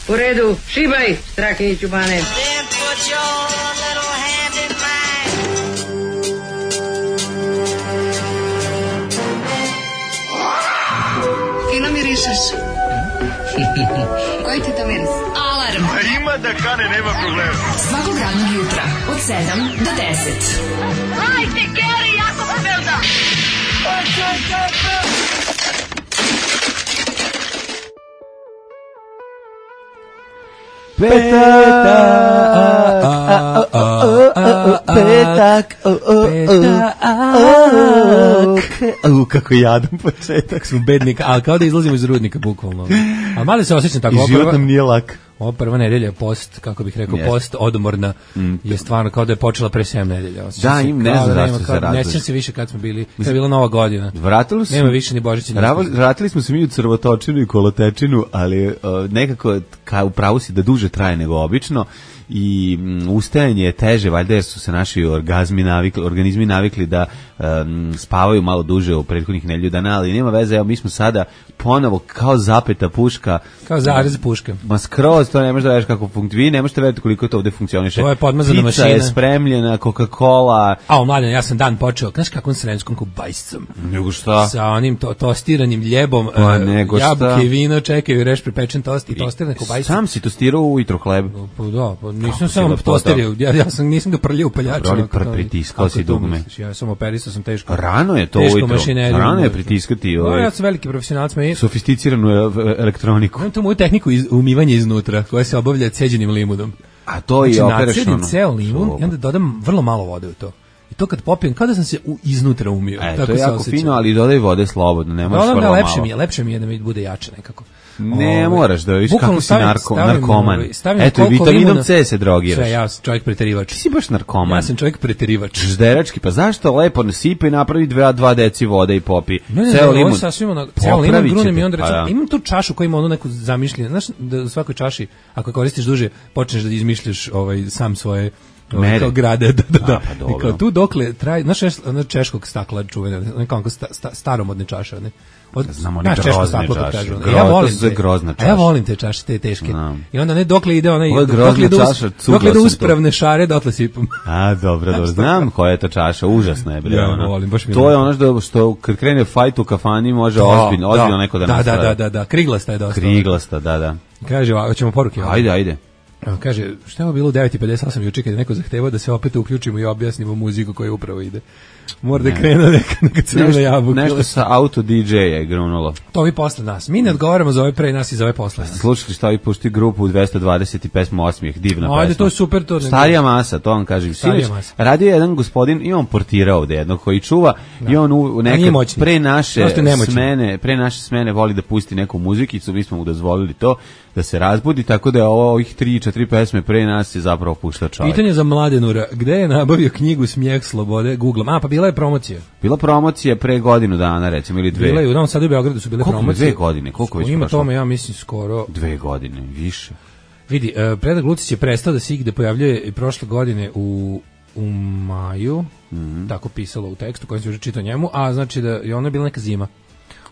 U redu, šibaj, Strahinjić u bane. Fino mirišeš. Koji ti to miris? Alarm. A ima da kane, nema problema. Svakog radnog jutra, od 7 do 10. Hajde, Geri, jako se velda. Petak. Kako jadan početak. Smo bednika, ali kao da izlazimo iz rudnika, bukvalno. A malo se osjećam tako. I život nam nije lak. Ova prva nedelja post, kako bih rekao, post odmorna je stvarno kao da je počela pre 7 nedelja. Da, im ne znam zašto se razloži. Ne sjećam se više kad smo bili, kad je bila Nova godina. Nema više ni Božića. Vratili smo se mi u crvotočinu i kolotečinu, ali nekako u pravu si da duže traje nego obično i ustajanje je teže, valjda jer su se naši organizmi navikli da spavaju malo duže u prethodnih nedelju dana, ali nema veze, evo mi smo sada ponovo kao zapeta puška. Kao zarez puška. Ma skroz, to ne možeš da veš kako funkcionira, vi ne možete vedeti koliko to ovde funkcioniše. To je podmazana mašina. Pizza je spremljena, Coca-Cola. A, mladen, ja sam dan počeo, znaš kakvom sremskom kubajscom. Nego šta? Sa onim tostiranim ljebom, jabuke i vino, čekaju, reš pripečen tost i tostirane kubajce. Sam si tostirao ujutro hleb? Da, nisam samo tosterio, nisam ga prljao u paljaču. Pritiskao si dugme. Ja sam operisao, sam teško. Rano je to ujutro. Rano je pritiskati. Ja sam veliki profesionalac. Sofisticiranu elektroniku. Imam tu moju tehniku umivanja iznutra, koja se obavlja ceđenim limunom. A to je operašno. Nacedim ceo limun i onda dodam vrlo malo vode u to. I to kad popijem, kao da sam se iznutra umio. To je jako fino, ali dodaj vode slobodno, ne možeš vrlo malo. Lepše mi je da mi bude jače nekako. Ne moraš da viš kako si narkoman. Eto, vitaminom C se drogiraš. Sve, ja sam čovjek preterivač. Ti si baš narkoman. Ja sam čovjek preterivač. Žderački, pa zašto lepo nasipa i napravi 2 deci vode i popi. Ceo limun. Ceo limun grunem i onda rečem, imam tu čašu koja ima onu neku zamišljenu. Znaš, da u svakoj čaši, ako koristiš duže, počneš da izmišljaš sam svoje kao grade, da. I kao tu dokle traje, znaš češkog stakla čuvena, nekako staromodne čaše, ne? Znamo one grozne čaše. Ja volim te čaše, te teške. I onda ne dokle ide onaj, dokle ide uspravne šare, dotle sipam. A, dobro. Znam koja je ta čaša, užasna je. Ja volim, baš mi. To je ono što kad krene fajt u kafani može ozbiljno neko da nastrada. Da, kriglasta je dosta. Kriglasta, da. Kaže, hoćemo poruke. Ajde. Kaže, šta je ovo bilo u 9:58 juče kad je neko zahtevao da se opet uključimo i objasnimo muziku koja upravo ide. Mora da krene neka crvena jabuka. Nešto sa auto DJ je grunulo. To vi posle nas. Mi ne odgovaramo za ove pre nas i za ove posle nas. Slušali šta vi pušti grupu u 220 i pesmu Osmijeh, divna pesma. Ajde, to je super. Starija masa, to vam kažem. Radio je jedan gospodin, i on portira ovde jednog koji čuva i on nekad pre naše smene voli da pusti neku muzikicu, mi smo mu dozvolili to da se razbudi, tako da je ovih 3-4 pesme pre nas je zapravo pušta čovjek. Pitanje za Mladenura, gde je nabavio knjigu Smijeh slobode? Googlom. Pa bila je promocija. Bila promocija pre godinu dana, recimo, ili 2. Bila je u Novom Sadu i Beogradu su bile promocije. 2 godine? Koliko već ima tome, ja mislim, skoro 2 godine, više. Vidi, Predrag Lucić je prestao da se igde pojavljuje i prošle godine u maju, tako pisalo u tekstu koji se još čitao njemu, a znači da je ona bila neka zima.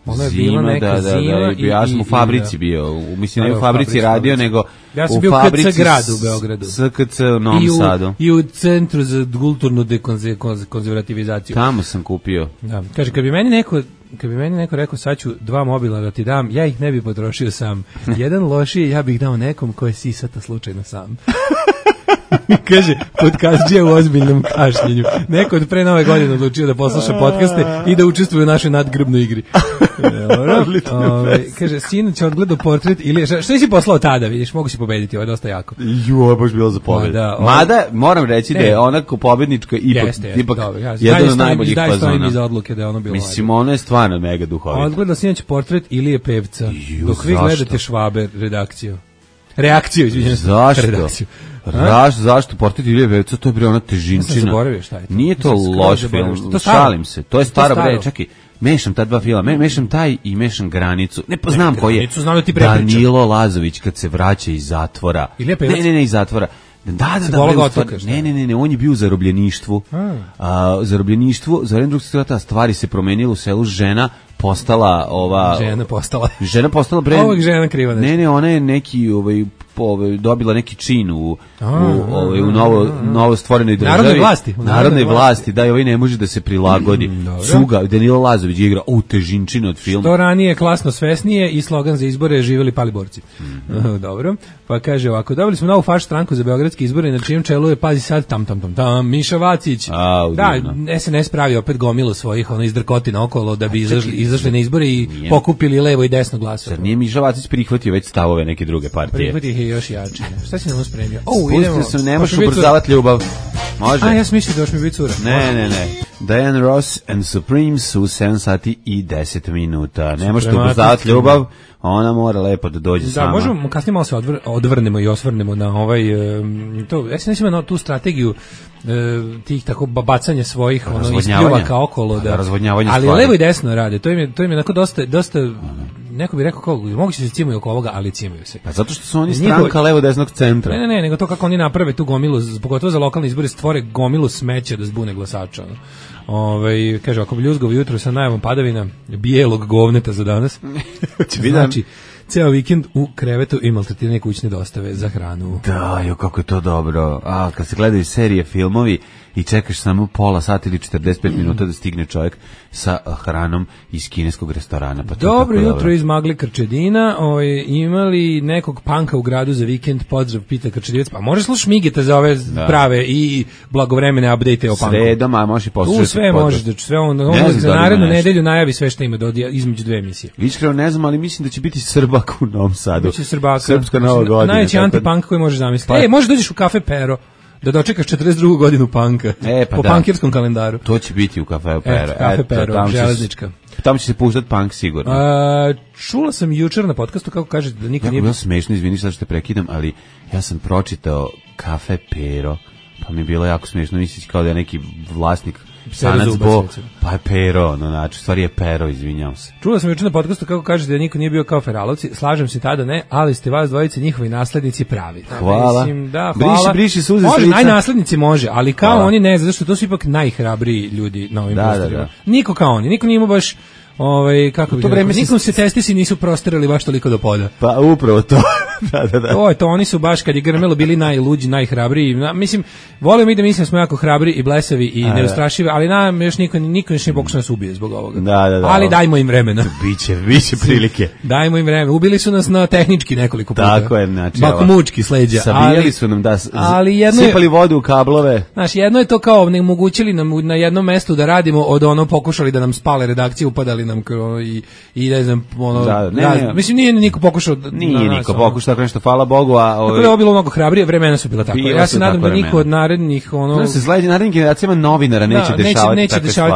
Ona je bila neka zima i ja sam u fabrici bio, mislim ne u fabrici radio, nego ja sam bio u KC gradu u Beogradu. SKC u Novom Sadu. I u Centru za kulturnu dekonzervativizaciju. Tamo sam kupio. Da. Kaže, kad bi meni neko rekao sad ću 2 mobila da ti dam, ja ih ne bi potrošio sam. Jedan lošiji ja bih dao nekom ko je sisata slučajno sam. Kaže, podcastđija u ozbiljnom kašljenju. Neko od pre Nove godine odlučio da posluša podcaste i da učestvuje u našoj nadgrbnoj igri. Kaže, sinoć odgledao portret ili što si poslao tada, vidiš, mogu si pobediti, ovo je dosta jako. Ovo je baš bilo za pobedu. Mada, moram reći da je onako pobednička ipak jedan od najboljih fazona. Mislim, ono je stvarno mega duhovito. Odgledao sinoć portret Ilije Pevca, dok vi gledate Švaber reakciju, izvinjam se. Zašto? Zašto? Portret Ilije Pevca, to je bre ona težinčina. Nije to loš film, šalim se. To je staro bre, čekaj. Mešam ta dva filma, mešam taj i mešam Granicu. Ne poznam koji je. Danilo Lazović kad se vraća iz zatvora. Ne, iz zatvora. Da, ne, on je bio u zarobljeništvu. Zarobljeništvu, za vreme Drugog svjetskog rata stvari se promenilo u selu, žena postala Žena postala bre. Ovog žena kriva nešto. Ne, ona je neki dobila neki čin u novo stvorenoj državi. Narodnoj vlasti, da, i ovaj ne može da se prilagodi. Cuga, Danilo Lazović igra težinčinu od filma. Što ranije klasno svesnije i slogan za izbore živjeli pali borci. Dobro. Pa kaže ovako, dobili smo novu faš stranku za beogradske izbore, na čijem čelu je, pazi sad, tam, Miša Vacić. Da, SNS pravi opet gomilu svojih izdrkotina okolo da bi izašli na izbore i pokupili levo i desno glasove. Zar nije Miša Vacić prihvatio već stavove neke druge partije? Prihvatio ih je još jače. Šta si nam spremio? Spustite se, ne možeš ubrzavati ljubav. Može. Ja sam mislio da još mi biti cura. Ne. Diana Ross and Supremes u 7 sati i 10 minuta. Ne možete ubrzavati ljubav, ona mora lepo da dođe sama. Da, možemo kasnije malo se odvrnemo i osvrnemo na to. Ja se mislim na tu strategiju tih tako bacanja svojih ispljuvaka okolo, da razvodnjavanje ali stvari. Levo i desno rade. To im je onako dosta neko bi rekao kako mogu se cimaju oko ovoga, ali cimaju se. Pa zato što su oni stranka levo desnog centra. Ne, nego to kako oni naprave tu gomilu, pogotovo za lokalne izbore, stvore gomilu smeća da zbune glasača. Kaže, ako bi ljuzgovo jutro sa najavom padavina bijelog govneta za danas. Znači, ceo vikend u krevetu i maltretirane kućne dostave za hranu. Da, kako je to dobro. Kad se gledaju serije, filmovi i čekaš samo pola sata ili 45 minuta da stigne čovjek sa hranom iz kineskog restorana. Pa dobro jutro iz Magli Krčedina. Imali nekog panka u gradu za vikend? Pozdrav, pita Krčedinac. Pa može slušati Migeta za ove prave i blagovremene update o panku. Sredom, a možeš i poslušati. Sve možeš, sve za narednu nedelju najavi sve što ima između dve emisije. Iskreno ne znam, ali mislim da će biti Srbak u Novom Sadu. Biće Srbaka. Srpska Nova godina. Najveći antipunk koji možeš zamisliti. Može dođeš u kafe Pero da dočekaš 42. godinu panka po pankirskom kalendaru. To će biti u Kafe Pero. Kafe Pero, železnička. Tamo će se puštati punk sigurno. Čula sam jučer na podcastu kako kažete da niko nije... Jako bilo smešno, izvini sad što te prekidam, ali ja sam pročitao Kafe Pero, pa mi je bilo jako smešno, mislići kao da je neki vlasnik Sanac Bo, pa je Pero, znači, stvari je Pero, izvinjam se. Čula sam jučer na podcastu kako kažete da niko nije bio kao Feralovci, slažem se tada ne, ali ste vas dvojice njihovi naslednici pravi. Hvala. Hvala. Briši suze može, najnaslednici može, ali kao oni ne, zato što to su ipak najhrabriji ljudi na ovim prostorima. Niko kao oni, niko nije imao baš kako bi rekao, nikom se testisi nisu prostirali baš toliko do poda. Pa upravo to. Da. To oni su baš kad je grmelo bili najluđi, najhrabriji. Mislim, volimo i da mislim da smo jako hrabri i blesavi i neustrašivi, ali nam još niko još nije pokušao nas ubije zbog ovoga. Da. Ali dajmo im vremena. Biće prilike. Dajmo im vremena. Ubili su nas na tehnički nekoliko puta. Tako je, znači. Bakomučki sleđa. Sabijali su nam sipali vodu u kablove. Znači, jedno je to kao omogućili nam na jednom mestu da radimo, od pokušali da nam spale redakcije, upadali nam i ne znam, mislim nije niko pokušao. Nije niko pokušao tako nešto, hvala Bogu, tako da je bilo mnogo hrabrije, vremena su bila tako. Ja se nadam da niko od narednih se sledeći narednim generacijama novinara neće dešavati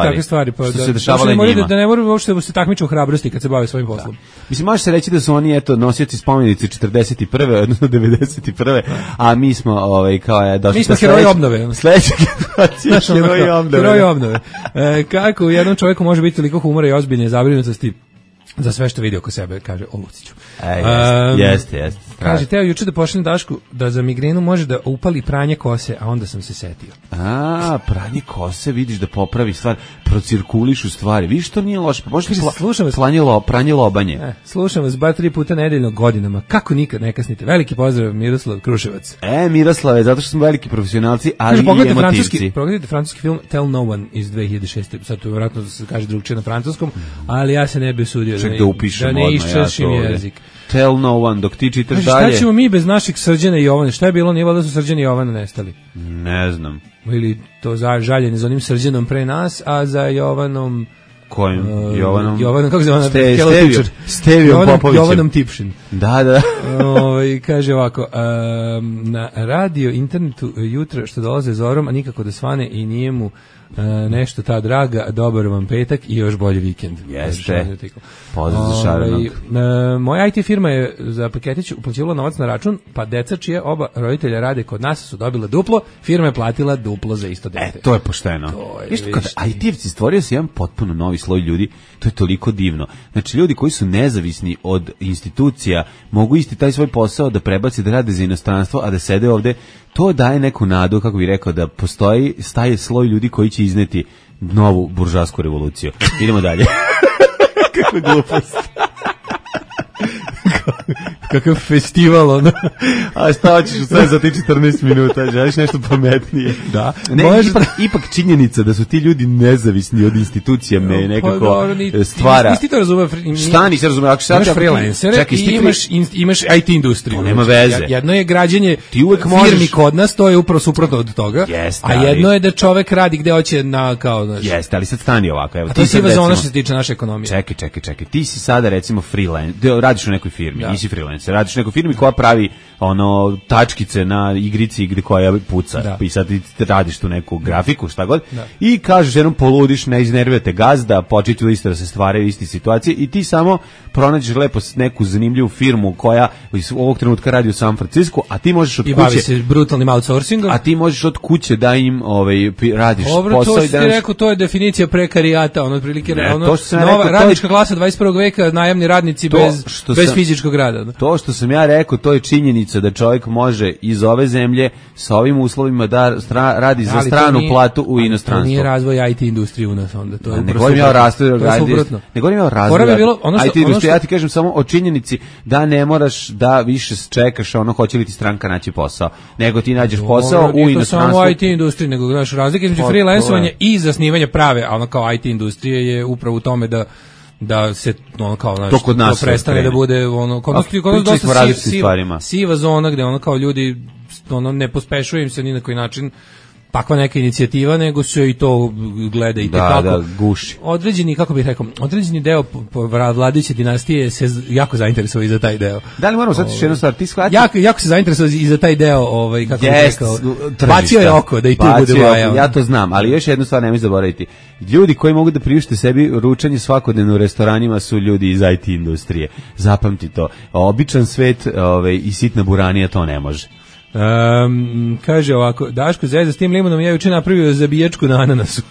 takve stvari. Što se dešavale njima. Da ne moraju uopšte da se takmiče u hrabrosti kad se bave svojim poslom. Mislim, može se reći da su oni nosioci spomenice 41. odnosno 91. a mi smo kao došli. Mi smo heroji obnove. Sledeća generacija heroji obnove. Kako u jednom čovjeku može biti toliko humora i ozbiljne zabrinutosti za sve što vidi oko sebe, kaže o Luciću. Jeste. Kaže, teo juče da pošaljem Dašku da za migrenu može da upali pranje kose, a onda sam se setio. Pranje kose, vidiš da popravi stvar, procirkulišu stvari, vidiš to nije loše, pa možeš pranje lobanje. Slušam vas 2-3 puta nedeljno godinama, kako nikad ne kasnite. Veliki pozdrav, Miroslav Kruševac. Miroslave, zato što smo veliki profesionalci, ali i emotivci. Pogledajte francuski film Tell No One iz 2006. Sad to vjerojatno se kaže drugčije na francuskom, ali ja se ne bi usudio da ne iščešim jezik. Tell No One, dok ti čitaš dalje. Šta ćemo mi bez naših Srđana i Jovana? Šta je bilo? Nije valjda su Srđan i Jovana nestali? Ne znam. Ili to žaljenje za onim Srđanom pre nas, a za Jovanom... Kojim? Jovanom? Jovanom, kako se zove? Stevijom Popovićem. Jovanom Tipšin. Da. Kaže ovako, na radio, internetu jutra što dolaze zorom, a nikako da svane i nije mu nešto ta draga, dobar vam petak i još bolji vikend. Jeste. Pozdrav za Šaranog. Moja IT firma je za paketić uplaćivala novac na račun, pa deca čije oba roditelja rade kod nas su dobila duplo, firma je platila duplo za isto dete. To je pošteno. IT-evci stvorio se jedan potpuno novi sloj ljudi, to je toliko divno. Znači, ljudi koji su nezavisni od institucija mogu isti taj svoj posao da prebaci da rade za inostranstvo, a da sede ovde. To daje neku nadu, kako bih rekao, da postoji staje sloj ljudi koji će izneti novu buržasku revoluciju. Idemo dalje. Kakva glupost. kakav festival, ono. A šta hoćeš sve za ti 14 minuta, želiš nešto pametnije? Da. Ne, ipak činjenica da su ti ljudi nezavisni od institucija me nekako stvara. Nisi to razumeo. Šta nisi razumeo? Ako imaš freelancere i imaš IT industriju. Nema veze. Jedno je građenje firmi kod nas, to je upravo suprotno od toga. A jedno je da čovek radi gde hoće na kao, znaš. Jeste, ali sad stani ovako. Evo, a to je siva zona što se tiče naše ekonomije. Čekaj. Ti si sada recimo freelancer, radiš u nekoj firmi, nisi freelancer, radiš u nekoj firmi koja pravi ono tačkice na igrici gde koja puca. I sad ti radiš tu neku grafiku, šta god. I kažeš jednom poludiš, ne iznervujete gazda, počinju isto da se stvaraju iste situacije i ti samo pronađeš lepo neku zanimljivu firmu koja ovog trenutka radi u San Francisku, a ti možeš od kuće... I bavi se brutalnim outsourcingom. A ti možeš od kuće da im radiš posao. To što ti rekao, to je definicija prekarijata, ono otprilike, nova radnička klasa 21. veka, najamni radnici bez fizičkog rada. To što sam ja rekao, to je činjenica da čovjek može iz ove zemlje sa ovim uslovima da radi za stranu platu u inostranstvu. To nije razvoj IT industrije u nas onda. To je ne govorim ja o razvoju IT industrije, ja ti kažem samo o činjenici da ne moraš da više čekaš ono hoće li ti stranka naći posao, nego ti nađeš posao u inostranstvu. To samo IT industriji, nego znaš, razlika između freelancovanja i zasnivanja prave, a ono kao IT industrije je upravo u tome da se ono kao znaš, to prestane da bude ono kod nas dosta siva zona gde ono kao ljudi ono ne pospešuje im se ni na koji način takva neka inicijativa, nego se i to gleda i tekako. Da, guši. Određeni, kako bih rekao, određeni deo vladajuće dinastije se jako zainteresovao i za taj deo. Da li moramo sad još jednu stvar, ti shvati? Jako se zainteresovao i za taj deo, kako bih rekao, bacio je oko da i tu bude vaja. Ja to znam, ali još jednu stvar nemoj zaboraviti. Ljudi koji mogu da priušte sebi ručanje svakodnevno u restoranima su ljudi iz IT industrije. Zapamti to. Običan svet i sitna buranija to ne može. Kaže ovako, Daško Zezda s tim limunom ja juče napravio zabijačku na ananasu.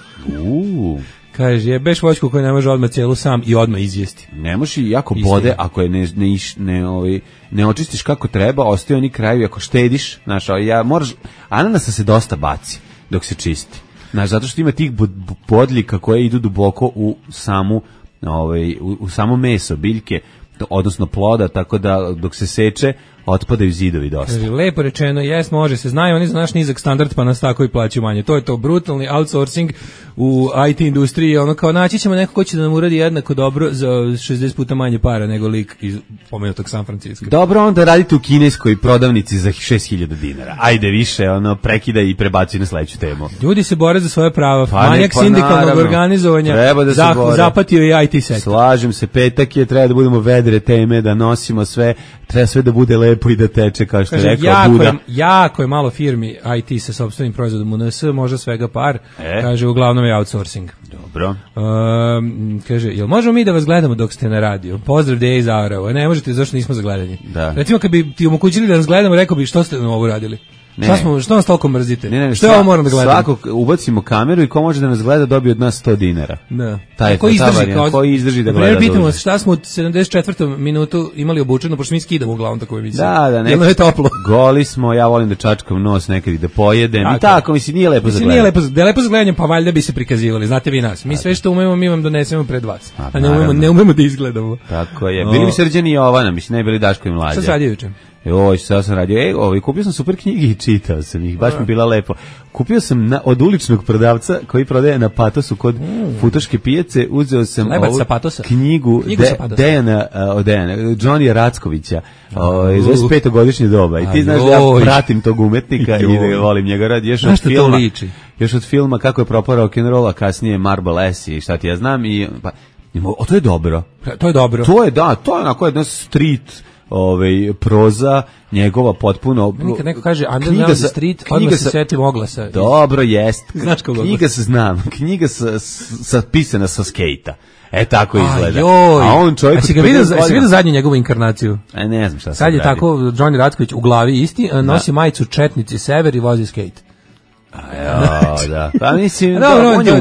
Kaže, jebeš voćku koju ne može odmah cijelu sam i odmah izjesti. Ne može i jako bode ako je ne očistiš kako treba, ostaju oni krajevi ako štediš, znaš, ananasa se dosta baci dok se čisti. Znaš, zato što ima tih bodljika koje idu duboko u samo meso, biljke, odnosno ploda, tako da dok se seče otpadaju zidovi dosta. Lepo rečeno, može se, znaju oni za naš nizak standard pa nas tako i plaćaju manje. To je to brutalni outsourcing u IT industriji, ono kao naći ćemo neko ko će da nam uradi jednako dobro za 60 puta manje para nego lik iz pomenutog San Francisco. Dobro, onda radite u kineskoj prodavnici za 6.000 dinara. Ajde više, prekida i prebaci na sledeću temu. Ljudi se bore za svoje prava, manjak sindikalnog organizovanja, zapatio i IT sektor. Slažem se, petak je, treba da budemo vedre teme, da nosimo sve, treba sve da bude lepo i da teče, kao što je rekao Buda. Jako je malo firmi IT sa sopstvenim proizvodom u NS, možda svega par, kaže, uglavnom je outsourcing. Dobro. Kaže, jel možemo mi da vas gledamo dok ste na radiju? Pozdrav Deja iz Aurova. Ne možete, zašto nismo za gledanje. Da. Recimo, kad bi ti omogućili da nas gledamo, rekao bi što ste na ovo radili? Što nas toliko mrzite? Ne, što ovo moram da gledam? Svakog ubacimo kameru i ko može da nas gleda dobije od nas 100 dinara. Da. Ko izdrži da gleda. Pitamo se šta smo u 74. minutu imali obučeno, pošto mi skidamo uglavnom tako emisiju. Da, Jel je toplo? Goli smo, ja volim da čačkam nos nekad i da pojedem. I tako, mislim, nije lepo za gledanje. Da je lepo za gledanje, pa valjda bi se prikazivali. Znate vi nas. Mi sve što umemo, mi vam donesemo pred vas. A ne umemo da izgledamo. Tako je. Bili bi Srđan i Jovana, mislim, ne bili Daško i Mlađa. Šta se radi juče? Sad sam radio, kupio sam super knjige i čitao sam ih, baš mi bila lepo. Kupio sam od uličnog prodavca koji prodaje na Patosu kod Futoške pijace, uzeo sam ovu knjigu Dejana Johnny Rackovića, iz 25-godišnje doba. I ti znaš da ja pratim tog umetnika i da volim njega rad. Još od filma Kako je propao rock'n'roll, a kasnije Marble S i šta ti ja znam. To je dobro. To je dobro. To je onako jedna street proza njegova potpuno. Kad neko kaže Underground Street, odmah se setim oglasa. Dobro, jest. Znaš kako knjiga se znam. Knjiga pisana sa skejta. Tako izgleda. A on čovjek... Si vidio zadnju njegovu inkarnaciju? Ne znam šta sad je tako Johnny Racković u glavi isti, nosi majicu Četnici sever i vozi skejt. Da. Pa mislim, on je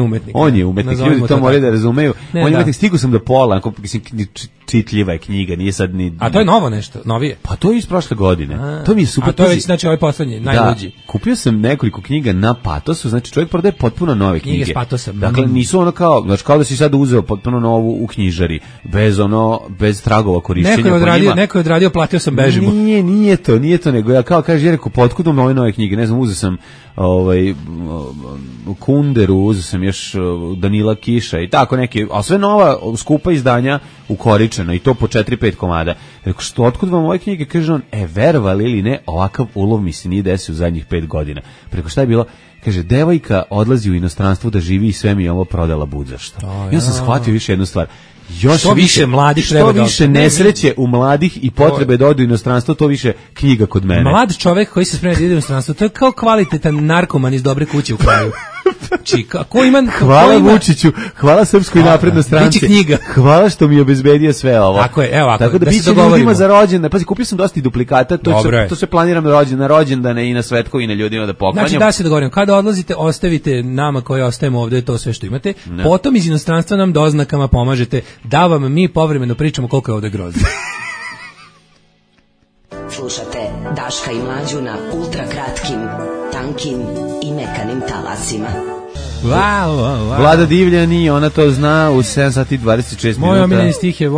umetnik. On je umetnik. Ljudi to moraju da razumeju. On je umetnik, stigu sam do pola, čitljiva je knjiga, nije sad ni... A to je novo nešto, novije? Pa to je iz prošle godine. To mi je super. A to je već, znači, ovaj poslednji, najluđi. Da, kupio sam nekoliko knjiga na Patosu, znači čovjek prodaje potpuno nove knjige. Knjige s Patosom. Dakle, nisu ono kao, znači kao da si sad uzeo potpuno novu u knjižari, bez tragova korišćenja po njima. Neko je odradio, platio sam, bežimo. Nije to, nego ja kao kaže, rekao, potkudom ove nove knjige, ne znam, uzeo sam Kunderu, uzeo sam još Danila Kiša i tako neki, a sve nova skupa izdanja ukoričena i to po 4-5 komada. Rekao, što, otkud vam ove knjige? Kaže on, verovali ili ne, ovakav ulov mi se nije desio u zadnjih 5 godina. Preko šta je bilo? Kaže, devojka odlazi u inostranstvo da živi i sve mi je ovo prodala budzašto. Ja sam shvatio više jednu stvar. Što više mladih treba da... Što više nesreće u mladih i potrebe da odu u inostranstvo, to više knjiga kod mene. Mlad čovek koji se sprema da ide u inostranstvo, to je kao kvalitetan narkoman iz dobre kuće u kraju. Hvala Vučiću, hvala Srpskoj naprednoj stranci. Biće knjiga. Hvala što mi obezbedio sve ovo. Tako je, evo, tako da biće ljudima za rođendan. Pazi, kupio sam dosta duplikata, to se planiram na rođendane i na svetkovine ljudima da poklanjam. Znači da se dogovorimo, kada odlazite, ostavite nama koji ostajemo ovde to sve što imate, potom iz inostranstva nam doznakama pomažete da vam mi povremeno pričamo koliko je ovde grozno. Slušate Daška i Mlađu na ultra kratkim, tankim i mekanim talasima. Vlada Divljani, ona to zna u 7 sati 26 minuta. Moj omiljeni stih je,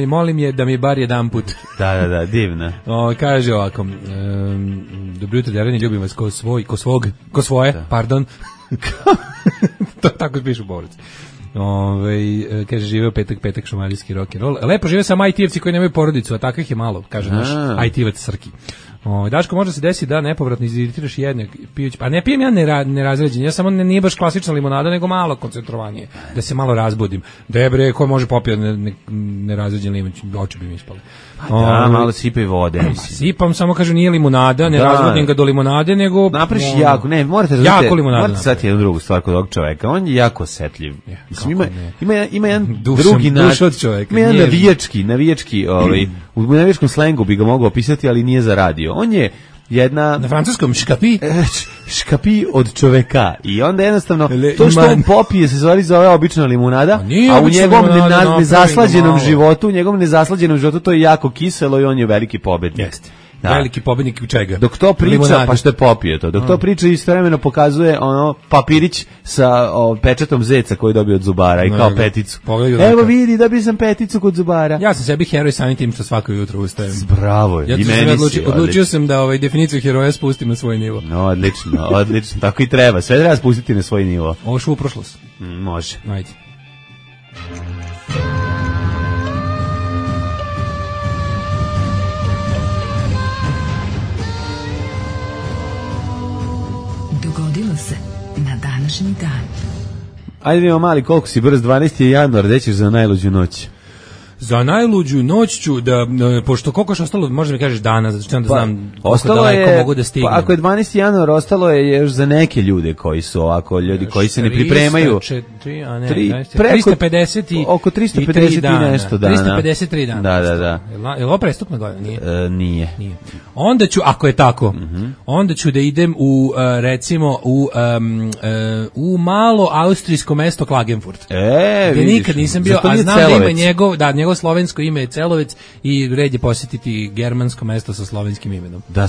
molim je da mi bar jedan put. Da, divna. Kaže ovako, dobro jutro, Jarani, ljubim vas ko svoje, pardon. To tako pišu borci. Kaže, živeo petak šumadijski rock'n'roll. Lepo žive samo IT-evci koji nemaju porodicu, a takvih je malo, kaže naš IT-evac Srki. Daško, može se desiti da nepovratno iziritiraš jedne pijući, pa ne pijem ja nerazređen, ja samo nije baš klasična limonada, nego malo koncentrovanije, da se malo razbudim. Debre, ko može popijati nerazređen limun, oči bi mi ispale. Malo sipaj vode. Sipam, samo kažu nije limonada, ne razbudim ga do limonade, nego... Napraviš jako, ne, morate sad jednu drugu stvar kod ovog čoveka, on je jako osetljiv. Ima jedan drugi način, ima jedan navijački, u navijačkom slengu bi ga mogao opisati, ali nije za radio. On je jedna... Na francuskom škapi od čoveka. I onda jednostavno, to što on popije se zove obična limunada, a u njegovom nezaslađenom životu to je jako kiselo i on je veliki pobednik. Jeste. Da. Veliki pobednik u čega? Dok to priča, limonade. Pa što je popio to. Dok to priča istovremeno pokazuje papirić sa pečatom zeca koji je dobio od zubara i kao peticu. Evo vidi, dobio sam peticu kod zubara. Ja sam sebi heroj samim tim što svako jutro ustajem. Bravo. Ja odlučio sam da definiciju heroja spustim na svoj nivo. Odlično. Tako i treba. Sve treba spustiti na svoj nivo. Ovo šu u prošlost. Može. Ajde. Dogodilo se na današnji dan. Ajde vidimo mali koliko si brz, 12. januar, gde ćeš za najluđu noć? Za najluđu noć ću da, pošto koliko je ostalo, možda mi kažeš dana, zato što onda znam koliko daleko mogu da stignem. Ako je 12. januar, ostalo je još za neke ljude koji su ovako, ljudi koji se ne pripremaju. 350 oko 350 i nešto dana. 353 dana. Da. Je li ovo prestupna godina? Nije. Onda ću, ako je tako, onda ću da idem u, recimo, u malo austrijsko mesto Klagenfurt. Gdje nikad nisam bio, a znam da ima njegov slovensko ime je Celovec i red je posjetiti germansko mesto sa slovenskim imenom. Da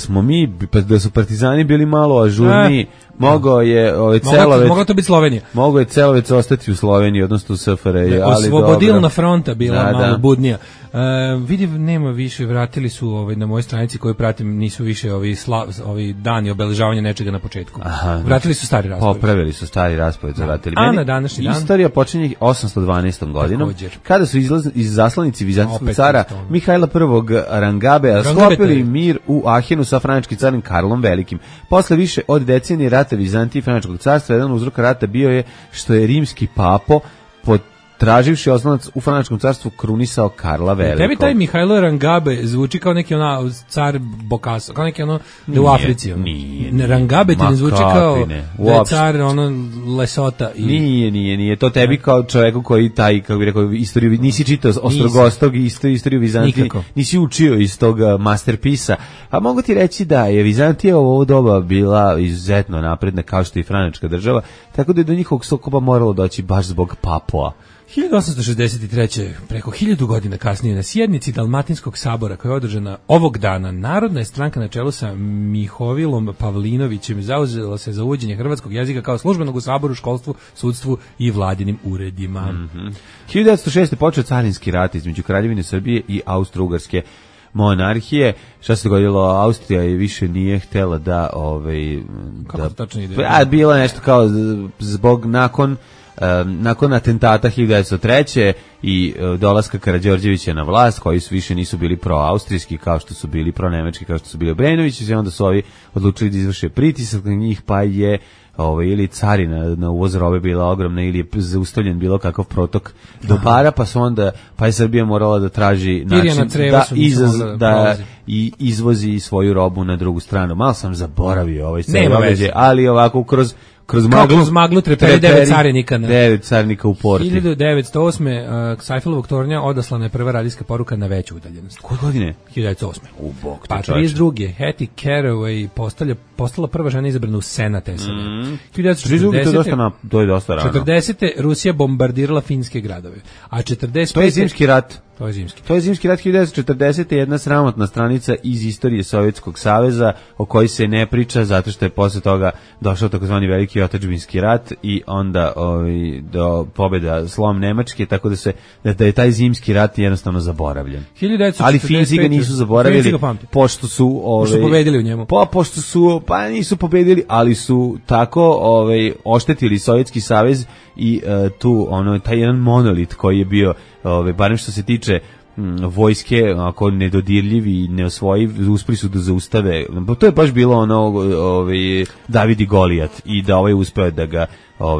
su partizani bili malo ažurniji, mogao je Celovec... Mogao to biti Slovenija. Mogao je Celovec ostati u Sloveniji, odnosno u SFRJ. Osvobodilna fronta bila malo budnija. Vidim, nema više, vratili su na mojoj stranici koju pratim, nisu više ovi dani obeležavanja nečega na početku. Vratili su stari raspored. Popravili su stari raspored, vratili. A na današnji dan? Istorija počinje 812. godinom, kada su iz zaslanici vizantijskog cara Mihajla I. Rangabea sklopili mir u Ahenu sa frančkim carem Karlom Velikim. Posle više od decenije rata Vizantije i frančkog carstva, jedan uzrok rata bio je što je rimski papo traživši oslonac u Frančkom carstvu krunisao Karla Velikog. Tebi taj Mihajlo Rangabe zvuči kao neki car Bokaso, kao neki u Africi. Nije. Rangabe ti ne zvuči kao da je car Lesota. Nije. To tebi kao čoveku koji kako bi rekao, istoriju, nisi čitao Ostrogostog i istoriju Vizantije, nisi učio iz tog masterpisa. A mogu ti reći da je Vizantija u ovo doba bila izuzetno napredna kao što i Frančka država, tako da je do njihovog sukoba moralo doći baš zbog Papua. 1863. preko 1000 godina kasnije na sjednici Dalmatinskog sabora koja je održana ovog dana, Narodna je stranka na čelu sa Mihovilom Pavlinovićem zauzela se za uvođenje hrvatskog jezika kao službenog u saboru, školstvu, sudstvu i vladinim uredima. 1906. počeo carinski rat između Kraljevine Srbije i Austro-Ugarske monarhije. Šta se dogodilo? Austrija je više nije htela da kako tačno ide? Bilo je nešto kao zbog nakon atentata 1903. i dolaska Karađorđevića na vlast, koji su više nisu bili pro-austrijski kao što su bili pro-nemački, kao što su bili Obrenovići, i onda su ovi odlučili da izvrše pritisak na njih, pa je ili carina na uvoz robe bila ogromna ili je zaustavljen bilo kakav protok dobara, pa je Srbija morala da traži način da izvozi svoju robu na drugu stranu. Malo sam zaboravio ovaj događaj, ali ovako kroz maglu treperi 9 carinika. 9 carinika u porti. 1908. Seifelovog tornja odaslana je prva radijska poruka na veću udaljenost. Koje godine? 1908. U bok te pa 32. Hattie Caraway postala prva žena izabrana u Senat SAD. 1940. To je dosta rano. 40. Rusija bombardirala finske gradove. A 45. To je zimski rat. To je zimski. To je zimski rat 1940. jedna sramotna stranica iz istorije Sovjetskog saveza o kojoj se ne priča zato što je posle toga došao takozvani veliki otadžbinski rat i onda do pobjeda slom Nemačke, tako da je taj zimski rat jednostavno zaboravljen. 1945. Ali Finci ga nisu zaboravili pošto su pobedili u njemu. Pošto su nisu pobedili, ali su tako oštetili Sovjetski savez i tu taj jedan monolit koji je bio barem što se tiče vojske, ako nedodirljiv i neosvojiv, uspeli su da zaustave. To je baš bilo David i Golijat i da uspeo da ga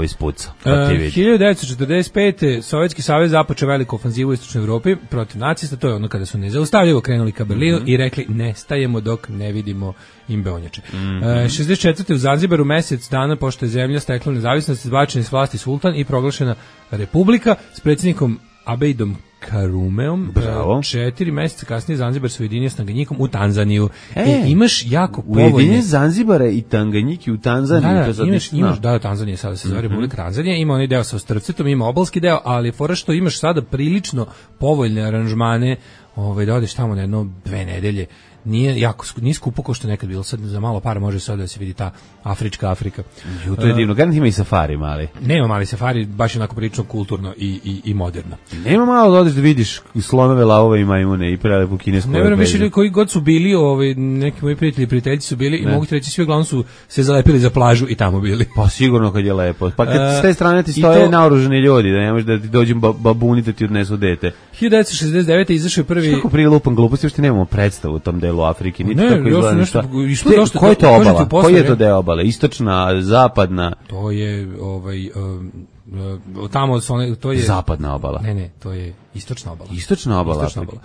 spuca. 1945. Sovjetski savez započeo veliku ofanzivu u istočnoj Evropi protiv nacista, to je ono kada su nezaustavljivo krenuli ka Berlinu i rekli ne stajemo dok ne vidimo im beonjače. 64. u Zanzibaru mesec dana pošto je zemlja stekla nezavisnost, izbačen s vlasti sultan i proglašena republika s predsjednikom Abejdom Karumeom. 4 meseca kasnije Zanzibar se ujedinio s Tanganjikom u Tanzaniju. Imaš jako povoljne... Ujedinje Zanzibara i Tanganjiki u Tanzaniju. Tanzanija sada se zove Republika Tanzanija. Ima onaj deo sa Ostrvcetom, ima obalski deo, ali fora što imaš sada prilično povoljne aranžmane da odeš tamo na 1-2 nedelje. Nije skupo kao što je nekad bilo, sad za malo para može sad da se vidi ta afrička Afrika. To je divno, garant ima i safari mali. Nema mali safari, baš je onako prilično kulturno i moderno. Nema malo da odeš da vidiš slonove, lavove i majmune i prelepu kinesku. Ne verujem više koji god su bili, neki moji prijatelji su bili i mogu ti reći svi uglavnom su se zalepili za plažu i tamo bili. Pa sigurno kad je lepo. Pa kad s te strane ti stoje naoružani ljudi, da ne može da ti dođu babuni da ti odnesu dete. 1969. izašao je prvi... Kako prije lupam gluposti, još ti nemamo predstavu u tom delu Afrike, niti ne, kako izgleda ništa. Koja je to obala? Koji je to deo obale? Istočna, zapadna? To je, tamo to je... Zapadna obala. Ne, to je istočna obala. Istočna obala Afrike.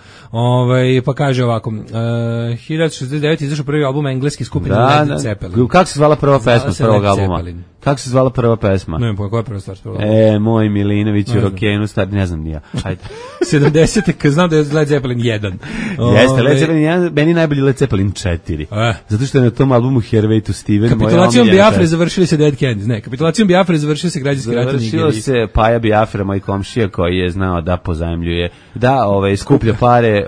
Pa kaže ovako, 1969. izašao prvi album engleski skupine Led Zeppelin. Kako se zvala prva pesma s prvog albuma? Kako se zvala prva pesma? Ne, koja je prva stvar s prvog albuma? Moj Milinović u rokenu, ne znam nija. 70. kad znam da je Led Zeppelin 1. Jeste, Led Zeppelin 1, meni najbolji Led Zeppelin 4. Zato što je na tom albumu Hervey to Steven. Kapitulacijom Biafre završili se Dead Kennedys. Ne, kapitulacijom Biafre završili se građanski rat u Nigeriji. Završilo se Paja Biafra, moj komšija koji je znao da pozajmljuje, da skuplja pare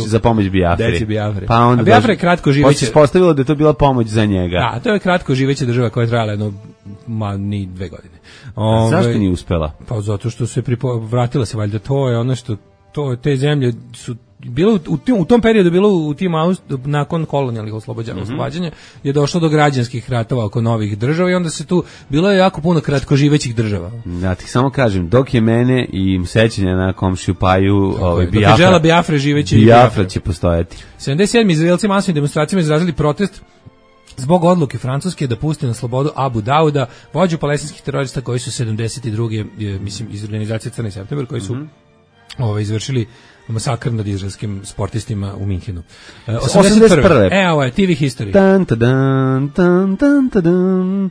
za pomoć Biafri. Deci Biafre. Pa onda a Biafra je kratko živeće. Pa se ispostavilo da je to bila pomoć za njega. Da, to je kratko živeća država koja je trajala ni 2 godine. Zašto nije uspela? Pa zato što se vratila se valjda, to je ono što te zemlje su bilo u tom periodu bilo u tim nakon kolonijalnih oslobađanja je došlo do građanskih ratova oko novih država i onda se tu bilo je jako puno kratkoživećih država. Ja ti samo kažem, dok je mene i sećanja na komšiju Paju, Biafra živeće Biafra će postojati. 77. Izraelci masovnim demonstracijama izrazili protest zbog odluke Francuske da puste na slobodu Abu Dauda, vođu palestinskih terorista koji su 72. mislim iz organizacije Crni septembar koji su izvršili masakr nad izraelskim sportistima u Minhenu. 81. Ovo je TV History. Tan tadan tan tan tadan.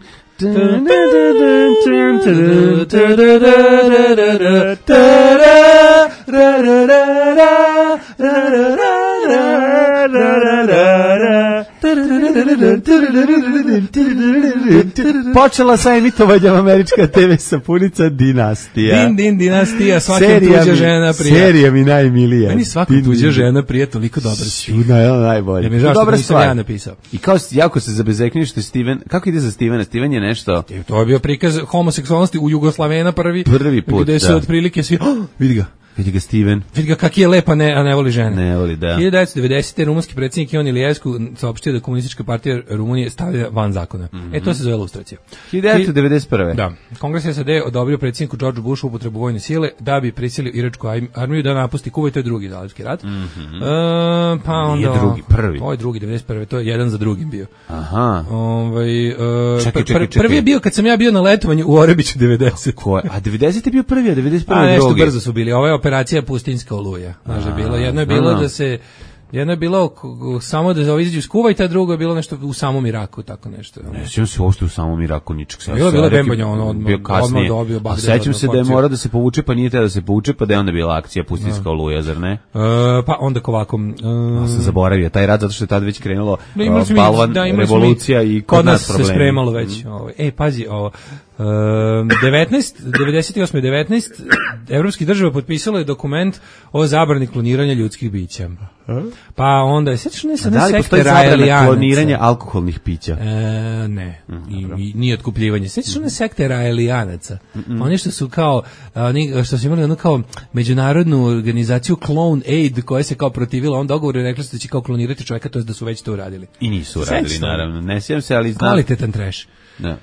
Počela sa emitovanjem američka TV sapunica Dinastija. Dinastija, svaka tuđa žena prija. Serija mi najmilija. Meni svaka tuđa žena prija toliko dobra. Najbolje. Mi žao što nisam ja napisao. I kao jako se zabezekniš što je Steven, kako ide za Stevena? Steven je nešto... To je bio prikaz homoseksualnosti u Jugoslavena prvi put, gde se otprilike svi, vidi ga. Vidi ga Steven. Vidi ga kak je lep, a ne voli žene. Ne voli, da. 1990. rumunski predsjednik Ion Iliescu saopštio da komunistička partija Rumunije stavlja van zakona. To se zove lustracija. 1991. Da. Kongres SAD odobrio predsjedniku George Bushu upotrebu vojne sile da bi prisilio iračku armiju da napusti Kuvajt, to je drugi zalivski rat. Pa onda... Nije drugi, prvi. Ovo je drugi, 91. To je jedan za drugim bio. Aha. Čekaj. Prvi je bio kad sam ja bio na letovanju u Orebiću 90. Ko je? A 90 je bio prvi, a 91. A nešto drugi. Brzo su bili. Ovo je operacija Pustinjska oluja. Znaš, jedno je bilo da se... Jedno je bilo samo da izađu iz Kuvajta, drugo je bilo nešto u samom Iraku, tako nešto. Ne sjećam se uopšte u samom Iraku ničeg. Bilo Bembanja, odmah dobio Bagdad. A sećam se da je morao da se povuče, pa nije teo da se povuče, pa da je onda bila akcija Pustinjska oluja, zar ne? Pa onda ovako... sam zaboravio taj rad, zato što je tad već krenulo balvan, revolucija i kod nas problemi. Se spremalo već. Pazi, ovo... 1998. evropskih država potpisalo je dokument o zabrani kloniranja ljudskih bića. Pa onda je sećaš ne sa da li postoji zabrana kloniranja alkoholnih pića? Ne. I nije otkupljivanje. Sećaš ne sekte Raelijanaca? Oni što su kao što su imali ono kao međunarodnu organizaciju Clone Aid koja se kao protivila on dogovoru i rekla da će kao klonirati čovjeka, to je da su već to uradili. I nisu uradili, naravno. Ne sjećam se, ali znam. Kvalitetan trash. Da.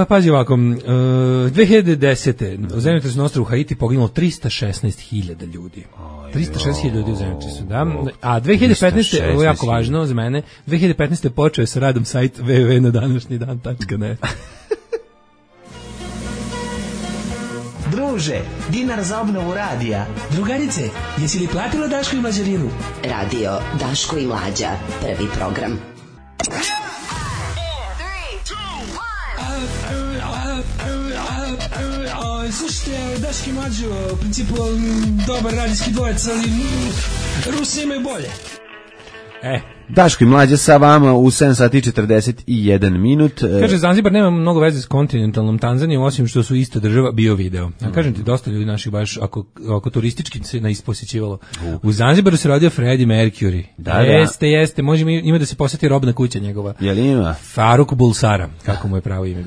Pazi ovako, 2010. u zemljotresu na ostrvu Haiti poginulo 316.000 ljudi. 316.000 ljudi u zemljotresu, da. A 2015. ovo je jako važno za mene, 2015. počeo sa radom sajt www.nadanašnjidan.net. Druže, dinar za obnovu radija. Drugarice, jesi li platila Daško i Mlađarinu? Radio Daško i Mlađa, prvi program. Slušajte, Daški Mlađo, u principu dobar radijski dvojec, ali Rusi imaju bolje. Daško i Mlađa sa vama u 7 sati 41 minut. Kaže, Zanzibar nema mnogo veze s kontinentalnom Tanzanijom, osim što su ista država bio video. Ja kažem ti, dosta ljudi naših baš, ako turistički se naisposjećivalo. U Zanzibaru se rodio Freddie Mercury. Jeste, može ima da se posjeti robna kuća njegova. Jel ima? Faruk Bulsara, kako mu je pravo ime.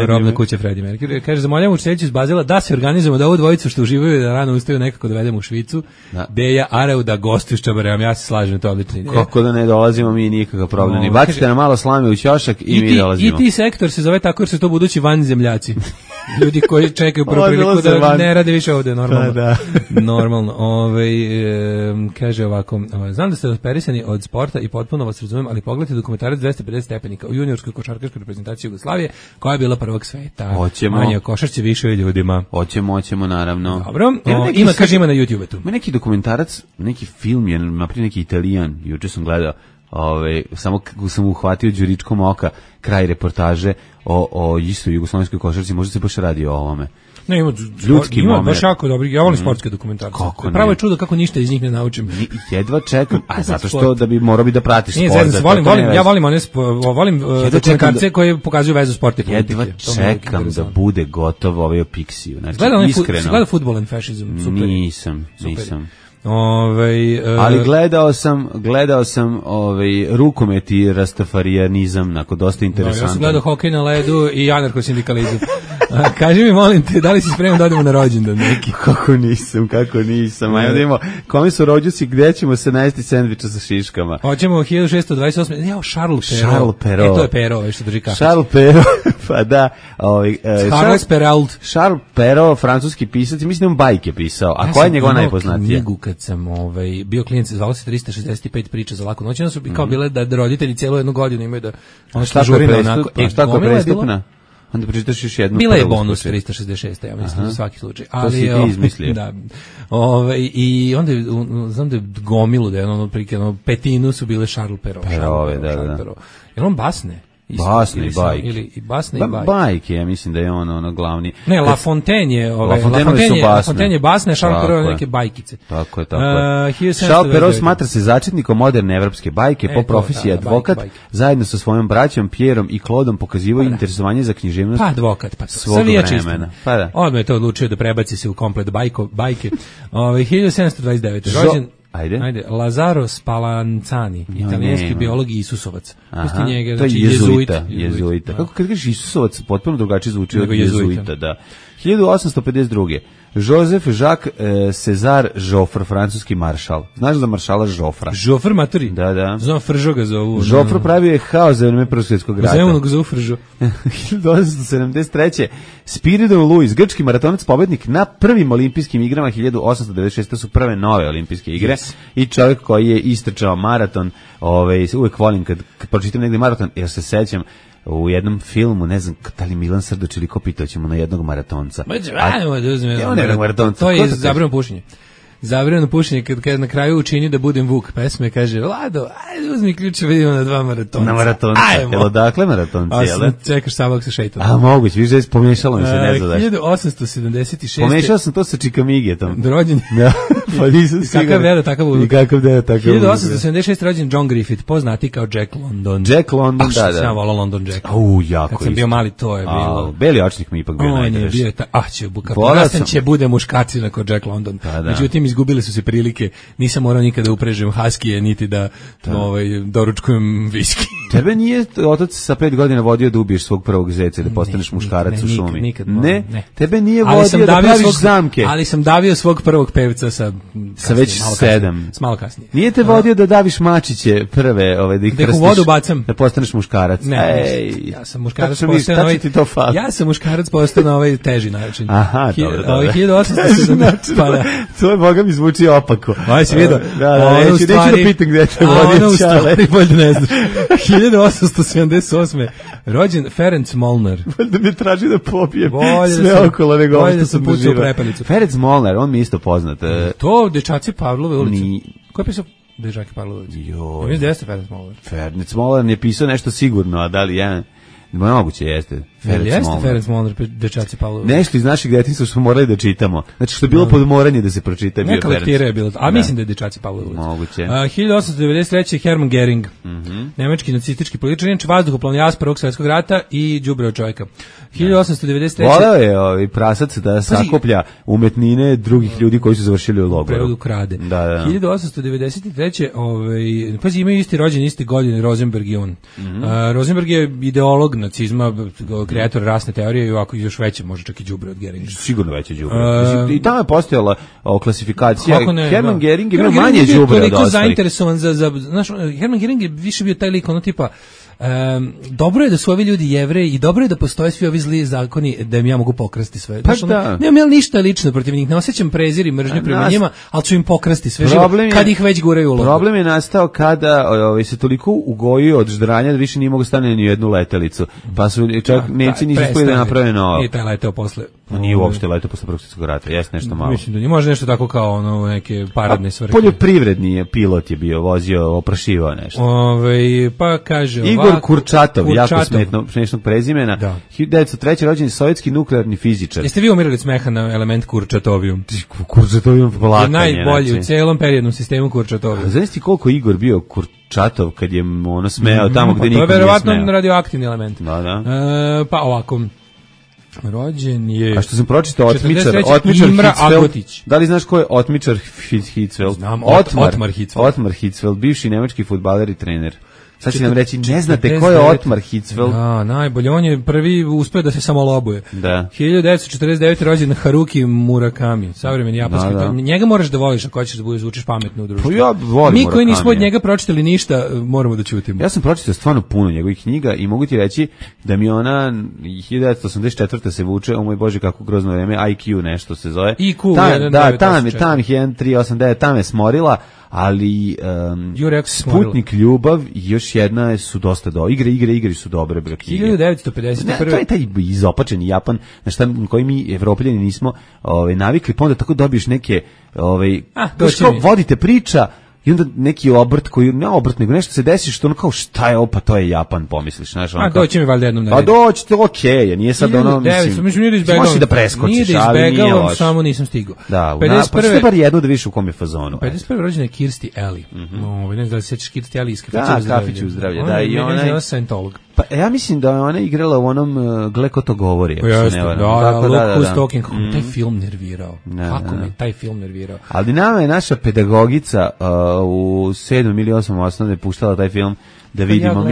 Robna kuća Freddie Mercury. Kaže, zamoljamo učiteljicu iz Bazela da se organizujemo da ovu dvojicu što uživaju da rano ustaju nekako dovedemo u Švicu. Deja Areu da gostuju s Čabareom, ja se slažem, to je odlično. Kako da ne dolazimo mi nikakav problem. I bacite nam malo slame u ćošak i mi dolazimo. I ti sektor se zove tako jer su to budući vanzemljaci. Ljudi koji čekaju prvu priliku da ne rade više ovde, normalno. Da. Normalno. Kaže ovako, znam da ste operisani od sporta i potpuno vas razumem, ali pogledajte dokumentarac 250 stepenika u juniorskoj košarkaškoj reprezentaciji Jugoslavije, koja je bila prvog sveta. Hoćemo. Manje košarci, više ljudima. Hoćemo, naravno. Dobro. Ima na YouTube tu. Ima neki dokumentarac, neki film, naprijed neki Italijan, juče sam gledao, samo kako sam uhvatio đuričkom oka kraj reportaže o istoj jugoslovenskoj košarci, možda se baš radi o ovome. Ne, ima baš jako dobri, ja volim sportske dokumentarce. Pravo je čudo kako ništa iz njih ne naučim. Jedva čekam, zato što da bi morao bi da pratiš sport. Ja volim dokumentarce koje pokazuju vezu sporta i politike. Jedva čekam da bude gotov ovaj o Pixiju. Gleda Football and Fascism, super. Nisam. Ali gledao sam rukomet i rastafarijanizam, nakon dosta interesantno. Ja sam gledao hokej na ledu i anarcho-sindikalizam. Kaži mi, molim te, da li si spreman da odemo na rođendan neki? Kako nisam. Ajmo da imamo, kome su rođusi, gde ćemo se najesti sendviča sa šiškama? Hoćemo 1628. Charles Perrault. To je Perrault, što drži kafić. Charles Perrault, pa da. Charles Perrault. Charles Perrault, francuski pisac, mislim da on bajke pisao. A koja je njegova najpoznatija? Kad sam bio klijent, zvalo se 365 priča za laku noć, onda su kao bile da roditelji cijelu jednu godinu imaju da ono što žurina onako. Šta ko je prestupna? Onda pročitaš još jednu. Bila je bonus 366, ja mislim, za svaki slučaj. To si ti izmislio. Da. I onda znam da je gomilu, da je petinu su bile Charles Perrault. Perrault, da. Jer on basne. Basne i bajke. Ili i basne i bajke. Bajke, ja mislim da je ono glavni. Ne, La Fontaine je, La Fontaine je basne, Charles Perrault neke bajkice. Tako je. Charles Perrault smatra se začetnikom moderne evropske bajke, po profesiji advokat, zajedno sa svojom braćom Pierom i Claudeom pokazivao interesovanje za književnost. Pa advokat, pa svog vremena. Pa da. Odmah je to odlučio da prebaci se u komplet bajke. 1729. rođen Ajde, Lazaro Spallanzani, italijanski biolog i Isusovac. Aha, njega, to je znači, jezuita. Kako kad kažeš Isusovac, potpuno drugačije zvuči od jezuita, da. 1852. Joseph Jacques César Joffre, francuski maršal. Znaš za maršala Joffra? Joffre maturi? Da. Znam Fržo ga zovu. Joffre pravio je haos za vreme Prvog svjetskog rata. Zemljeno ga zovu Fržo. 1873. Spiridon Lewis, grčki maratonac, pobednik na prvim olimpijskim igrama 1896. To su prve nove olimpijske igre. I čovjek koji je istrčao maraton, uvek volim kad pročitam negdje maraton, jer se sećam u jednom filmu, ne znam, da li Milan Srdoć ili ko pitao ćemo na jednog maratonca. To je zabranjeno pušenje. Zabranjeno pušenje kad na kraju učini da budem Vuk pesme, kaže, Lado, ajde uzmi ključe, vidimo na 2 maratonca. Na maratonca, jel odakle maratonci, jel? A čekaš samog sa šeitom. A moguće, viš da je pomešalo mi se, ne znam daš. 1876. Pomešao sam to sa Čikamigetom. Rođen. Da, pa nisam siguran. Kakav vera, takav uluk. I kakav vera, takav uluk. 1876. rođen John Griffith, poznati kao Jack London. Jack London, da. Što sam ja volao London Jack. Jako kad sam bio mali, to je bilo. Beli očnik mi ipak bio najdraži. Porastan će bude muškarcina kao Jack London. Međutim, izgubili su se prilike. Nisam morao nikada da uprežem haskije, niti da doručkujem viski. Tebe nije otac sa 5 godina vodio da ubiješ svog prvog zeca, da postaneš muškarac u šumi? Nikad. Ne. Tebe nije vodio da praviš zamke. Ali sam davio svog prvog pevca sa već 7. Malo kasnije. Nije te vodio da daviš mačiće prve, da ih krstiš, u vodu bacam. Da postaneš muškarac. Ja sam muškarac postao ja sam muškarac postao na ovaj teži način. Aha, dobro. 1870. To je, boga mi zvuči opako. Aj si vidio. Neću da pitam gde te vodio Čale. Bolje ne znaš. 1878. rođen Ferenc Molnar. Da mi traži da pobijem sve okolo nego ovo što sam poživao. Ferenc Molnar, on mi isto poznat. To Dečaci Pavlove ulici. Ko je pisao Dečaci Pavlove ulici? Joj. Gde jeste Ferenc Molnar? Ferenc Molnar je pisao nešto sigurno, a da li jedan... Moguće jeste. Ferenc Molnar, Dečaci Pavlove. Nešto iz našeg detinjstva što smo morali da čitamo. Znači što je bilo podmoranje da se pročita. Neka lektira je bilo. A mislim da je Dečaci Pavlove. Moguće. 1893. Hermann Göring. Nemački nacistički političar, inače vazduhoplovni Prvog svjetskog rata i đubreo čovjeka. 1893. Voleo je prasac da sakuplja umetnine drugih ljudi koji su završili u logoru. Prevodu krade. Da. 1893. Pazi, imaju isti rođen, isti godine Rosenberg i on. Rosenberg je ideolog nacizma, kreator rasne teorije i ovako još veće, može čak i đubre od Geringa. Sigurno veće đubre. I tamo je postojala klasifikacija. Hermann Göring ima manje đubre od ostalih. Toliko zainteresovan znaš, Hermann Göring je više bio taj lik, ono tipa, dobro je da su ovi ljudi Jevreji i dobro je da postoje svi ovi zli zakoni da im ja mogu pokrasti sve. Pa da. Nemam ja ništa lično protiv njih, ne osjećam prezir i mržnju prema njima, ali ću im pokrasti sve živo kad ih već guraju u logoru. Problem je nastao kada se toliko ugojio od ždranja da više nije mogu stane ni jednu letelicu. Pa su čak Nemci nisu uspeli da naprave novo. Nije taj leteo posle. Nije uopšte leteo posle Prvog svjetskog rata, jeste nešto malo. Mislim da nije, može nešto tako kao neke paradne svrhe. Poljoprivredni pilot je bio, vozio, oprašivao nešto. Pa kaže Igor Kurčatov, jako smešnog prezimena. 1903. rođen sovjetski nuklearni fizičar. Jeste vi umirali od smeha na element Kurčatovijum? Kurčatovijum plakanje. Najbolji u celom periodnom sistemu Kurčatovijum. Znaš ti koliko Igor bio Kurčatov kad je smejao tamo gde niko nije smejao? To je verovatno radioaktivni element. Da. Pa ovako... Rođen je... A što sam pročitao, Otmičar Hitzfeld. Da li znaš ko je Otmičar Hitzfeld? Znam, Otmar Hitzfeld. Otmar Hitzfeld, bivši nemački fudbaler i trener. Sad će nam reći, ne znate ko je Otmar Hitzfeld? Da, najbolje, on je prvi uspeo da se samo lobuje. Da. 1949. rođen Haruki Murakami, savremeni japanski. Njega moraš da voliš ako hoćeš da budeš zvučiš pametno u društvu. Pa ja volim Murakami. Mi koji nismo od njega pročitali ništa, moramo da ćutimo. Ja sam pročitao stvarno puno njegovih knjiga i mogu ti reći da mi ona 1984. se vuče, o moj Bože kako grozno vreme, IQ nešto se zove. IQ, tam je 1389, tam je smorila. Ali Sputnik ljubav i još jedna su dosta igre su dobre knjige. 1951. To je taj izopačeni Japan na šta koji mi Evropljani nismo navikli, pa onda tako dobiješ neke vodite priča I onda neki obrt koji, ne obrt, nego nešto se desi što ono kao šta je ovo, pa to je Japan, pomisliš, znaš. A doći mi valjda jednom na red. Pa doći, to okej, nije sad ono, mislim, možeš da preskočiš, ali nije loš. Samo nisam stigao. Da, pa ćete bar jedno da viš u kom je fazonu. 51. rođena je Kirsti Eli. Ne znam da li se sećaš Kirsti Eli iz Kafiću u zdravlje. Da, i ona je Scientolog. Pa ja mislim da je ona igrala u onom Gle ko to govori. Who's Talking. Taj film nervirao. Kako me taj film nervirao. Ali nama je naša pedagogica u 7. ili 8. osnovne puštala taj film da vidimo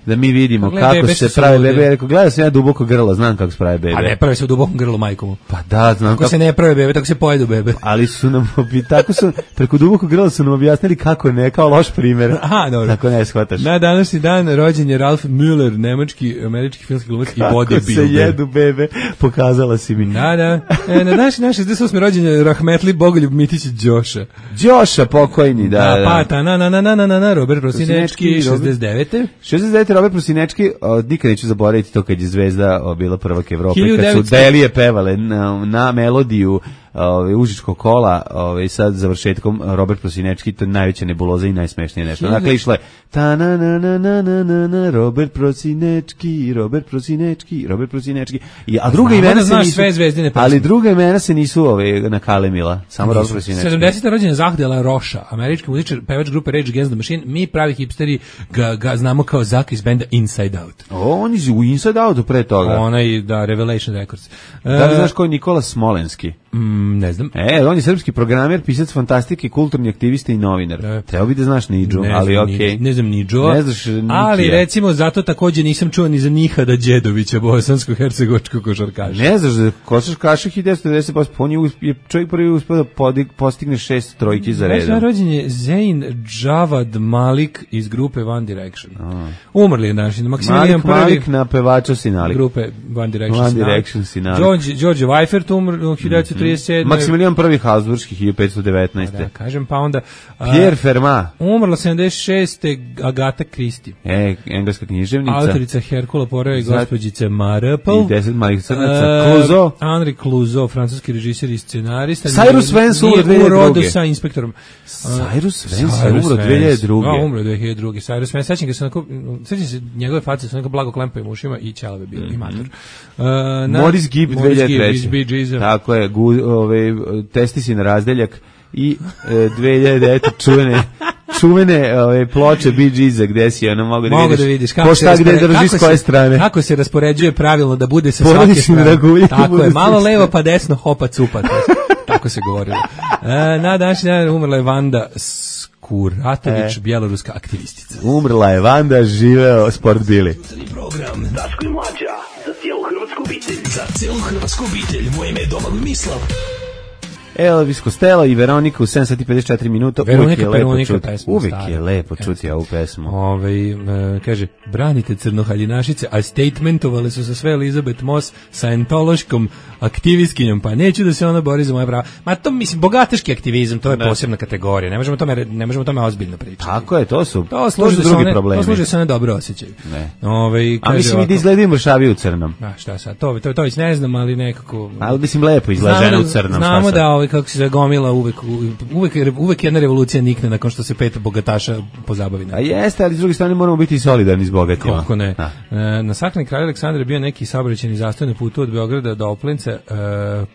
mi vidimo kako se prave bebe. Rekao, gledao sam ja Duboko grlo, znam kako se prave bebe. A ne prave se u dubokom grlu majkomu. Pa da, znam kako se ne prave bebe, tako se pojedu bebe. Ali su nam tako su preko Dubokog grla su nam objasnili kako ne, kao loš primjer. Aha, dobro. Tako ne shvataš. Na današnji dan rođen je Ralph Müller, američki filmski glumac i bodybuilder. Kako se jedu bebe, pokazala si mi. Da. Na današnji dan 68. rođen je Rahmetli Bogoljub Mitić Đoša pokojni, da. Pa na Robert Prosinečki 69. Robert Prosinečki, nikad neću zaboraviti to kad je Zvezda bila prvak Evrope, kad su Delije pevale na melodiju Užičkog kola, sad završetkom Robert Prosinečki, to je najveća nebuloza i najsmešnije nešto. Dakle, išlo je Robert Prosinečki. A druga imena se nisu, ali druga imena se nisu nakalemila, samo Robert Prosinečki. 70. rođena Zahdela Roša, američki muzičar, pevač grupe Rage Against the Machine. Mi pravi hipsteri ga znamo kao Zak iz benda Inside Out. On je u Inside Outu pre toga. Onaj, da, Revelation Records. Da li znaš ko je Nikola Smolenski? Ne znam. On je srpski programer, pisac fantastike, kulturni aktivista i novinar. Trebao bi da znaš Nidžu, ali okej. Ne znam Nidžu, ali recimo zato takođe nisam čuo ni za Nihada Đedovića, bosansko-hercegovačkog košarkaša. Ne znaš da košarkaša 1990%, on je čovjek prvi uspio da postigne 6 trojki za redom. Rođen je Zayn Javad Malik iz grupe One Direction. Umrli je naši. Malik na pevača si nalik. Grupe One Direction si nalik. George Weifert umr 1937. Maksimilijan I Habsburški 1519. Da, kažem, pa onda Pierre Fermat. Umrla 76. Agata Christie. Engleska književnica. Autorica Herkula Poirot i gospođice Marple. I 10 malih crnaca. Clouseau. Henri Clouseau, francuski režiser i scenarista. Cyrus Vance umro 2002. Urodo sa inspektorom. Cyrus Vance umro 2002. Umro 2002. Cyrus Vance, sećam se njegove face, su neko blago klempaju ušima i ćelave bio, i mator. Morris Gibb 2003. Tako je, Testisi na razdeljak i 2009. čuvene ploče Bee Geesa gde si ono mogu da vidiš kako se raspoređuje pravilno da bude sa svake strane. Tako je, malo levo pa desno hopa cupa. Tako se govorilo. Na današnji dan umrla je Vanda Kuratović, bjeloruska aktivistica. Umrla je Vanda, živeo Sport Bili. Program Daško i Mlađa za cijelu hrvatsku obitelj. Za cijelu hrvatsku obitelj. Moje ime je Domagoj Mislav. Elvis Costello i Veronika u 7:54 minuta. Uvijek je lepo čuti ovu pesmu. Kaže, branite crnohaljinašice, a statementovale su se sve Elizabeth Moss Scientološkom aktivistkinjom, pa neću da se ona bori za moje prava. Ma to, mislim, bogataški aktivizam, to je posebna kategorija, ne možemo tome ozbiljno pričati. Tako je, to su drugi problemi. To služi se one dobro osjećaju. A mislim i da izgledaju mršavi u crnom. Šta sad, to već ne znam, ali nekako... Ali mislim lepo izgleda žena u crnom. Znamo da kako se zagomila uvek jedna revolucija nikne nakon što se 5 bogataša pozabavi. A jeste, ali s druge strane moramo biti solidarni s bogatima. Kako ne. Na sahrani kralja Aleksandra je bio neki saobraćajni zastoj na putu od Beograda do Oplenca,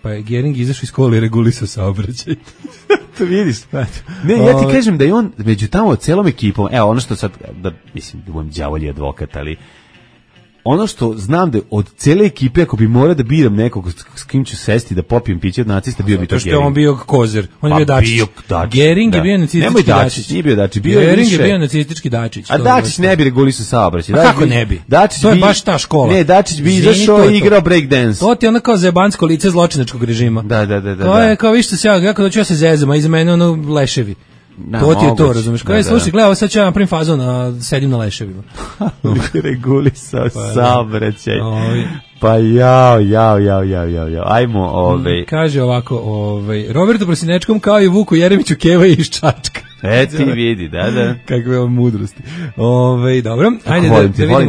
pa je Gering izašao iz škole i regulisao saobraćaj. To vidiš. Ne, ja ti kažem da je on među tamo celom ekipom, evo ono što sad, da mislim, da budem đavolji advokat, ali ono što znam da od cele ekipe, ako bi morao da biram nekog s kim ću sesti da popijem piće od nacista, bio bi to Gering. Što je on bio kozer, on je bio Dačić. Gering je bio nacistički Dačić. Nije bio Dačić, Gering je bio nacistički Dačić. A Dačić ne bi regulisao saobraćaj. Kako ne bi? To je baš ta škola. Ne, Dačić bi izašao i igrao break dance. To ti je ono kao zebansko lice zločinačkog režima. Da. To je kao više se ja kada ću se zezam, a iza mene ono leševi. To ti je to, razumiješ? Kao je, slušaj, gledaj, ovo sad ću ja napravim fazon, sedim na leševima. Regulisao saobraćaj. Pa jao. Ajmo, Kaže ovako, Robertu Prosinečkom kao i Vuku Jeremiću keva iz Čačka. Ti vidi, da. Kakve ovo mudrosti. Dobro, ajde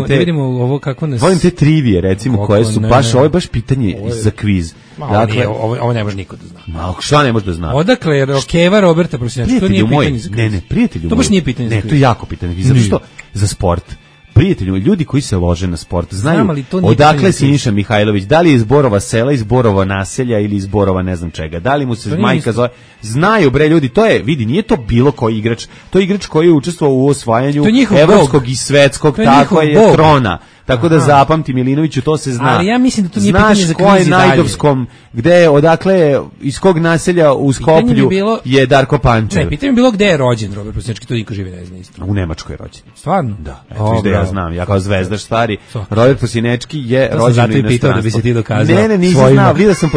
da vidimo ovo kako nas... Volim te trivije, recimo, koje su ovo je baš pitanje za kviz. Dakle, ovo ne može niko da zna. Šta ne može da zna? Odakle je Rokeva Roberta Prosinečki? To nije pitanje za kviz. Ne, prijatelju. To baš nije pitanje za kviz. Ne, to je jako pitanje. Zato što za sport, prijatelji, ljudi koji se lože na sport, znaju odakle Siniša Mihajlović, da li je iz Borova sela, iz Borova naselja ili iz Borova ne znam čega, da li mu se majka zove, znaju bre ljudi, to je, vidi, nije to bilo koji igrač, to je igrač koji je učestvovao u osvajanju evropskog i svetskog, tako je trona. Tako da zapamti Milinoviću, to se zna. Ali ja mislim da to nije pitanje za kviz. Znaš ko je Najdovskom, gde, odakle, iz kog naselja u Skoplju je Darko Pančev. Ne, pitanje je bilo gde je rođen Robert Prosinečki, to niko živi ne zna isto. U Nemačkoj je rođen. Stvarno? Da. Eto, da ja znam, ja kao zvezdaš stari. Robert Prosinečki je rođen u inostranstvu. Zato i pitao da bi se ti dokazao. Ne, nisam znao, vidio sam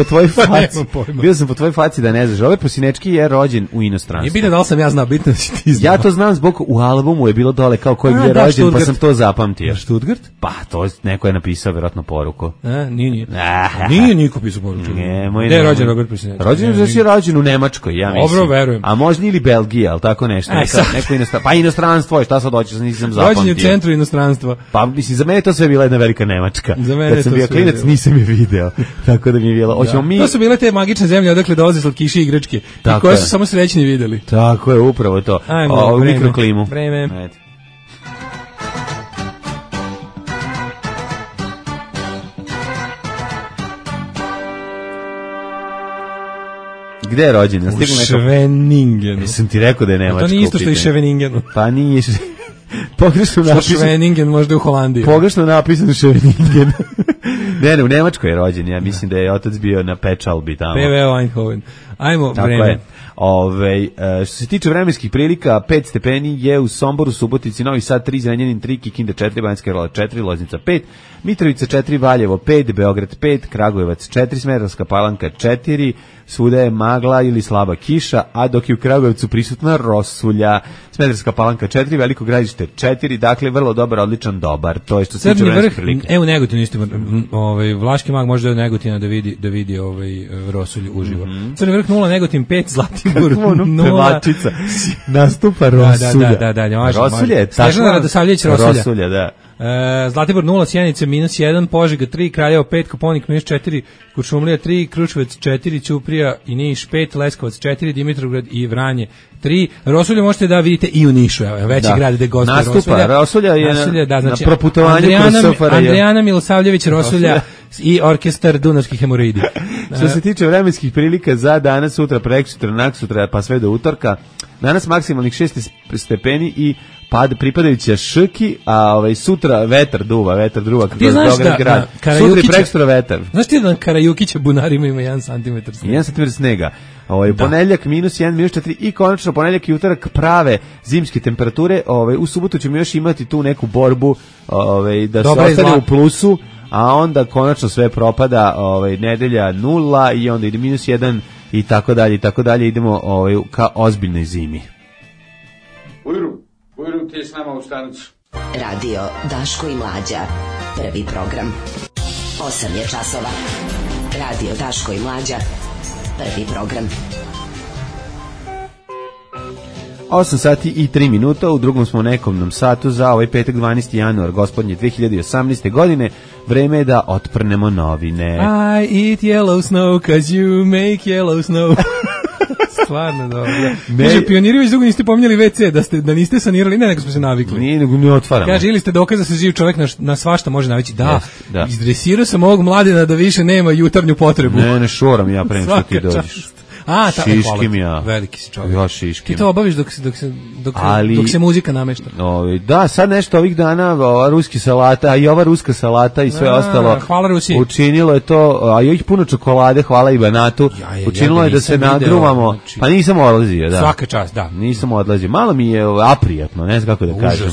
po tvojoj faci da ne znaš. Robert Prosinečki je rođen u inostranstvu. Nije bitno da li sam ja znao, bitno da si ti znao. Ja to znam zbog u albumu je bilo dole kao ko je gdje rođen, pa sam to zapamtio. Stuttgart? Pa, to neko je napisao vjerojatno poruku. Nije niko pisao poruku. Gde je rođen Robert Prosinečki? Rođen u Nemačkoj, ja mislim. Dobro, verujem. A možda ili Belgija, ali tako nešto. Neko inostranstvo. Pa inostranstvo je, šta sad hoćeš, nisam zapamtio. Rođen u centru inostranstva. Pa mislim, za mene to sve bila jedna velika Nemačka. Za mene kad sam bio klinac, nisam je video. Tako da mi je bilo. To su bile te magične zemlje odakle dolaze slatkiši i igračke. I koje su samo srećni videli. Tako je, upravo to. Ajmo, mikroklimu. Vreme. Gde je rođen? U Šveningenu. Jesam ti rekao da je Nemačka. To nije isto što i Ševeningenu. Pa nije. Pogrešno napisano. Šveningen možda u Holandiji. Pogrešno napisano Šveningen. Ne, u Nemačkoj je rođen. Ja mislim da je otac bio na Pečalbi tamo. PVO Eindhoven. Ajmo, tako vreme. Što se tiče vremenskih prilika, 5 stepeni je u Somboru, Subotici, Novi Sad 3, Zrenjanin 3, Kikinda 4, Banjska Karlovac 4, Loznica 5, Mitrovica 4, Valjevo 5, Beograd 5, Kragujevac 4, Smederevska Palanka 4, svuda je magla ili slaba kiša, a dok je u Kragujevcu prisutna rosulja. Smederevska Palanka 4, Veliko Gradište 4, dakle vrlo dobar, odličan, dobar. To je što se tiče vremenskih prilika. Evo Negotinu isto, Vlaški mag može do Negotina da vidi rosulju uživo. Crni vrh 0, Negotin 5, Zlatibor 0. Nastupa rosulja. Da, rosulja je tako. Snežana Radosavljević rosulja, da. Zlatibor 0, Sjenice -1, Požega 3, Kraljevo 5, Koponik -4, Kuršumlija 3, Kruševac 4, Ćuprija i Niš 5, Leskovac 4, Dimitrovgrad i Vranje 3. Rosulju možete da vidite i u Nišu, veći grad gde goste Rosulja. Nastupa, Rosulja je na proputovanju kroz SFRJ. Andrijana Milosavljević Rosulja i orkestar Dunavskih hemoroidi. Što se tiče vremenskih prilika za danas, sutra, preksutra, naksutra, pa sve do utorka, danas maksimalnih 6 stepeni i pripadajuća šrki, a sutra vetar duva kroz Beograd grad. Sutra i prekstra vetar. Znaš ti da na Karajukića bunarima ima 1 cm snega? 1 cm snega. Ponedjeljak -1, -4 i konačno ponedjeljak i utorak prave zimske temperature. U subotu ćemo još imati tu neku borbu da se ostane u plusu, a onda konačno sve propada, nedelja 0 i onda ide -1 i tako dalje, idemo ka ozbiljnoj zimi. Ujru ti je s nama u stanicu. Radio Daško i Mlađa, prvi program. 8 je časova. Radio Daško i Mlađa, prvi program. 8 sati i 3 minuta, u drugom smo nekomnom satu za ovaj petak 12. januar gospodnje 2018. godine. Vreme je da otprnemo novine. I eat yellow snow cause you make yellow snow. Stvarno dobro. Kaže, pioniri već dugo niste pominjali WC, da niste sanirali, ne, nego smo se navikli. Nije, nego ne otvaramo. Kaže, ili ste dokaz da se živ čovjek na svašta može navići. Da, izdresirao sam ovog mladina da više nema jutarnju potrebu. Ne šoram ja prema što ti dođeš. Šiškim ja. Veliki si čovjek. Ja šiškim. Ti to obaviš dok se muzika namešta. Da, sad nešto ovih dana ruski salata, i ova ruska salata i sve ostalo. Hvala Rusiji. Učinilo je to, a još puno čokolade, hvala i Banatu. Učinilo je da se nagruvamo. Pa nisam odlazio, da. Svaka čast, da. Nisam odlazio. Malo mi je aprijatno, ne znam kako da kažem.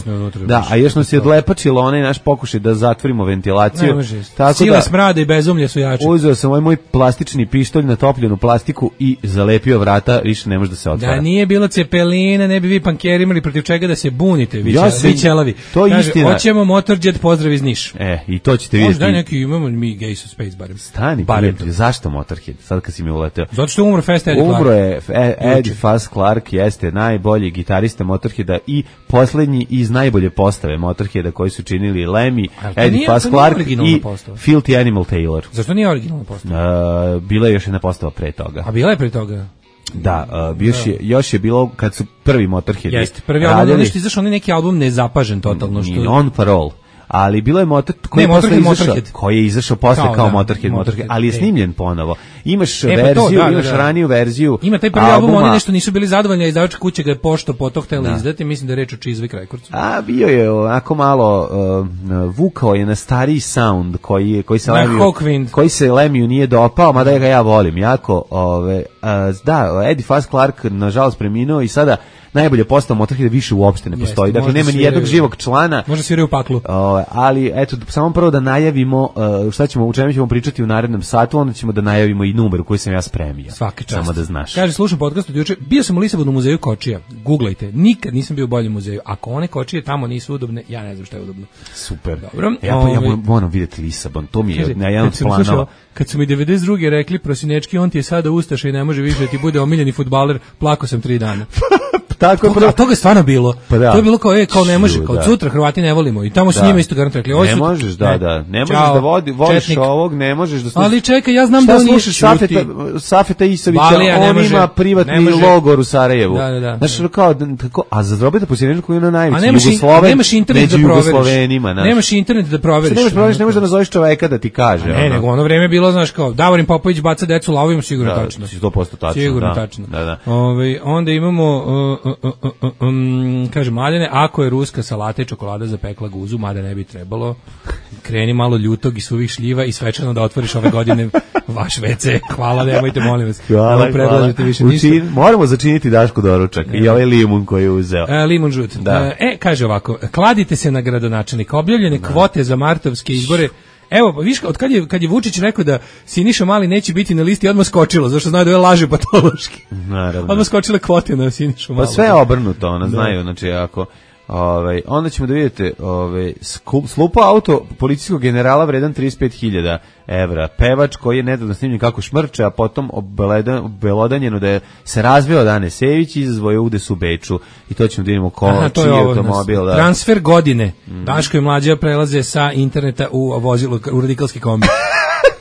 Da, a još nas je odlepačilo onaj naš pokušaj da zatvorimo ventilaciju. Ne može. Sile smrada i bezumlje su jače. Uzeo sam ovaj moj plastični pištolj, natopljenu plastiku i zalepio vrata, više ne može da se otvara. Da nije bilo Cepelina, ne bi vi pankeri imali protiv čega da se bunite, vi ćelavi. To je istina. Hoćemo Motorjet, pozdrav iz Niš. I to ćete vidjeti. Možda neki imamo mi Gays of Space barem. Stani, prijatelj, zašto Motorhead? Sad kad si mi uleteo. Zato što umro Fast Eddie Clarke. Umro je Eddie Fast Clarke, jeste najbolji gitarista Motorheada i poslednji iz najbolje postave Motorheada koji su činili Lemmy, Eddie Fast Clarke i Filthy Animal Taylor. Zašto nije originalna postava? Bila je još jedna postava pre toga. A bila je pre toga? Da, još je bilo kad su prvi Motorhead. Jeste, prvi album, nešto izašao, on neki album nezapažen totalno. On Parole. Ali bilo je koji je izašao posle kao Motorhead, ali je snimljen ponovo. Imaš verziju, imaš raniju verziju. Ima taj prvi album, oni nešto nisu bili zadovoljni, a izdavačka kuća ga je pošto potom htela izdati, mislim da je reč o Chiswick Recordsu. A bio je onako malo vukao je na stariji sound koji se Lemiju nije dopao, mada ga ja volim jako. Da, Eddie Fast Clarke nažalost preminuo i sada najbolje postao Motorhead više uopšte ne postoji. Dakle, nema ni jednog živog člana. Može sviraju u paklu. Ali, eto, samo prvo da najavimo u čemu ćemo pričati u narednom satu, onda ćemo da najavimo i numeru koji sam ja spremio. Svaka čast. Samo da znaš. Kaže, slušam podcast od juče, bio sam u Lisabonu u muzeju kočija. Googlajte, nikad nisam bio u boljem muzeju. Ako one kočije tamo nisu udobne, ja ne znam šta je udobno. Super. Dobro. Ja moram vidjeti Lisabon, to mi je na jedan od planova. Kad su mi 92. rekli, prosinečki, on ti je sada ustaša i ne može više da ti bude omiljeni fudbaler, plako sam 3 dana. Toga je stvarno bilo. To je bilo kao ne može, kao sutra Hrvati ne volimo i tamo su njima isto garant rekli. Ne možeš, ne možeš da voliš ovog, ne možeš da slušaš. Ali čekaj, ja znam da on nije Safeta Isovića, on ima privatni logor u Sarajevu. Znaš, a za Drobeta Posljednjaka koji je na najveći Jugosloven, među Jugoslovenima. Nemaš internet da proveriš. Ne možeš da nazoveš čoveka da ti kaže. Ne, nego ono vreme je bilo, znaš, kao Davorin Popović baca decu lavovima, sigurno tačno. 100% tačno. Sigurno tačno. Onda imamo kaže Mladene, ako je ruska salata i čokolada zapekla guzu, mada ne bi trebalo, kreni malo ljutog i suvih šljiva i svečano da otvoriš ove godine vaš WC. Hvala, nemojte, molim vas. Hvala. Moramo začiniti Dašku doručak i ovaj limun koji je uzeo. Limun žut. Kaže ovako, kladite se na gradonačelnika, objavljene kvote za martovske izbore. Evo, viš, kad je Vučić rekao da Siniša Mali neće biti na listi, odmah skočilo, zašto znaju da je laže patološki. Naravno. Odmah skočile kvote na Sinišu Malu. Pa sve je obrnuto, ona znaju, znači ako... onda ćemo da vidite slupa auto policijskog generala vredan 35.000 evra. Pevač koji je nedavno snimljen kako šmrče, a potom obelodanjeno da je se razveo Dane Sević i izazvojio udes u Beču. I to ćemo da vidimo čiji je automobil. Transfer godine. Daško i Mlađa prelaze sa interneta u vozilo, u radikalski kombi.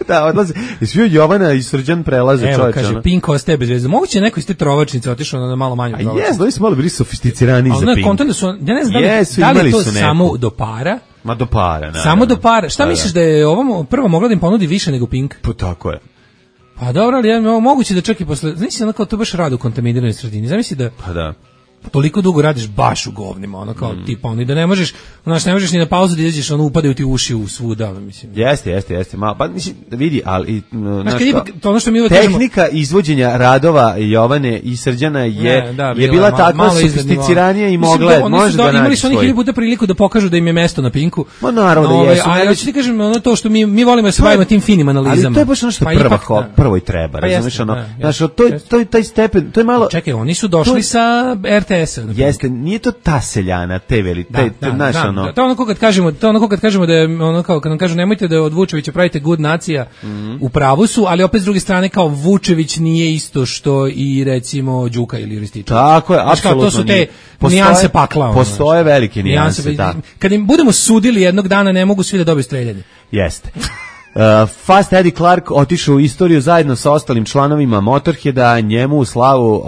Da, odlaze. Svi od Jovana i Srđan prelaze, čovječe. Evo, kaže, Pink ostaje bez veze. Moguće neko iz te trovačnice otišao na malo manju trovačnicu. A jes, oni su malo bili sofisticirani za Pink. Kontent su, ja ne znam da li je to samo do para. Ma do para, naravno. Samo do para. Šta misliš da je ovom prvo mogla da im ponudi više nego Pink? Pa tako je. Pa dobro, ali moguće da čak i posle, znači onako to baš rado u kontaminiranoj sredini. Zamisli da... Pa da. Toliko dugo radiš baš u govnima, ono kao tipa, ono i da ne možeš, znaš, ne možeš ni na pauzu da izađeš, ono upadaju ti uši u svuda, mislim. Jeste, malo, pa mislim, vidi, ali, ono što mi tehnika izvođenja radova Jovane i Srđana je bila takva sofisticiranija i mogla, može da naći imali su oni hiljadu puta priliku da pokažu da im je mesto na Pinku. Ma naravno da jesu. A ja ću ti kažem, ono to što mi volimo da se bavimo tim finim analizama. Ali to je baš ono što prvo i treba, razumiješ, ono, znaš, to je taj stepen, to je malo... Čekaj, oni su došli sa RTS-a. Jeste, nije to ta seljana, te znaš, ono... To ono kad kažemo da je, ono kao, kad nam kažu nemojte da od Vučevića pravite good nacija, u pravu su, ali opet s druge strane kao Vučević nije isto što i recimo Đuka ili Rističević. Tako je, apsolutno. To su te nijanse pakla. Postoje velike nijanse, da. Kad im budemo sudili jednog dana, ne mogu svi da dobiju streljanje. Jeste. Fast Eddie Clarke otišao u istoriju zajedno sa ostalim članovima Motorheada, njemu u slavu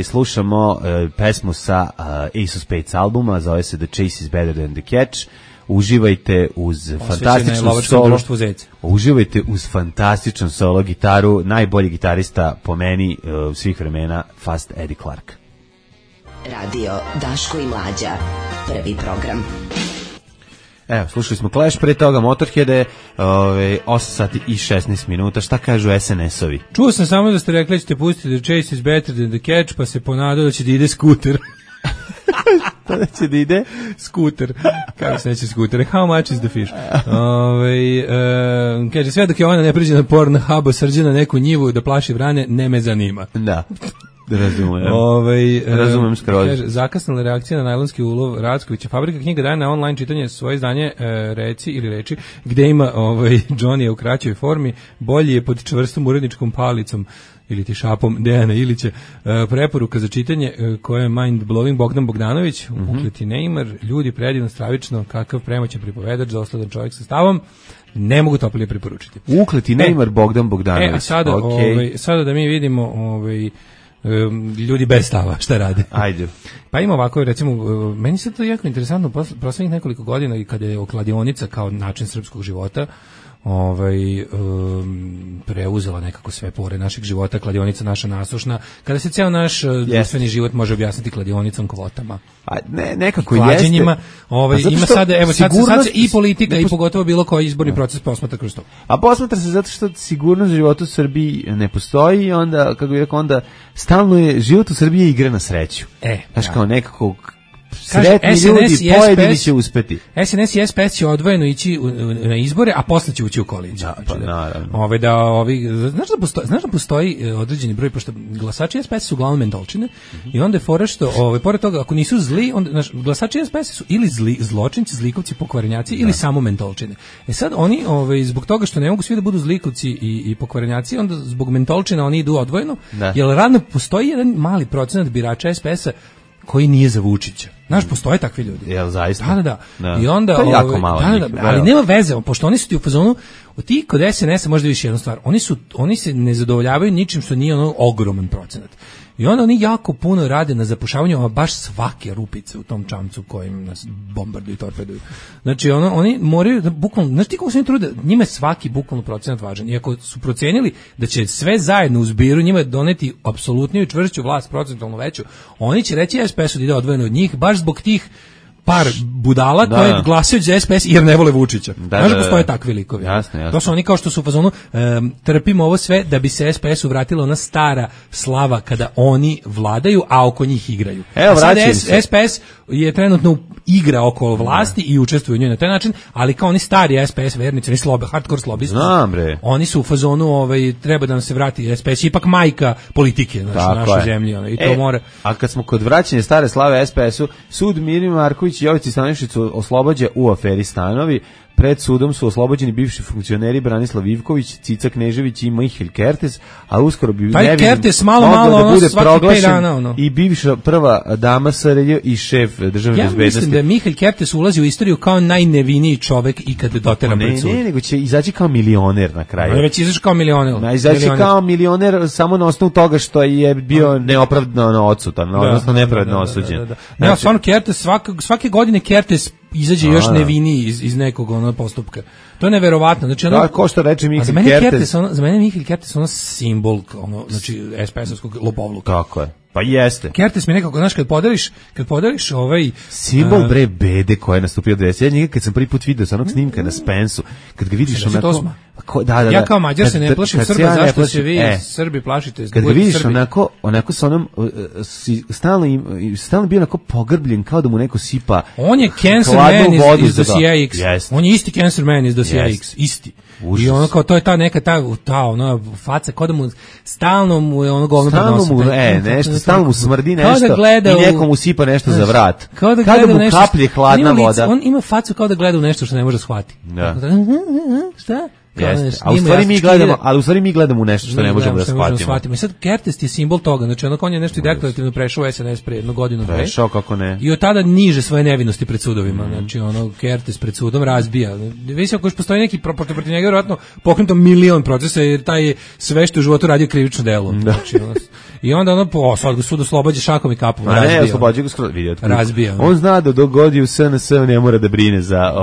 slušamo pesmu sa Ace of Spades albuma, zove se The Chase is Better Than the Catch. Uživajte uz fantastičnu solo. Uživajte uz fantastičnu solo gitaru, najbolji gitarista po meni svih vremena, Fast Eddie Clarke. Radio Daško i Mlađa, prvi program. Evo, slušali smo Clash, pre toga Motorheade, 8 sati i 16 minuta. Šta kažu SNS-ovi? Čuo sam samo da ste rekli da ćete pustiti The Chase is Better Than the Catch, pa se ponadao da će da ide skuter. Tada će da ide skuter. Kako se neće skuter? How much is the fish? Kaže, sve dok je ona ne priđe na Pornhubu, srđe na neku njivu da plaši vrane, ne me zanima. Da. Razumem skroz. Zakasnila reakcija na najlonski ulov Rackovića. Fabrika knjiga daje na online čitanje svoje izdanje Reci ili reči, gde ima Johnny u kraćoj formi, bolji je pod čvrstom uredničkom palicom ili ti šapom Dejana Ilića. Preporuka za čitanje koja je mind blowing, Bogdan Bogdanović, Ukleti Neymar, ljudi predivno, stravično, kakav premoćan pripovedač, dosledan čovjek sa stavom. Ne mogu toplije preporučiti. Ukleti Neymar, Bogdan Bogdanović. A sada, sada da mi vidimo ljudi bez stava šta rade. Ajde. Pa ima ovako, recimo, meni se to jako interesantno poslednjih nekoliko godina i kada je kladionica kao način srpskog života preuzela nekako sve pore našeg života, kladionica naša nasušna, kada se ceo naš društveni život može objasniti kladionicom, kvotama. A nekako klađenjima, ima sada, evo sad se i politika i pogotovo bilo koji izborni proces posmatra kroz to. A posmatra se zato što sigurnost života u Srbiji ne postoji i onda, kako bih rekao, onda stalno je život u Srbiji igra na sreću. Znaš, kao nekako sretni ljudi, pojedini će uspeti. SNS i SPS će odvojeno ići na izbore, a posle će ući u koaliciju. Naravno. Znaš da postoji određeni broj, pošto glasači SPS su uglavnom mentolčine, i onda je fora što, pored toga, ako nisu zli, onda, glasači SPS su ili zločinci, zlikovci, pokvarenjaci, ili samo mentolčine. Sad oni, zbog toga što ne mogu svi da budu zlikovci i pokvarenjaci, onda zbog mentolčina oni idu odvojeno, jer radno postoji jedan mali procenat birača SPS-a koji nije za Vučića. Znaš, postoje takvi ljudi. Jel, zaista? Da. I onda, to je jako malo ali nema veze, pošto oni su ti u fazonu, ti kod SNS-a možda viš jednu stvar, oni se ne zadovoljavaju ničim što nije ogroman procenat. I onda oni jako puno rade na zapušavanju baš svake rupice u tom čamcu kojim nas bombarduju i torpeduju. Znači, oni moraju da bukvalno, znaš ti kako se oni trude, njima je svaki bukvalno procenat važan. Iako su procenili da će sve zajedno u zbiru njima doneti apsolutniju i čvršću vlast, procentalno veću, oni će reći SPS-u da ide odvojeno od njih, baš zbog tih par budala koje glasaju za SPS jer ne vole Vučića. Znaš da postoje takvi likovi. Jasno. To su oni kao što su u fazonu trpimo ovo sve da bi se SPS-u vratila ona stara slava kada oni vladaju, a oko njih igraju. Evo, sad SPS je trenutno igra oko vlasti i učestvuje u njoj na taj način, ali kao oni stari SPS vernici, oni hardcore slobisti. Oni su u fazonu treba da nam se vrati SPS, ipak majka politike u našoj zemlji. I to mora. A kad smo kod vraćanja stare slave SPS-u, sud Miri Marković i Jovici Stanišiću oslobađa u aferi Stanovi. Pred sudom su oslobođeni bivši funkcioneri Branislav Ivković, Cica Knežević i Mihael Kertes, a uskoro bi Kertes malo da bude proglašen i bivša prva dama SRJ i šef državne bezbednosti. Ja mislim da Mihael Kertes ulazi u istoriju kao najneviniji čovek ikad doteran pred sud. Ne, nego će izaći kao milioner na kraju. On već izaći kao milioner. Izaći kao milioner samo na osnovu toga što je bio neopravdano odsutan, odnosno nepravedno osuđen. Ja, stvarno Kertes, svake godine Kertes izađe još neviniji iz nekog postupka. To je neverovatno. Znači, ko što reče Mihael Kertes. Za mene Mihael Kertes je simbol, znači SPS-ovskog lopovluka. Tako je. Pa jeste. Kertes mi nekako, znaš, kad podariš simbol bre bede koja je nastupio 20. Ja kad sam prvi put video sa onog snimka na Spensu, kad ga vidiš onako... Ja kao Mađar se ne plašim Srba, zašto se vi Srbi plašite? Kad ga vidiš onako sa onom, stalno bio onako pogrbljen, kao da mu neko sipa. On je cancer man iz dosija X. On je isti cancer man iz dosija X. Isti. I ono kao, to je ta neka ta ona faca, kao da mu stalno mu je ono govno nešto, stalno mu smrdi nešto i neko mu sipa nešto za vrat. Kao da mu kaplje hladna voda. On ima facu kao da gleda u nešto što ne može shvatiti. Šta? Ali u stvari mi gledamo u nešto što ne možemo da shvatimo. I sad Kertes je simbol toga, znači on je nešto deklarativno prešao SNS pre jednu godinu. Prešao, kako ne. I od tada niže svoje nevinosti pred sudovima, znači Kertes pred sudom razbija. Visi ako još postoji neki protiv njega, vjerojatno pokrenuto milion procesa, jer taj je sve što u životu radio krivično delo. Znači, i onda sad ga sud oslobađa šakom i kapom. Ne, oslobađa ga skroz, vidjeti. Razbija. On zna da dok god je u SNS ne mora da brine za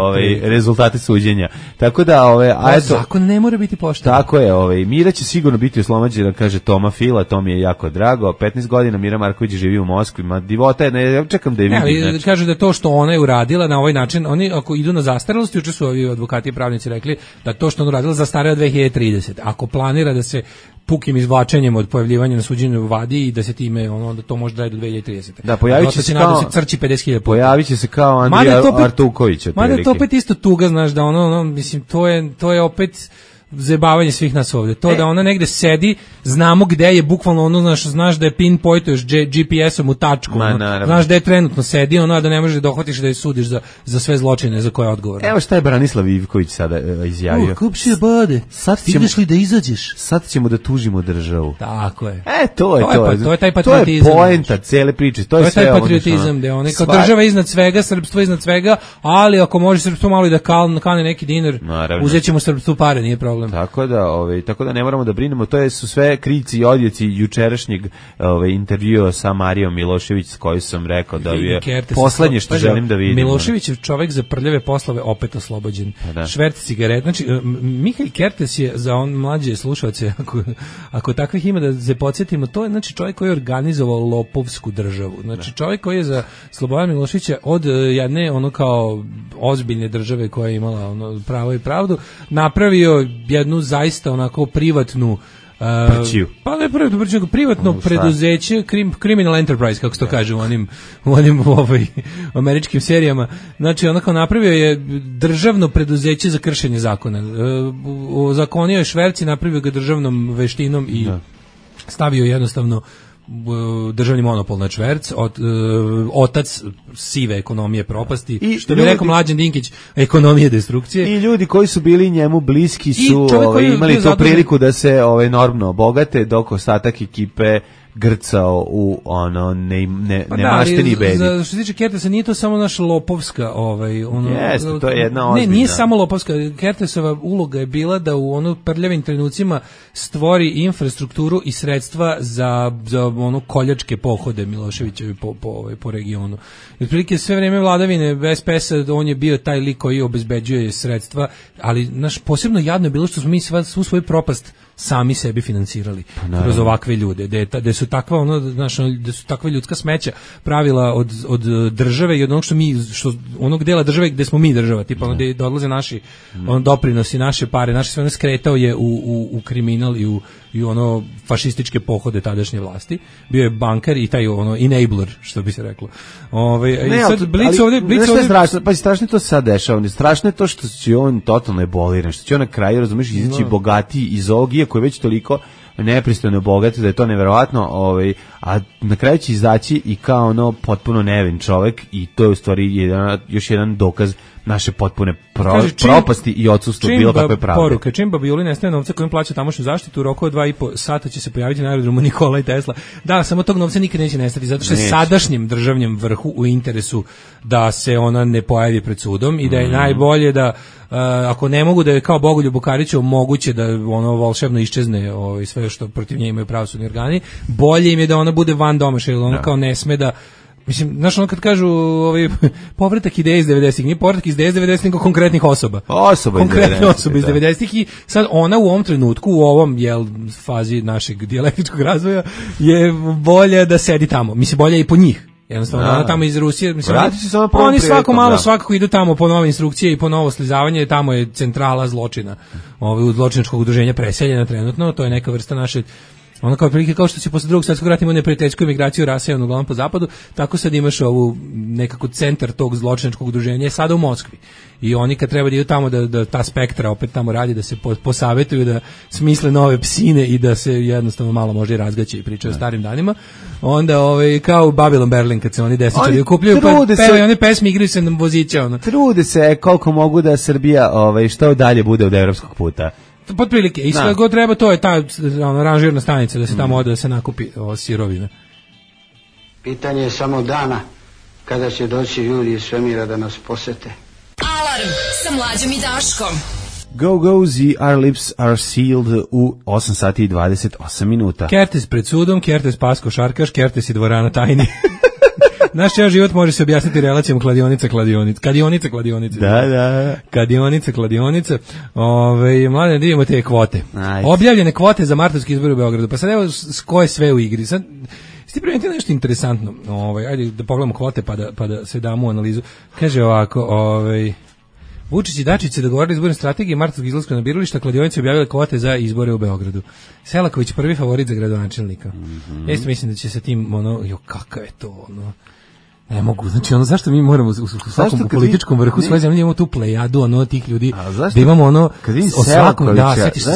rezultate suđenja. Tako da, zakon ne mora biti pošten. Tako je, Mira će sigurno biti oslobađena, kaže Toma Fila, to mi je jako drago. 15 godina Mira Marković živi u Moskvi, ma divota je, ja čekam da je vidim. Ali kaže da to što ona je uradila na ovaj način, oni ako idu na zastarelost, juče su ovi advokati i pravnici rekli da to što ona uradila zastareva 2030. Ako planira da se pukim izvlačenjem od pojavljivanja na suđenju vadi i da se time onda to može da do 2030. Da, pojaviće se kao crči 50.000 puta. Pojaviće se kao Andrija Artuković. Mada to opet isto tuga, znaš, da ono mislim to je opet zajebavanje svih nas ovde. To da ona negde sedi, znamo gde je, bukvalno ono, znaš da je pinpointuješ GPS-om u tačku, znaš da je trenutno sedi, ono, da ne možeš da dohvatiš da je sudiš za sve zločine za koje je odgovoran. Evo šta je Branislav Ivković sada izjavio. Kupši bade, ideš li da izađeš? Sad ćemo da tužimo državu. Tako je. To je taj patriotizam. To je poenta cele priče. To je taj patriotizam, da je ona kao država iznad svega, srpstvo iznad svega, ali ako može srpstvo malo i da kane neki dinar, uzećemo srpstvu pare, nije problem. Tako da ne moramo da brinemo, to su sve krici i odjeci jučerašnjeg intervjua sa Marijom Milošević, s kojoj sam rekao da je poslednje što želim da vidim. Milošević je čovek za prljave poslove opet oslobođen. Šverc cigaret. Znači, Mihail Kertes je za on mlađe slušalce, ako takvih ima da se podsjetimo, to je znači čovjek koji je organizovao lopovsku državu. Znači čovjek koji je za Slobodana Miloševića od jedne ono kao ozbiljne države koja je imala ono pravo i pravdu, napravio jednu zaista onako privatnu pa ne privatno preduzeće, criminal enterprise, kako se to kaže u onim američkim serijama. Znači, onako napravio je državno preduzeće za kršenje zakona. Zakonio je šverci, napravio ga državnom veštinom i stavio jednostavno državni monopol na šverc, otac sive ekonomije propasti, i što bi rekao Mlađan Dinkić, ekonomije destrukcije. I ljudi koji su bili njemu bliski su imali tu priliku da se normno obogate, dok ostatak ekipe grcao u ono nemašteni bedi. Što se tiče Kertesa, nije to samo naša lopovska jeste, to je jedna ozbiljna. Ne, nije samo lopovska. Kertesova uloga je bila da u prljavim trenucima stvori infrastrukturu i sredstva za koljačke pohode Miloševićevi po regionu. I otprilike sve vreme vladavine SPS-a on je bio taj lik koji obezbeđuje sredstva, ali posebno jadno je bilo što smo mi svu svoju propast sami sebi finansirali kroz ovakve ljude, da su takva da su takva ljudska smeća pravila od države i od onog onog dela države gde smo mi država, tipa gde odlaze naši doprinosi, naše pare, naše sve skretao je u kriminal i ono fašističke pohode tadašnje vlasti. Bio je bankar i taj enabler, što bi se reklo. Strašno je to sad dešava. Strašno je to što će on totalno eboliran, što će on na kraju, razumiješ, izaći bogatiji iz ovog, iako je već toliko nepristojno bogat, da je to neverovatno, a na kraju će izaći i kao potpuno nevin čovek, i to je u stvari još jedan dokaz naše potpune propasti i odsustvo bilo kakve pravde. Poruka, čim Babijuli nestaje novca kojim plaća tamošnju zaštitu, u roku od 2,5 sata će se pojaviti na aerodromu Nikola i Tesla. Da, samo tog novca nikad neće nestati, zato što je sadašnjem državnjem vrhu u interesu da se ona ne pojavi pred sudom i da je najbolje da ako ne mogu da je kao Bogoljubu Kariću moguće da volšebno iščezne sve što protiv nje imaju pravosudni organi, bolje im je da ona bude van domaša, jer ona kao ne sme da. Mislim, znaš, kad kažu povratak ideje iz 90-ih, nije povratak iz ideje iz 90-ih, nego konkretnih osoba. Konkretne osobe iz 90-ih, i sad ona u ovom trenutku, u ovom fazi našeg dijalektičkog razvoja, je bolje da sedi tamo. Mislim, bolje i po njih. Jednostavno, ona tamo iz Rusije, mislim, oni svako malo svakako idu tamo po nove instrukcije i po novo slizavanje, tamo je centrala zločina, zločinačkog udruženja preseljena trenutno, to je neka vrsta naše. Ono kao prilike, kao što si posle drugog svjetskog rata imao neprijateljsku emigraciju rasejanu uglavnom po zapadu, tako sad imaš ovu nekako centar tog zločinačkog udruženja je sada u Moskvi. I oni kad treba da idu tamo da ta spektra opet tamo radi, da se posavetuju, da smisle nove psine i da se jednostavno malo može i razgaće i pričaju o starim danima, onda kao u Babylon Berlin kad se oni desničari okupljaju, pa pevaju one pesme, igraju se na vozića. Trude se koliko mogu da Srbija što dalje bude od evropskog puta. Potprilike, i sve god treba, to je ta ranžirna stanica da se tamo ode da se nakupi sirovina. Pitanje je samo dana kada će doći ljudi iz svemira da nas posete. Alarm sa Mlađom i Daškom. Go, our lips are sealed u 8 sati i 28 minuta. Kertes pred sudom, Kertes pas košarkaš, Kertes i dvorana tajni. Naš ceo život može se objasniti relacijom kladionica. Da. Kadionica. Mladen, da vidimo te kvote. Ajde. Objavljene kvote za martovski izbor u Beogradu. Pa sad evo ko je sve u igri. Sad ste primetili nešto interesantno. Ajde da pogledamo kvote pa da se damo u analizu. Kaže ovako, Vučić i Dačić se dogovorili izborne strategije martovskog izlaska na birališta, kladionice objavile kvote za izbore u Beogradu. Selaković prvi favorit za gradonačelnika. Isto mislim da će se tim kakav je to ne mogu, znači zašto mi moramo u svakom političkom vrhu svoje zemlje imamo tu plejadu tih ljudi, da imamo o svakom,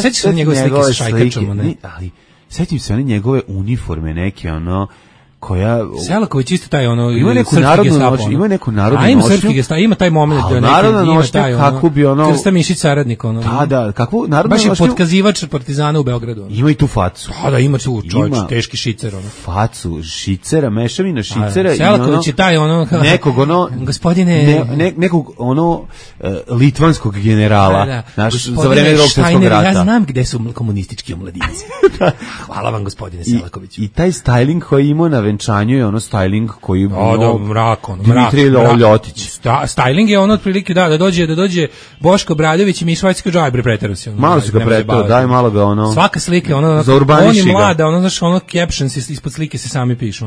setiš se njegove slike sa šajkačama, ali setim se one njegove uniforme neke, koja Selaković isto taj ima neku narodnu noć, ima neku narodnu noć. Ima srpski gestapo, ima taj moment da narodna noć kako bi Krsta Mišić saradnik Da, kakvu narodnu noć. Baš je potkazivač Partizana u Beogradu. Ima i tu facu. Da, ima tu čovjek, teški šicer Facu šicera, mešavina šicera i Selaković je taj nekog gospodine nekog litvanskog generala, za vreme Drugog svjetskog rata. Ja znam gde su komunistički omladinci. Hvala vam gospodine Selaković. I taj styling koji ima na venčanju je styling koji mrak. Dimitrij Ljotić. Styling je otprilike da dođe Boško Bradović i Mišvajski džajbre preterao se. Malo se ga preterao, daj malo ga svaka slika on je mlada, znaš, captions ispod slike se sami pišu,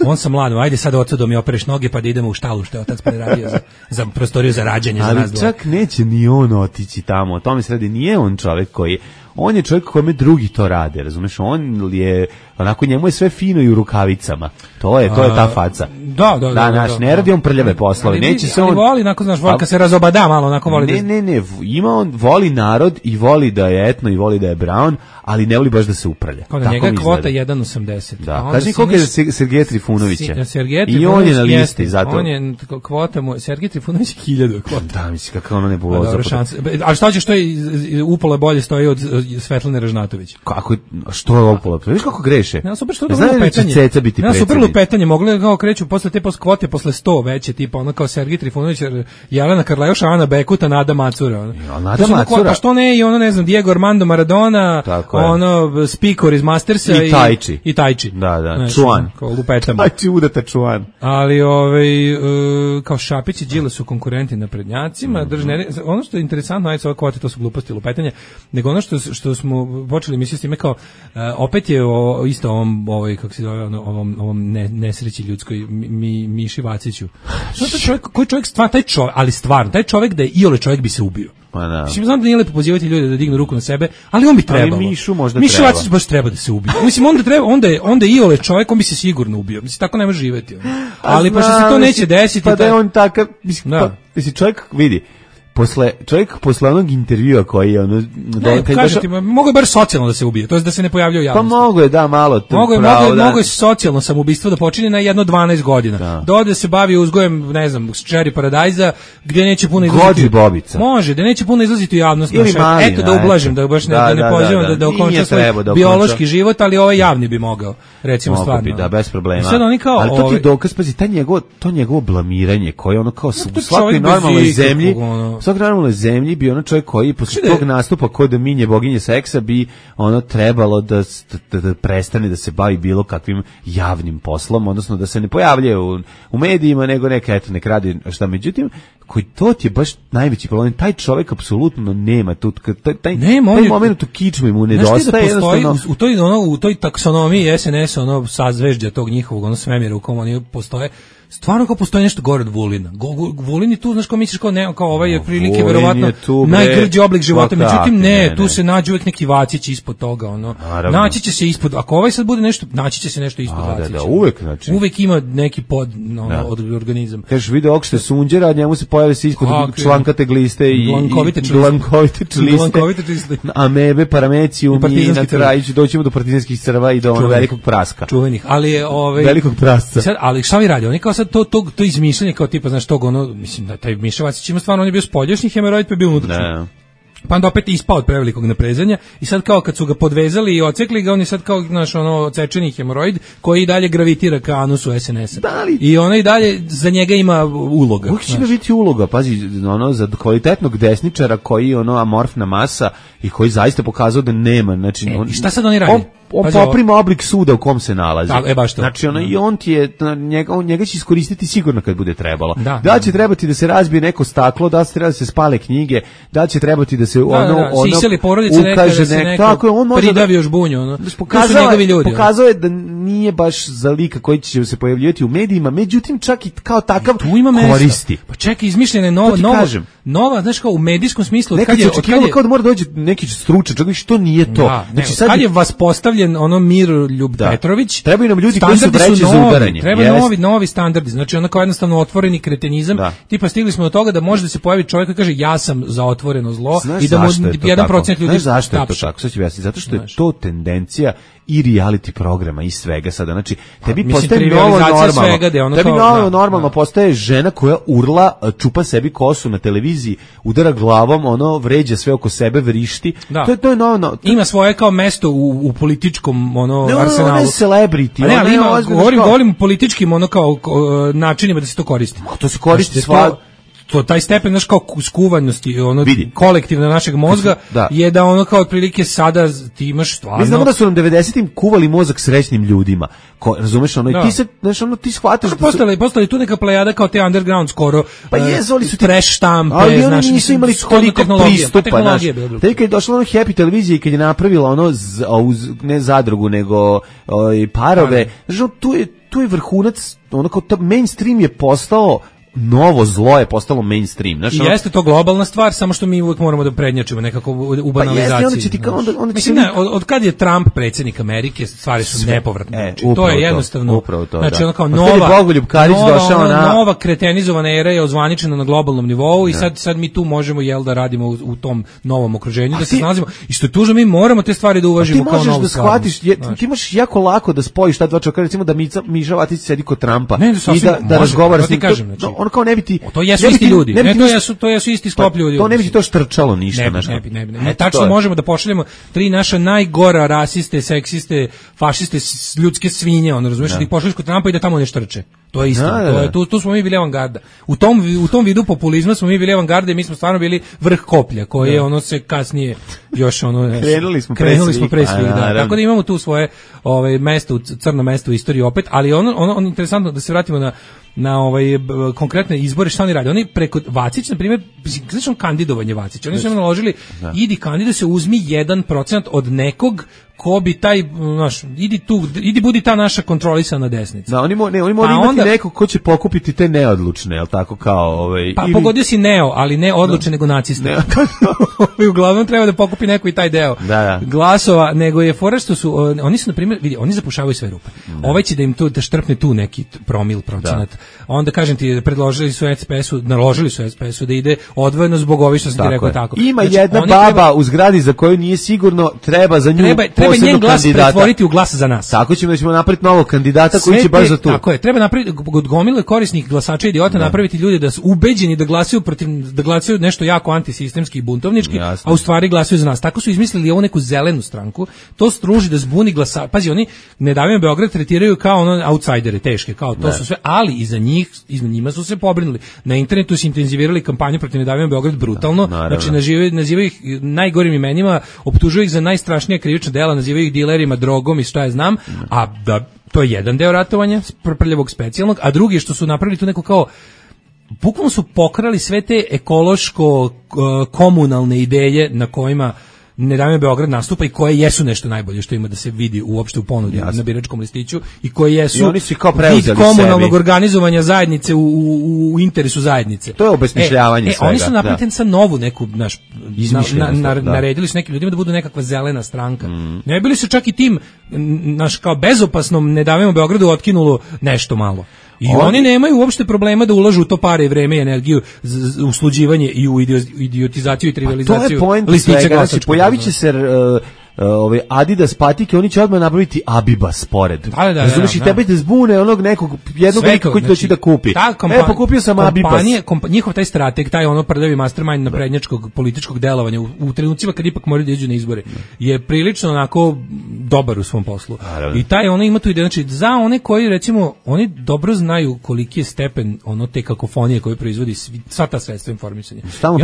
on sam mlad, ajde sad otac da mi opereš noge pa da idemo u štalu što je otac radio za prostoriju za rađanje za nas dvoje. Ali čak neće ni on otići tamo, o tome se radi, nije on čovjek koji on je čovjek kome drugi to rade, razumeš, on je, onako njemu je sve fino i u rukavicama, to je ta faca. Da, naš, ne radi on prljave poslove, neće se on... Ali voli, onako, znaš, voli kad se razobada malo, onako voli Ne, ima on, voli narod i voli da je etno i voli da je brown, ali ne voli baš da se uprlja. Kao da njega je kvota 1,80. Da, kaži koliko je Sergeja Trifunovića. I on je na listi, zato. On je, kvota mu, Sergej Trifunović 1000 kvota. Da, misli, kako ono ne bulo zapravo. Ali šta će, što je upola bolje stoji od Svetlane Ražnatović? Kako, što je upola? Viš kako greše? Ne, super što je dobro petanje. Ne, super petanje, mogli kao kreću posle te kvote, posle 100 veće, tipa ono kao Sergej Trifunović, Jelena Karlajoš, Ana Bekuta, Nada Macura. Nada Macura? Pa što ne, i ne znam, Diego Armando Maradona, Spikor iz Mastersa i Tajči. Da, Čuan. Kao lupetama. Tajči udata Čuan. Ali kao Šapić i Đile su konkurenti na prednjacima. Ono što je interesantno, ajde ove kvote, to su gluposti lupetanje, nego ono što smo počeli misliti s time kao, opet je isto kako se zove, ovom nesreći ljudskoj, Miši Vaciću. Koji čovjek taj čovjek da je iole čovjek bi se ubio. Mislim, znam da nije lepo pozivati ljude da dignu ruku na sebe, ali on bi trebalo. Ali Mišu možda Miša Vacić baš treba da se ubije. Mislim, onda je iole čovjek, on bi se sigurno ubio. Mislim, tako ne može živjeti. Ali pa što se to neće desiti. Pa da je on takav, mislim, čovjek vidi. Posle onog intervjua koji je mogu je bar socijalno da se ubije, to je da se ne pojavlja u javnosti. Pa mogu je, da, malo. Mogu je socijalno samoubistvo da počini na 12 godina. Da se bavi uzgojem, ne znam, Cherry Paradise-a, gdje neće puno izlaziti. Gođi Bobica. Može, da neće puno izlaziti u javnost. Eto, da ublažim, da baš ne pozivam da okonča svoj biološki život, ali ovaj javni bi mogao, recimo stvarno. Da, bez problema. Ali to ti dokaz, pazi, to njegovo blamiranje koje ono kao u svakoj normalnoj zemlji, svakoj normalnoj zemlji bi ono čovjek koji posle tog nastupa kod da minje boginje seksa bi ono trebalo da prestane da se bavi bilo kakvim javnim poslom, odnosno da se ne pojavljuje u medijima, nego nek radi šta. Međutim, koji to ti je baš najveći problem, taj čovjek apsolutno nema tu, taj moment u kičmu mu nedostaje. U toj taksonomiji SNS, sazvežđa tog njihovog svemira u kom oni postoje, stvarno kao postoji nešto gore od Vulina. Vulin je tu, znaš, kao misliš kao ovaj je prilike verovatno najgrđi oblik života, međutim tu se nađe uvijek neki Vacić ispod toga, naći će se ispod, ako ovaj sad bude nešto, naći će se nešto ispod Vacića. Uvijek ima neki od organizam. Kažeš, vidio ovog što je sunđera, a njemu se pojavi se ispod člankate gliste i blankovite čliste, amebe, paramecijum i na kraju doćemo do partizanskih crva i do velikog praska. Čuvenih, ali velikog prasca. Ali šta vi radi? Oni kao sad to izmišljanje kao tipa, znaš, tog mislim da taj Miša Vacić ima stvarno, on je bio spoljašnji hemeroid, pa je bio unutrašnji. Pa onda opet ispao od prevelikog naprezanja i sad kao kad su ga podvezali i ocekli ga, on je sad kao, znaš, odsečeni hemoroid koji i dalje gravitira ka anusu SNS-a. I ona i dalje za njega ima uloga. Uvijek će biti uloga, pazi, za kvalitetnog desničara koji je amorfna masa i koji zaista pokazao da nema, znači... I šta sad oni radi? On poprima oblik suda u kom se nalazi. Baš to. Znači, i on ti je, njega će iskoristiti sigurno kad bude trebalo. Da će trebati da se razbije neko staklo, da će trebati da se spale knjige, da će trebati da se siseli porodice ukaže neko, tako on može pridavi još bunju, pokazao je da nije baš za lika koji će se pojavljivati u medijima, međutim čak i kao takav koristi. Pa čekaj, izmišljena je nova, znaš kao u medijskom smislu. Nekad je očekivalo kao da mora dođi neki stručnjak, čak i što nije to. Da, znači, sad je vas postavljen Miroljub Petrović. Trebaju nam ljudi koji su vreće za udaranje. Trebaju novi standardi, znači onako jednostavno otvoreni kretenizam. Tipa stigli smo do toga da može da se pojavi čovjek koji kaže ja sam za otvoreno zlo i da mu 1% ljudi zašto je to tako? Sad ću objasniti, zato što je to tendencija i reality programa i svega sada. Znači, tebi postaje novo normalno. Tebi novo normalno postaje žena koja urla, čupa sebi kosu na televiziji, udara glavom, vređa sve oko sebe, vrišti. To je novo. Ima svoje kao mesto u političkom arsenalu. Ona je celebrity. Ne, ali govorim o političkim kao načinima da se to koristi. To se koristi taj stepen znaš kao skuvanosti kolektivno našeg mozga je da kao otprilike sada ti imaš stvarno. Mi znamo da su nam 90-im kuvali mozak srećnim ljudima. Razumeš i ti se ti shvataš da postali tu neka plejada kao te underground skoro. Pa jezoli su trash štampe, ali oni nisu imali toliko pristupa, znaš. Kad je došla Happy televizija i kad je napravila ne zadrugu nego parove, znaš, tu je vrhunac, kao mainstream je postao novo zlo je postalo mainstream. Znaš, jeste to globalna stvar, samo što mi uvijek moramo da prednjačimo nekako u banalizaciji. Mislim, od kad je Trump predsjednik Amerike, stvari su nepovratne. To je jednostavno, znači ono kao nova kretenizovana era je ozvaničena na globalnom nivou i sad mi tu možemo da radimo u tom novom okruženju, da se snalazimo i što je tužno, mi moramo te stvari da uvažimo kao novu stvar. Ti možeš jako lako da spojiš ta dva čovjeka, recimo da Miša Vacić sedi kod Trumpa i da razgovara s njim. On kao ne bi ti... To jesu isti ljudi, to jesu isti sklop ljudi. To ne bi ti to štrčalo ništa. Ne. Tačno možemo da pošaljemo 3 naša najgora rasiste, seksiste, fašiste, ljudske svinje, razumiješ, da ih pošalješ kod Trumpa i da tamo ne štrče. To je isto. Tu smo mi bili avangarda. U tom vidu populizma smo mi bili avangarda i mi smo stvarno bili vrh koplja, koje se kasnije još krenuli smo pre svih. Tako da imamo tu svoje mesto, crno mesto u istoriji opet, ali ono interesantno da se vratimo na konkretne izbore, šta oni rade. Oni preko Vacić, na primjer, znači kandidovanje Vacića, oni su im naložili, idi kandiduj se, uzmi 1% od nekog ko bi taj, idi budi ta naša kontrolisana desnica. Da, oni moraju imati nekog ko će pokupiti te neodlučne, jel tako kao pogodio si ali ne odlučne, nego naciste. Uglavnom treba da pokupi neko i taj deo glasova, nego je fora što su, oni su, na primjer, vidi, oni zapušavaju sve rupe. Ovaj će da im da štrpne tu neki promil procenat. Onda, kažem ti, naložili su SPS-u da ide odvojeno zbog ovih što sam ti rekao tako. Ima jedna baba u zgradi za koju nije sigurno, treba za nju treba njen glas pretvoriti u glas za nas. Tako ćemo napraviti novog kandidata koji će baš za to. Tako je, treba napraviti od gomile korisnih glasača idiota, napraviti ljude da su ubeđeni da glasaju nešto jako antisistemski i buntovnički, a u stvari glasaju za nas. Tako su izmislili ovu neku zelenu stranku, to struži da zbuni glasača. Pazi, oni Ne davimo Beograd tretiraju kao outsidere, teške, kao to su sve, ali iza njima su se pobrinuli. Na internetu su intenzivirali kampanju protiv Ne davimo Beograd brutalno, znači nazivaju ih najgorim imenima, optužuju ih za najstrašnija krivična dela, nazivaju ih dilerima, drogom i šta je znam, a da to je jedan deo ratovanja prljavog specijalnog, a drugi što su napravili tu neko kao bukvalno su pokrali sve te ekološko-komunalne ideje na kojima Ne davimo Beograd nastupa i koje jesu nešto najbolje što ima da se vidi uopšte u ponudi na biračkom listiću i koje jesu vid komunalnog organizovanja zajednice u interesu zajednice. To je obesmišljavanje svega. Oni su napravili sa novu neku, naredili su nekim ljudima da budu nekakva zelena stranka. Ne bili su čak i tim kao bezopasnom Ne davimo Beogradu otkinulo nešto malo. I oni nemaju uopšte problema da ulažu u to pare i vreme i energiju u sluđivanje i u idiotizaciju i trivializaciju listića glasačkog. Pojavit će se Adidas patike, oni će odmah napraviti Abibas pored. Razumiješ, i tebe te zbune jednog lika koji doći da kupi. Pokupio sam Abibas. Njihov taj strateg, taj prljavi mastermind naprednjačkog političkog delovanja u trenucima kad ipak moraju da iđu na izbore, je prilično onako dobar u svom poslu. I taj ima tu ideju, znači za one koji recimo, oni dobro znaju koliki je stepen te kakofonije koje proizvodi sva ta sredstva informisanja. Stalno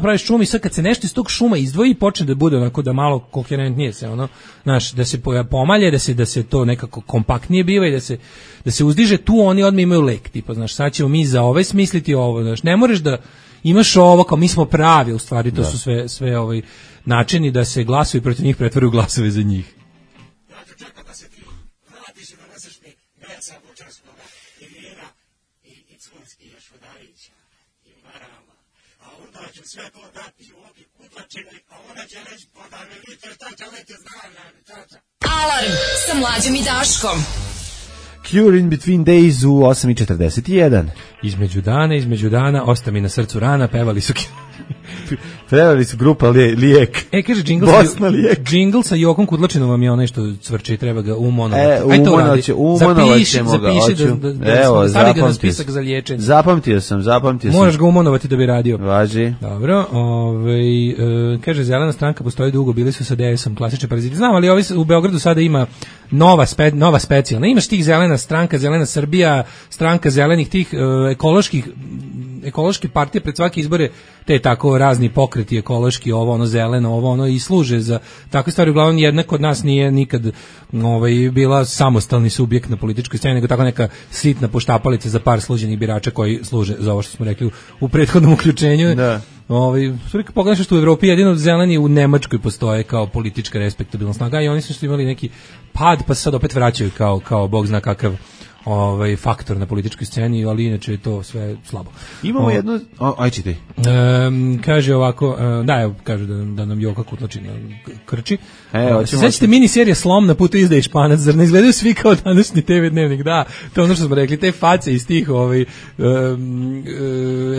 pravi šum i sad kad se nešto iz tog šuma izdvoji i počne da bude onako da malo koherentnije se da se pomalje, da se to nekako kompaktnije biva i da se uzdiže, tu oni odmah imaju lek, tipa, sad ćemo mi za ove smisliti ovo, ne možeš da imaš ovo kao mi smo pravi, u stvari to su sve načini da se glasovi protiv njih pretvaraju glasove za njih. ću sve to dati u obi kutlačine, a ona će reći, pa da mi vidite šta će leće zdravlja. Alarm sa Mlađom i Daškom. Cure in Between Days u 8:41. Između dana, osta mi na srcu rana, pevali su grupa Lijek. Kaže džingl sa Jokom Kudlačinom vam je onaj što cvrči, treba ga umonovati. Umonovaćemo ga. Evo, stavi ga na spisak za liječenje. Zapamtio sam. Moraš ga umonovati da bi radio. Važi. Dobro, kaže Zelena stranka postoji dugo, bili su sa DS-om, klasični paraziti. Znam, ali u Beogradu sada ima nova specijalna. Imaš tih Zelena stranka, Zelena Srbija, stranka zelenih tih ekološke partije pred svake izbore, te tako razni pokreti ekološki, ovo ono zeleno, ovo ono, i služe za takve stvari. Uglavnom jedna kod nas nije nikad bila samostalni subjekt na političkoj sceni, nego tako neka sitna poštapalica za par sluđenih birača koji služe za ovo što smo rekli u prethodnom uključenju. Da. Pogledaš što u Evropi jedino zeleni u Nemačkoj postoje kao politička respektabilna snaga i oni su što imali neki pad, pa se sad opet vraćaju kao bog zna kakav faktor na političkoj sceni, ali inače je to sve slabo. Imamo jedno, ajde ti. Kaže ovako, kaže da nam Joka Kutlačina krči. Sećate miniserije Slom na putu izdaje Španac, zar ne izgledaju svi kao današnji TV dnevnik? Da, to je ono što smo rekli, te face iz tih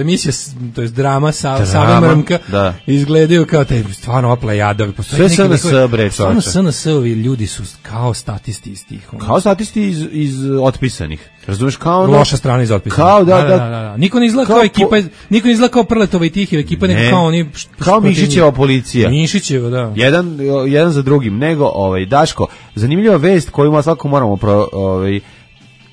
emisija, to je drama Sava Mrmka, izgledaju kao te stvarno oplejada. Sve SNS bre, stvarno SNS-ovi ljudi su kao statisti iz tih. Kao statisti iz otpisanih. Razumeš, kao loša strana iz otpisanih. Kao da. Niko ne izgleda kao ekipa, niko ne izgleda kao Prletova i Tiheva ekipa, nego kao oni kao Mišićeva policija. Mišićeva, da. Jedan za drugim, nego Daško, zanimljiva vest koju svakako moramo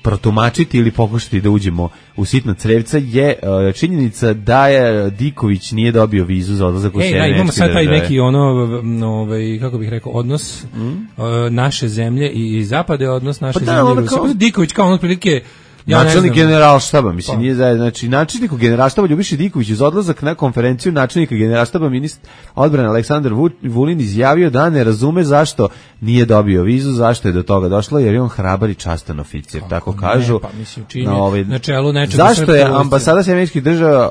protumačiti ili pokušati da uđemo u sitna crevca je činjenica da je Diković nije dobio vizu za odlazak u Sjedinjene Američke Države. Imamo sad taj neki kako bih rekao, odnos naše zemlje i zapade, odnos naše zemlje i Rusije. Diković kao otprilike načelnik generalštaba, mislim, nije zajedno, znači načelniku generalštaba Ljubiša Diković uz odlazak na konferenciju načelnika generalštaba ministar odbrane Aleksandar Vulin izjavio da ne razume zašto nije dobio vizu, zašto je do toga došlo, jer je on hrabar i častan oficir, tako kažu. Pa mislim, na čelu nečega. Zašto je ambasada Američkih Država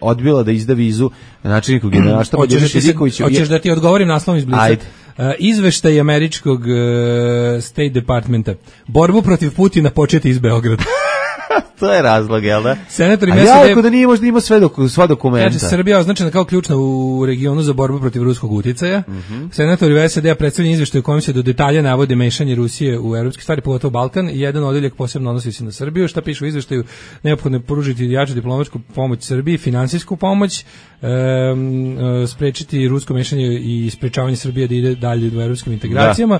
odbila da izda vizu načelniku generalštaba Ljubiša Dikoviću? Hoćeš da ti odgovorim naslovom iz Blica? Ajde. Izveštaj američkog State Departmenta. Borbu protiv Putina početi iz Beograda. To je razlog, jel da? Senator ako da nije možda ima sva dokumenta. Kaže, Srbija označena kao ključna u regionu za borbu protiv ruskog uticaja. Senatori SAD-a predstavljaju izveštaj u kojem se do detalja navode mešanje Rusije u evropske stvari, pogotovo Balkan, i jedan odeljak posebno odnosi se na Srbiju. Šta piše u izveštaju? Neophodno je pružiti jaču diplomatsku pomoć Srbiji, finansijsku pomoć, sprečiti rusko mešanje i sprečavanje Srbije da ide dalje u evropskim integracijama.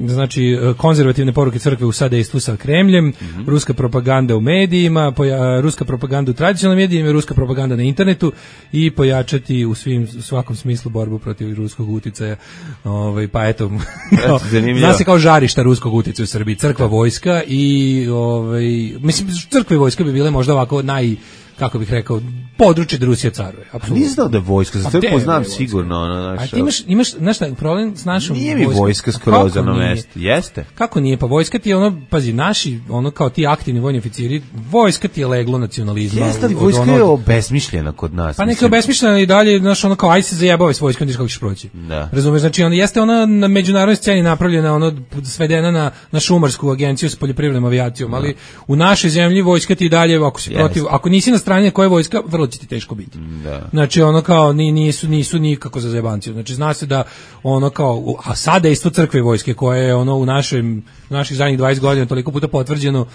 Znači konzervativne poruke crkve u sadejstvu sa Kremljem, ruska propaganda u medijima, ruska propaganda u tradicionalnim medijima, ruska propaganda na internetu i pojačati u svakom smislu borbu protiv ruskog uticaja. Pa eto, zna se kao žarišta ruskog uticaja u Srbiji, crkva, vojska i mislim, crkva i vojska bi bile možda ovako kako bih rekao, područje da Rusija caruje. Nisam znao da je vojska, za crkvu znam sigurno. A ti imaš problem s našom vojskom. Nije mi vojska skroz na mesto. Jeste? Kako nije? Pa vojska ti je pazi, naši, kao ti aktivni vojni oficiri, vojska ti je leglo nacionalizma. Jeste, ali vojska je obesmišljena kod nas. Pa neka je obesmišljena i dalje, kao aj se zajebava s vojskom, kako ćeš proći. Razumeš, znači jeste ona na međunarodnoj sceni napravljena, svedena na šumarsku agenciju s poljoprivrednom avijacijom, ali u našoj zemlji vojska ti dalje, ako nisi na strane koje vojska, vrlo će ti teško biti. Znači kao nisu nikako za zajebanciju. Znači zna se da a sada isto crkve i vojske koje je u naših zadnjih 20 godina toliko puta potvrđeno,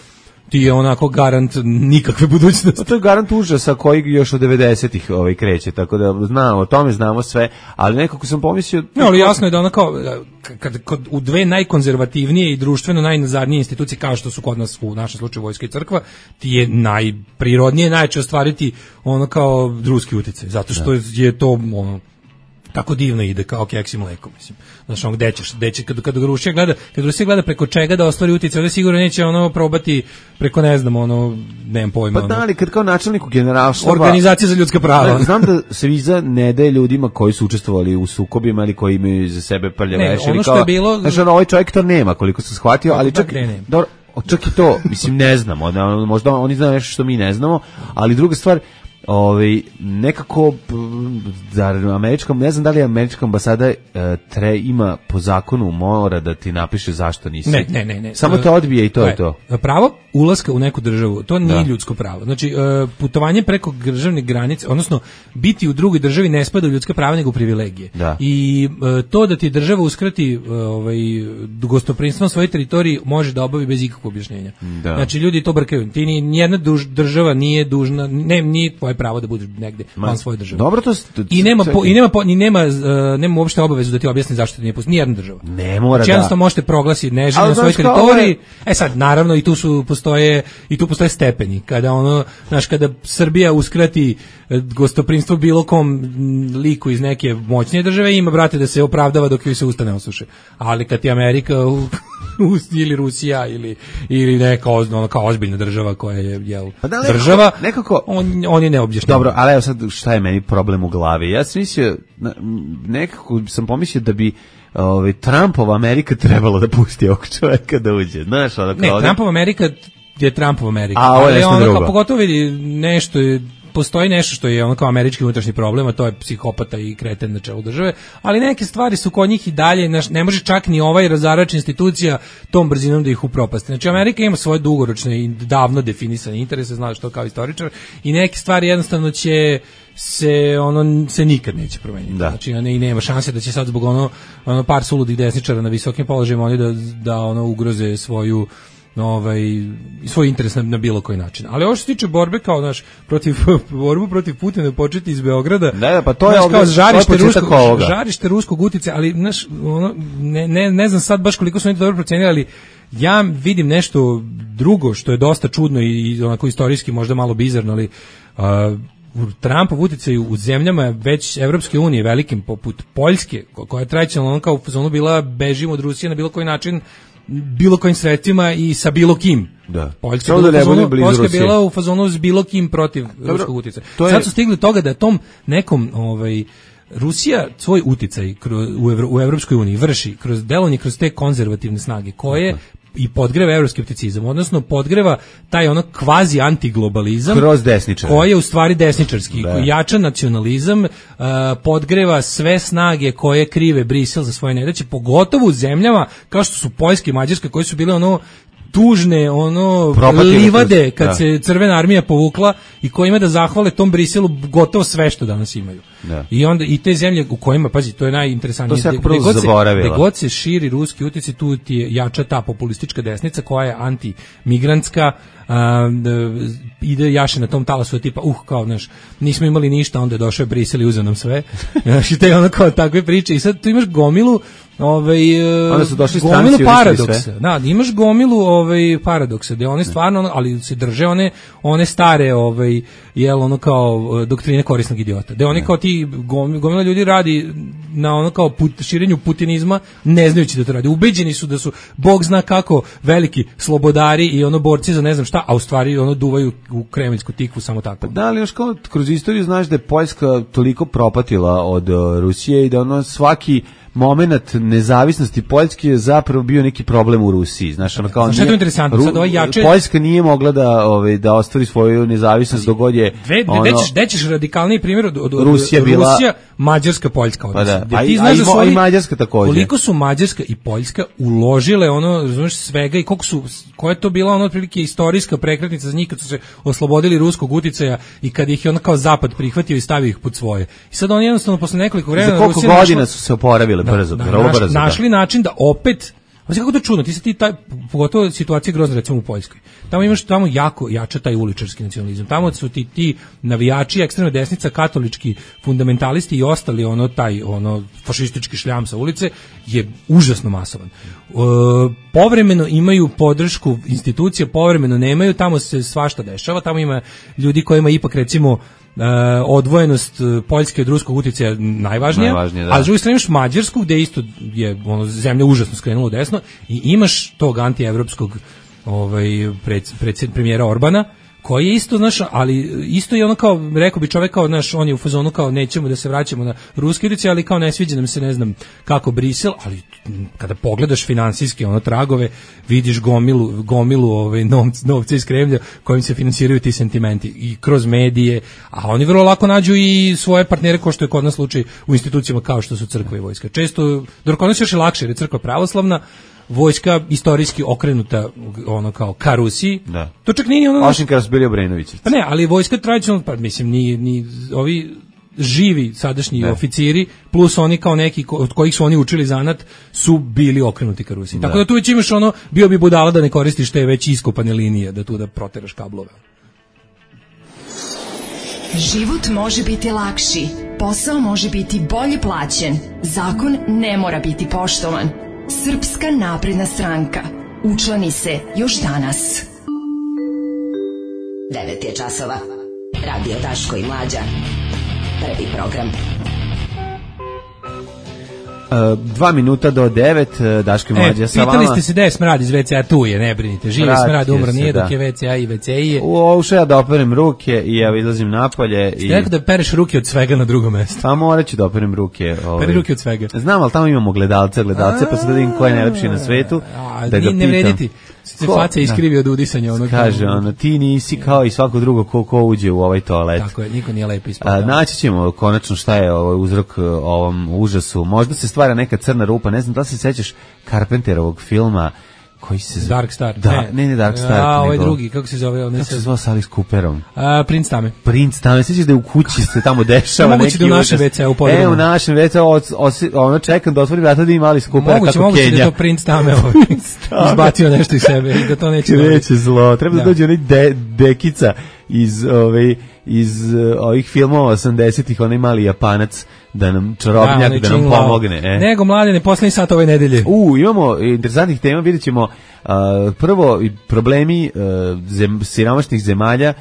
ti je onako garant nikakve budućnosti. To je garant užasa koji još od 90-ih kreće, tako da znamo, o tome znamo sve, ali nekako sam pomislio... No, ali jasno je da u dve najkonzervativnije i društveno najnazadnije institucije, kao što su kod nas u našem slučaju vojska i crkva, ti je najprirodnije, najče ostvariti kao ruski uticaj, zato što je to tako divno ide kao keks i mleko, mislim. Znaš, gde će kad Rusija gleda preko čega da ostvari utjecaj, onda sigurno neće probati preko, ne znam, nemam pojma. Pa da, ali kad kao načelniku generalštaba... Organizacija za ljudska prava. Znam da se viza ne daje ljudima koji su učestvovali u sukobima ili koji imaju za sebe prljaveš. Ono što je bilo... Znaš, ovaj čovjek to nema, koliko sam shvatio, ali čak i to, mislim, ne znamo. Možda oni znaju nešto što mi ne znamo, ali druga stvar, nekako američkom, ne znam da li američka ambasada ima po zakonu mora da ti napiše zašto nisi. Ne. Samo te odbije i to je to. Pravo ulaska u neku državu, to nije ljudsko pravo. Znači, putovanje preko državne granice, odnosno biti u drugoj državi ne spada u ljudska prava nego u privilegije. Da. I to da ti država uskrati gostoprimstvom svoje teritoriji može da obavi bez ikakvog objašnjenja. Da. Znači, ljudi to brkaju. Ti nijedna država nije dužna, nije tvoje pravo da budeš negde van svoje države. Dobro, to nema uopšte obavezu da ti objasni zašto ti nije pustiti nijedna država. Ne mora znači, jednostavno možete proglasiti neželjno na svojoj teritoriji. Sad naravno i tu postoje stepeni. Kada Srbija uskrati gostoprimstvo bilo kom liku iz neke moćnije države, ima brate da se opravdava dok joj se usta ne osuše. Ali kad ti Amerika ili Rusija ili neka kao ozbiljna država koja je država, nekako on je neobjašnjen. Dobro, ali evo sad šta je meni problem u glavi. Ja sam mislio, nekako sam pomislio da bi Trumpova Amerika trebalo da pusti ovog čoveka da uđe. Znaš, Trumpova Amerika je Trumpova Amerika. A ovo je nešto drugo. Pogotovo vidi nešto postoji nešto što je kao američki unutrašnji problem, a to je psihopata i kreten na čelu države, ali neke stvari su kod njih i dalje, ne može čak ni razarač institucija tom brzinom da ih upropasti. Znači, Amerika ima svoje dugoročne i davno definisane interese, znaš to kao istoričar, i neke stvari jednostavno će se nikad neće promeniti. Da. Znači, i nema šanse da će sad zbog par suludih desničara na visokim položajima oni da ugroze svoj interes na bilo koji način. Ali ovo što se tiče borbe kao borbu protiv Putina početi iz Beograda. Ne, pa to je kao žarište ruskog uticaja, ali ne znam sad baš koliko su oni dobro procenili, ali ja vidim nešto drugo što je dosta čudno i onako istorijski možda malo bizarno, ali Trumpov uticaj u zemljama već Evropske unije velikim poput Poljske, koja je tradicionalno kao u fazonu bila bežimo od Rusije na bilo koji način, bilo kojim sredstvima i sa bilo kim. Da. Poljska je bila u fazonu s bilo kim protiv ruskog uticaja. Sad su stigli toga da tom nekom Rusija svoj uticaj u Evropskoj uniji vrši kroz delovanje kroz te konzervativne snage koje i podgreva evroskepticizam, odnosno podgreva taj kvazi antiglobalizam kroz desničar, koji je u stvari desničarski, koji jača nacionalizam, podgreva sve snage koje krive Brisel za svoje nedaće, pogotovo u zemljama kao što su Poljska i Mađarska, koje su bile tužne, livade kad se Crvena armija povukla i koji ima da zahvale tom Briselu gotovo sve što danas imaju. Da. I onda i te zemlje u kojima, pazi, to je najinteresantnije, gde god se širi ruski uticaj, tu ti je jača ta populistička desnica koja je antimigrantska, ide jaše na tom talasu tipa, kao, nismo imali ništa, onda je došao Brisel i uzeo nam sve. I te kao takve priče. I sad tu imaš gomilu gomilu paradoksa. Da, imaš gomilu paradoksa, gde one stvarno, ali se drže one stare kao doktrine korisnog idiota. Gde oni kao ti gomila ljudi radi na kao širenju putinizma, ne znajući da to radi. Ubeđeni su da su Bog zna kako veliki slobodari i borci za ne znam šta, a u stvari duvaju u kremeljsku tikvu samo tako. Da, ali kao kroz istoriju znaš da je Poljska toliko propatila od Rusije i da svaki moment nezavisnosti Poljske je zapravo bio neki problem u Rusiji. Znaš, kao što je to interesantno, sad Poljska nije mogla da ostvari svoju nezavisnost dok god je gde ćeš radikalniji primjer od Rusija, Mađarska, Poljska odnos. I Mađarska također. Koliko su Mađarska i Poljska uložile razumiješ, svega i koja je to bila otprilike istorijska prekretnica za njih kad su se oslobodili ruskog uticaja i kad ih je kao zapad prihvatio i stavio ih pod svoje. I sad oni jednostavno posle nekoliko vremena za koliko godina su se oporavili brzo. Našli način da opet, znači kako to čudno, pogotovo situacija grozna recimo u Poljskoj. Tamo jako jača taj uličarski nacionalizam. Tamo su ti navijači, ekstremna desnica, katolički fundamentalisti i ostali fašistički šljam sa ulice je užasno masovan. Povremeno imaju podršku institucija, povremeno nemaju, tamo se svašta dešava, tamo ima ljudi kojima ipak recimo odvojenost Poljske od ruskog uticaja najvažnija, a s druge strane imaš Mađarsku gde isto je zemlja užasno skrenula desno i imaš tog antievropskog premijera Orbana koji je isto, znaš, ali isto je ono kao, rekao bi čovek kao, znaš, on je u fazonu kao nećemo da se vraćamo na ruske ulice, ali kao ne sviđa nam se, ne znam kako Brisel, ali kada pogledaš finansijske ono tragove, vidiš gomilu novca iz Kremlja kojim se finansiraju ti sentimenti i kroz medije, a oni vrlo lako nađu i svoje partnere, kao što je kod nas slučaj u institucijama kao što su crkva i vojska. Često, dok kod nas još je lakše, jer je crkva pravoslavna, vojska istorijski okrenuta ono kao ka Rusiji. Da. To čak nije ono... Osim kada su bili Obrenovići. Pa ne, ali vojska tradicionalno, pa mislim, ni ovi živi sadašnji oficiri, plus oni kao neki od kojih su oni učili zanat, su bili okrenuti ka Rusiji. Tako da tu već imaš ono, bio bi budala da ne koristiš te već iskopane linije, da tu da proteraš kablove. Život može biti lakši, posao može biti bolje plaćen, zakon ne mora biti poštovan. Srpska napredna stranka. Učlani se još danas. 9 je časova. Radio Daško i Mlađa. Prvi program. 2 minuta do 9, Daško i Mlađa sa vama. Pitali ste se da je smrad iz WC-a, tu je, ne brinite. Živi smrad, umro nije, dok je WC-a i WC-i je. Ušao ja da operem ruke i ja izlazim napolje. Ste rekao da pereš ruke od svega na drugo mesto? Pa morat ću da operem ruke. Peri ruke od svega. Znam, ali tamo imamo gledalce, pa sad da vidim ko je najlepši na svetu. Da ga pitam. Ne vrediti. Se faca iskrivi od udisanja. Kaže, ti nisi kao i svako drugo ko uđe u ovaj toalet. Tako je, niko nije lepo ispod. Naći ćemo konačno šta je uzrok ovom užasu. Možda se stvara neka crna rupa, ne znam da se sećaš Carpenterovog filma koji se zove... Dark Star. Da, ne Dark Star. Ovaj drugi, kako se zove? Kako se zvao s Alice Cooperom? Princ Tame. Princ Tame, sjećaš da je u kući se tamo dešava neki... Moguće da u našem WC-u podrumu. U našem WC-u, čekam da otvorim vrata da ima Alice Coopera kako Kenja. Moguće da je to Princ Tame izbacio nešto iz sebe i da to neće dobiti. Neće zlo, treba da dođe onaj dekica iz ovih filmova 80-ih, onaj mali Japanac, da nam čarobnjak, da nam pomogne. Nego, Mladene, poslednji sat ove nedelje. Imamo interesantnih tema, vidjet ćemo prvo problemi siromašnih zemalja,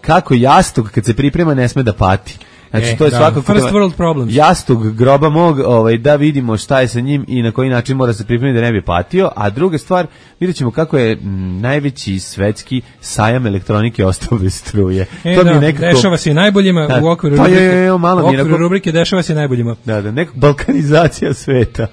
kako jastog kad se priprema ne sme da pati. Znači, to je svakako first world problems. Jastog groba mog, da vidimo šta je sa njim i na koji način mora se pripremiti da ne bi patio. A druga stvar, vidjet ćemo kako je najveći svetski sajam elektronike ostao bez struje. To mi nekako... Dešava se i najboljima u okviru rubrike, dešava se i najboljima. Da, neka balkanizacija sveta.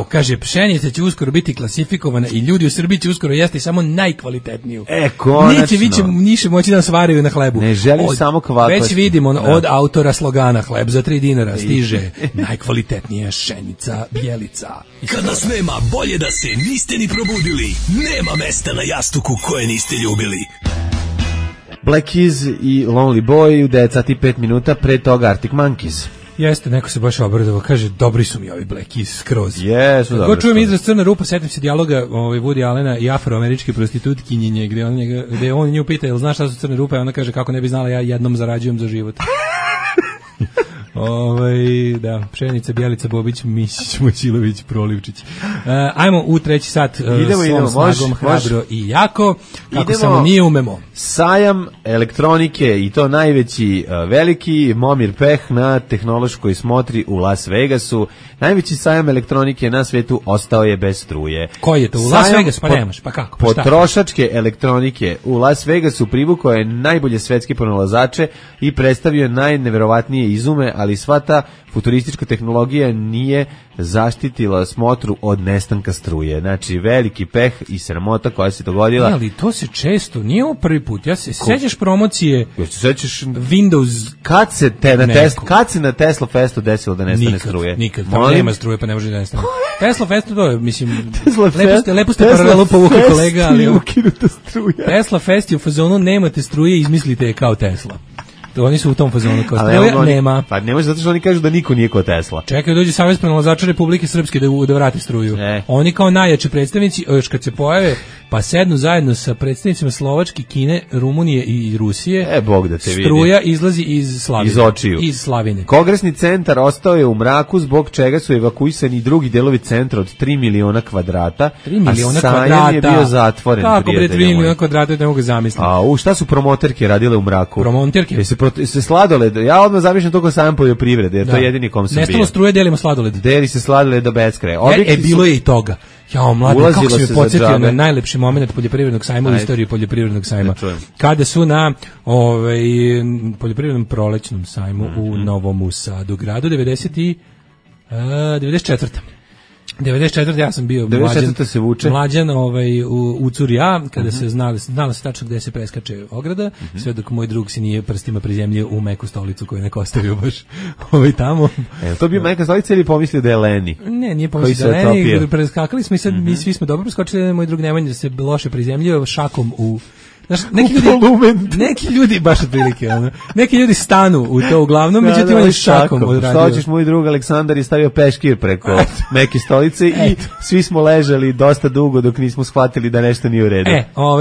Kaže, pšenica će uskoro biti klasifikovana i ljudi u Srbiji će uskoro jesti samo najkvalitetniju. Konačno. Neće moći da svaraju na hlebu. Ne želim samo kvalitetnu. Već vidimo od autora slogana hleb za 3 dinara stiže najkvalitetnija pšenica Bjelica. Kad nas nema, bolje da se niste ni probudili. Nema mesta na jastuku koje niste ljubili. Black Keys i Lonely Boy u 9 sati 5 minuta, pre toga Arctic Monkeys. Jeste, neko se baš obradovao, kaže, dobri su mi ovi Black Keys skroz. Jesu, dobro. Ko čujem izraz crna rupa, setim se dijaloga Woody Allena i afroameričke prostitutkinjenje, gde on nju pita, jel znaš šta su crne rupe, a ona kaže, kako ne bi znala, ja jednom zarađujem za život. Da, Pšenica, Bjelica, Bobić, Mišić, Mojsilović, Prolivčić. Ajmo u treći sat svom snagom, hrabro i jako, kako samo nije umemo. Sajam elektronike i to najveći veliki Momir Peh na tehnološkoj smotri u Las Vegasu. Najveći sajam elektronike na svetu ostao je bez struje. Koji je to? U Las Vegasu? Pa nemaš, pa kako? Pa potrošačke elektronike u Las Vegasu privukao je najbolje svetske pronalazače i predstavio najneverovatnije izume, ali sva ta futuristička tehnologija nije zaštitila smotru od nestanka struje. Znači, veliki peh i sramota koja se dogodila. Ali to se često, nije ovo prvi put. Ja se sećaš promocije Windows. Kad se na Tesla Festu desilo da nestane struje? Nikad. Tamo nema struje, pa ne može da nestane. Tesla Festu, to je, mislim, lepo ste paralelu povukli kolega, ali Tesla Fest je u fazonu nemate struje, izmislite je kao Tesla. Oni su u tom fazonu kao struja, nema. Pa ne može, zato što oni kažu da niko nije kao Tesla. Čekaj, dođe Savez pronalazača Republike Srpske da vrati struju. Oni kao najjači predstavnici, još kad se pojave, pa sednu zajedno sa predstavnicima Slovačke, Kine, Rumunije i Rusije. Bog da te vidi. Struja izlazi iz Slavine. Iz očiju. Iz Slavine. Kongresni centar ostao je u mraku, zbog čega su evakuisani drugi delovi centra od 3 miliona kvadrata. 3 miliona kvadrata. A sajam je bio zatvoren. Kako bre 3 miliona kvadrata, ne mogu zamisliti. Šta su promoterke radile u mraku? Promoterke? Se sladoled, ja odmah zamišljam to kao sajam poljoprivrede, jer to je jedini kom sam bio. Nestalo struje, delimo sladoled. Deli se sladoled do beskraja. Bilo je i toga. Jao, mladi, kako si me podsjetio na najlepši moment poljoprivrednog sajma u istoriji poljoprivrednog sajma. Kada su na poljoprivrednom prolećnom sajmu u Novom Sadu gradu 94. ja sam bio mlađan u Curja, kada se znalo se tačno gde se preskače ograda, sve dok moj drug se nije prstima prizemljio u meku stolicu koju neko ostavio baš tamo. To bio meka stolica ili pomislio da je Leni? Ne, nije pomislio da je Leni, preskakali smo i sad mi svi smo dobro preskočili, moj drug Nemanja se loše prizemljio šakom u... Znaš, neki ljudi baš otprilike, neki ljudi stanu u to uglavnom, međutim on je šakom odradio. Što hoćeš, moj drug Aleksandar je stavio peškir preko neke stolice i svi smo ležali dosta dugo dok nismo shvatili da nešto nije u redu.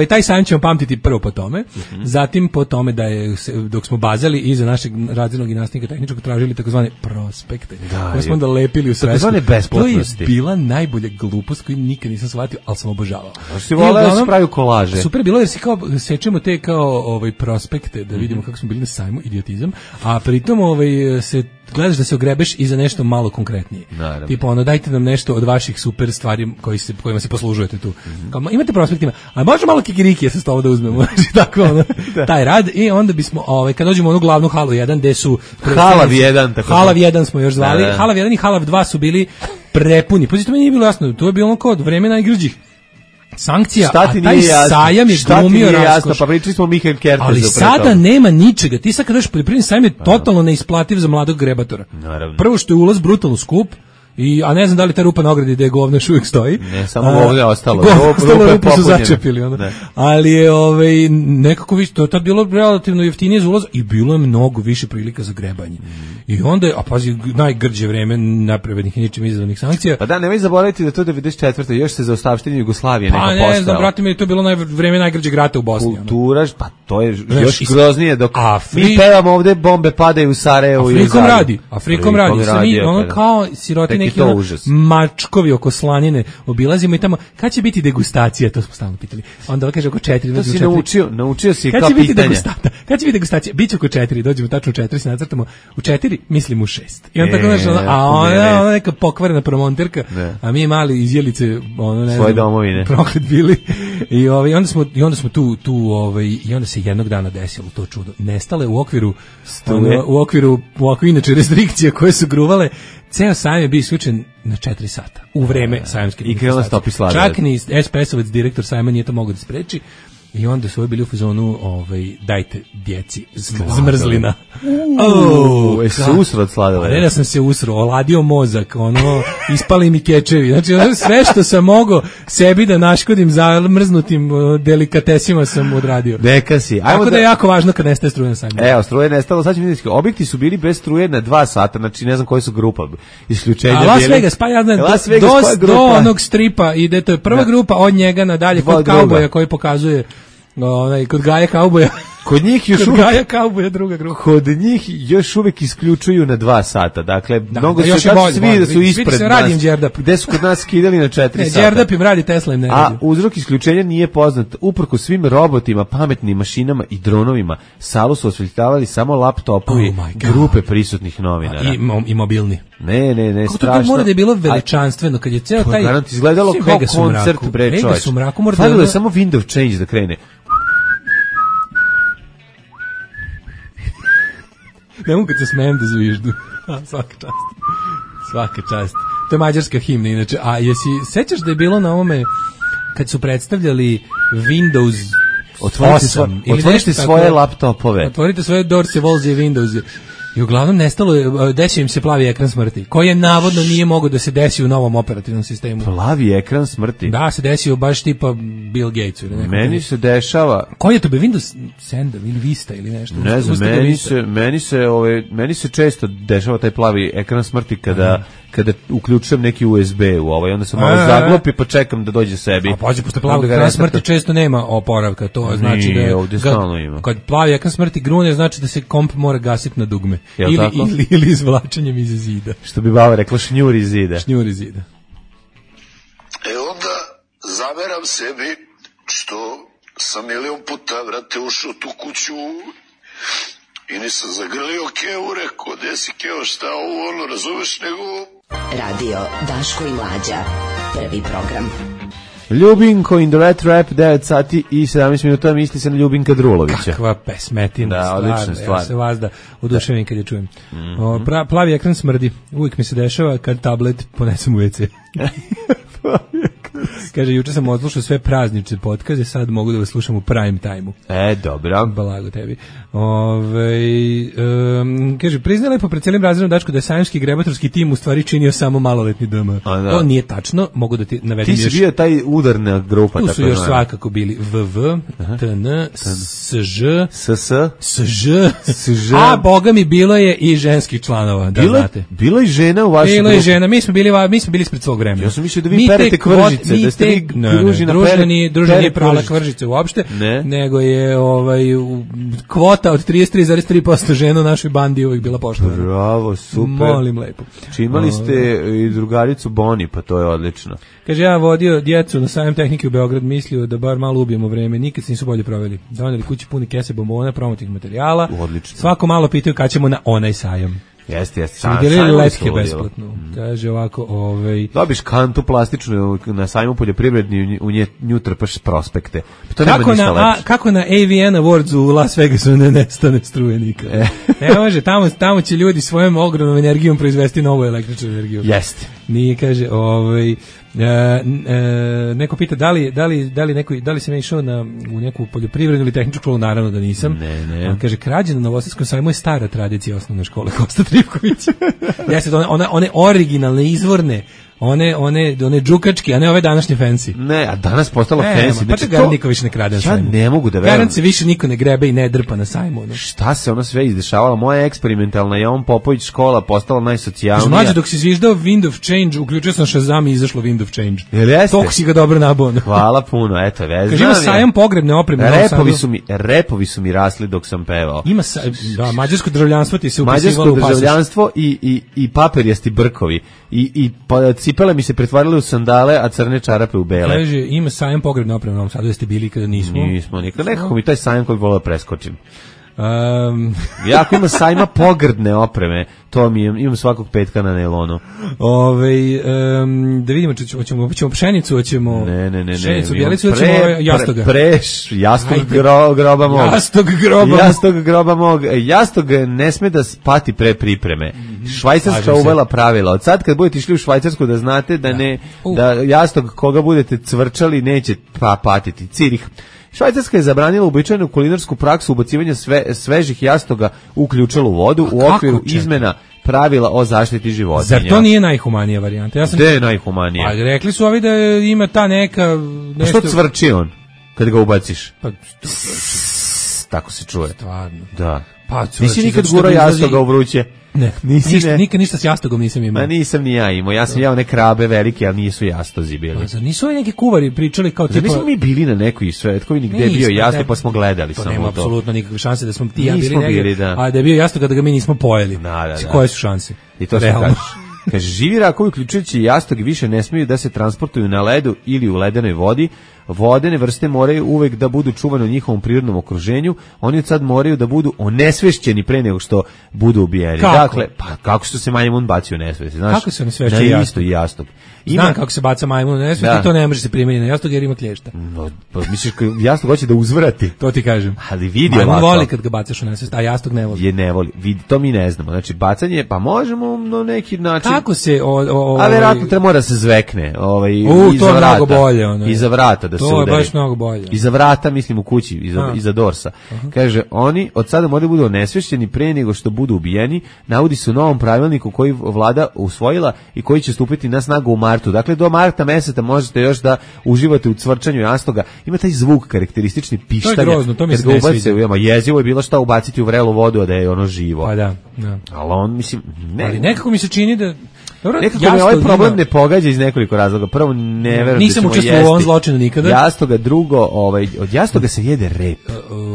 Taj sajam ćemo pamtiti prvo po tome, zatim po tome da je, dok smo bazali iza našeg razrednog i nastavnika tehničkog tražili takozvane prospekte, koje smo onda lepili u svesku. To je bila najbolja glupost koju nikad nisam shvatio, ali sam obožavao. Si voleo da se pravi kolaže. Super bilo jer si kao sečemo te kao prospekte da vidimo kako smo bili na sajmu, idiotizam, a pritom se gledaš da se ogrebeš i za nešto malo konkretnije. Naravno. Tipo dajte nam nešto od vaših super stvari kojima se poslužujete tu. Kao, imate prospektima, a može malo kikirikije sa stola da uzmemo. Tako taj rad i onda bismo kad dođemo u onu glavnu halu 1 gde su Halav 1 tako. Halav 1 smo još zvali. Halav 1 i Halav 2 su bili prepuni. Pozito meni nije bilo jasno, to je bilo kod vreme najgrđih sankcija, a taj sajam je glumio raskoš. Pa pričali smo Mihael Kertezu. Ali sada nema ničega. Ti sad kad daš poljoprivredni sajam je totalno neisplativ za mladog grebatora. Naravno. Prvo što je ulaz brutalno skup, a ne znam da li ta rupa na ogradi da je govno još uvijek stoji. Ne, samo ovdje je ostalo. Rupu su začepili. Ali je nekako više, to je tad bilo relativno jeftinije za ulaz i bilo je mnogo više prilika za grebanje. I onda je, a pazi, najgrđe vreme napravednih i ničim izazvanih sankcija. Pa da, nemoj zaboraviti da to 94. još se za ostavštine Jugoslavije neka postao. Pa ne znam, brate mi, to je bilo vreme najgrđeg rata u Bosni. Kultura, pa to je još groznije dok mi pevamo ovde, bombe padaju u Sarajevu i u Zagrebu. Afrikom radi. Sami, kao siroti neki mačkovi oko slanine obilazimo i tamo, kad će biti degustacija, to smo stalno pitali. Onda kaže oko 4. To si naučio si kao pitanja. Kad će biti degustacija? Biće oko 4, dođemo tačno u 4, se nacrtamo u 4, mislim u 6. I on tako znaš, ona neka pokvarena promonterka, a mi mali iz Jelice, ne svoje domovine. Proklet bili. I onda smo tu i onda se jednog dana desilo to čudo. Nestale u okviru inače restrikcija koje su gruvale. Ceo sajam je bio isključen na 4 sata u vreme sajamske i krenuo stopi sladoled. Čak ni SPS-ovac, direktor sajma, nije to mogao da spreči. I onda su bili u fazonu, dajte djeci zmrzlina. Se usro od sladoleda. Ne da sam se usro, oladio mozak, ispali mi kečevi. Znači, sve što sam mogao sebi da naškodim zamrznutim delikatesima sam odradio. Neka si. Tako da je jako važno kad nestaje struje na sajmu. Evo, struje nestalo, sad ćemo vidjeti. Objekti su bili bez struje na 2 sata, znači ne znam koje su grupa. Isključenja bili. A Las Vegas, pa ja znam, do onog stripa ide, to je prva grupa, od njega nadalje, kod kauboja koji pokazuje kod Gaja Kauboja. Kod njih još uvijek Gaja Kauboja druga grupa. Kod njih još uvijek isključuju na 2 sata. Dakle, mnogo se svi da su ispred nas. Gde su kod nas skidali na 4 sata. Đerdap im radi, Tesla im ne radi. A uzrok isključenja nije poznat. Uprko svim robotima, pametnim mašinama i dronovima, salu su osvetljavali samo laptopovi grupe prisutnih novinara. I mobilni. Ne, strašno. To mora da je bilo veličanstveno kad je ceo taj garant izgledalo kao koncert, bre, čovječ. Fadilo je samo Windows Change da krene. Ne mogu kad se smijem da zviždu. Svaka čast. To je mađarska himna inače. A sećaš da je bilo na ovome kad su predstavljali Windows 8? Otvorite svoje laptopove. Otvorite svoje Dorse, Volze, Windows. I uglavnom nestalo je, desio im se plavi ekran smrti, koji je navodno nije mogao da se desi u novom operativnom sistemu. Plavi ekran smrti? Da, se desio baš tipa Bill Gatesu. Meni se dešava... Koji je to be, Windows 7 ili Vista ili nešto? Ne znam, meni se često dešava taj plavi ekran smrti kada uključujem neki USB u onda sam malo zaglopi pa čekam da dođe sebi. A pađe, posle plavog ekran smrti često nema oporavka, to znači da je... ovdje stalno ima. Kad plavi ekran smrti grune, znači da se komp mora gasiti na dugme. Ili izvlačenjem iz zida. Što bi baba rekla, šnjuri iz zida. Šnjuri iz zida. Onda zameram sebi što sam milion puta, vrate, ušao tu kuću i nisam zagrlio Keo, rekao, gde si Keo, šta ovo, razumeš, nego... Radio Daško i Mlađa. Prvi program. Ljubinko in the Red Rap, 9 sati i 17 minuta, misli se na Ljubinka Drulovića. Kakva pesmetina. Da, odlična stvar. Ja se vazda oduševim kad je čujem. Plavi ekran smrdi. Uvijek mi se dešava kad tablet ponesem u WC. Kaže, juče sam odslušao sve praznične potkaze, sad mogu da vas slušam u prime time-u. Dobro. Balago tebi. Kaže, priznaj lepo pred cijelim razredom Dačko da je sajamski grebatorski tim u stvari činio samo maloletni DM. To nije tačno, mogu da ti navedim još. Ti si bio taj udarna grupa. Tu su još svakako bili VV, TN, SŽ, SŽ, a boga mi bilo je i ženskih članova, da znate. Bilo i žena u vašoj grupi? Bilo i žena, mi smo bili ispred svog vremena. Ja sam mislio da vi perete kvržice, da ste vi družina nije prala kvržice uopšte, nego je kvota od 33,3% žena u našoj bandi uvijek bila poštovana. Bravo, super. Molim lepo. Imali ste i drugaricu Boni, pa to je odlično. Kaže, ja vodio djecu na sajam tehnike u Beograd, mislio da bar malo ubijemo vreme, nikad se nisu bolje proveli. Doneli kući puni kese bombona, promotivnih materijala. Odlično. Svako malo pitaju kad ćemo na onaj sajam. Jeste. Smo delili letke besplatno. Kaže ovako, dobiš kantu plastičnu na sajmu poljoprivredni, u nju trpaš prospekte. To kako na AVN Awards u Las Vegasu ne nestane struje nikad. Ne može, tamo će ljudi svojom ogromnom energijom proizvesti novu električnu energiju. Jeste. Nije, kaže, neko pita da li sam išao u neku poljoprivrednu ili tehničku školu, naravno da nisam. Ne. On kaže, krađa na Novosadskom sajmu je stara tradicija osnovne škole Kosta Trivkovića. Jeste, one originalne, izvorne, one džukački, a ne ove današnje fancy. Ne, a danas postalo fancy. Pa čega niko više ne krade na sajmu. Ja ne mogu da verujem. Garant se više niko ne grebe i ne drpa na sajmu. Šta se ono sve izdešavalo? Moja eksperimentalna Jovan Popović škola postala najsocijalnija. Mlađe, dok si zviždao Wind of Change, uključio sam Shazam i izašlo Wind of Change. Jel jeste? Toliko si ga dobro nabao. Hvala puno, eto, vezam. Kaže, ima sajam pogrebne opreme. Repovi su mi rasli dok sam pevao. Ima mađarsko državljanstvo ti se upisivalo u pasoš. Mađarsko državljanstvo i paperjasti brkovi. I cipele mi se pretvarale u sandale, a crne čarape u bele. Kaže, ima sajam pogrebne opreme u Novom Sadu, da ste bili kada nismo. Nismo nikad. Nekako mi taj sajam koji volio preskočim. Jako ima sajma pogrdne opreme, to mi imam svakog petka na nailonu. Da vidimo, hoćemo pšenicu, hoćemo pšenicu, bjelicu, hoćemo jastoga. Jastog groba mog. Jastog ne sme da pati pre pripreme. Švajcarska uvela pravila. Od sad kad budete išli u Švajcarsku da znate da jastog koga budete cvrčali neće patiti. Cirih. Švajcarska je zabranila uobičajenu kulinarsku praksu ubacivanja svežih jastoga u ključalu vodu u okviru izmena pravila o zaštiti životinja. Zar to nije najhumanija varijanta? Gde je najhumanija? Pa rekli su ovi da ima ta neka... Što cvrči on kad ga ubaciš? Tako se čuje. Stvarno. Da. Pa, nisi nikad gurao jastoga u vruće? Ne, nikad ništa s jastogom nisam imao. Ma nisam ni ja imao, ja sam jeo neke krabe velike, ali nisu jastozi bili. Zar nisu ovi neki kuvari pričali kao tipa... Nismo mi bili na nekoj svetkovini gde je bio jastog, pa smo gledali samo to. Nema apsolutno nikakve šanse da smo ti ja bili negdje, a da je bio jastog, da ga mi nismo pojeli. Koje su šanse? I to se kažeš. Kaže, živi rakovi uključujući jastog više ne smiju da se transportuju na ledu ili u ledenoj vodi. Vodene vrste moraju uvek da budu čuvane u njihovom prirodnom okruženju. Oni od sad moraju da budu onesvešćeni pre nego što budu ubijeni. Kako? Dakle, pa kako što se majmun baci u nesvest, znaš? Kako se onesvešćuje jastog? Znam kako se baca majmun u nesvest i to ne može se primeniti na jastog jer ima klješta. No, pa misliš jastog hoće da uzvrati? To ti kažem. Ali vidi majmun voli kad ga bacaš u nesvest, a jastog ne voli. Ne voli. Vidi, to mi ne znamo. Znači bacanje, pa možemo na neki način. Kako se a verovatno treba da se zvekne, to je mnogo bolje, iza vrata da se udari. To je baš mnogo bolje. Iza vrata, mislim u kući, iza dorsa. Kaže, oni od sada moraju budu onesvešćeni pre nego što budu ubijeni. Navodi se u novom pravilniku koji vlada usvojila i koji će stupiti na snagu u martu. Dakle, do marta meseca možete još da uživate u cvrčanju jastoga. Ima taj zvuk karakteristični pištanja. To je grozno, to mi se ne sviđa. Jezivo je bilo šta ubaciti u vrelu vodu, a da je ono živo. Pa da. Ali on, mislim, ali nekako mi se čini da... Nekako me ovaj problem ne pogađa iz nekoliko razloga. Prvo, ne verujem da ćemo učestvovao u ovom zločinu nikada. Jastoga, drugo, od jastoga se jede rep.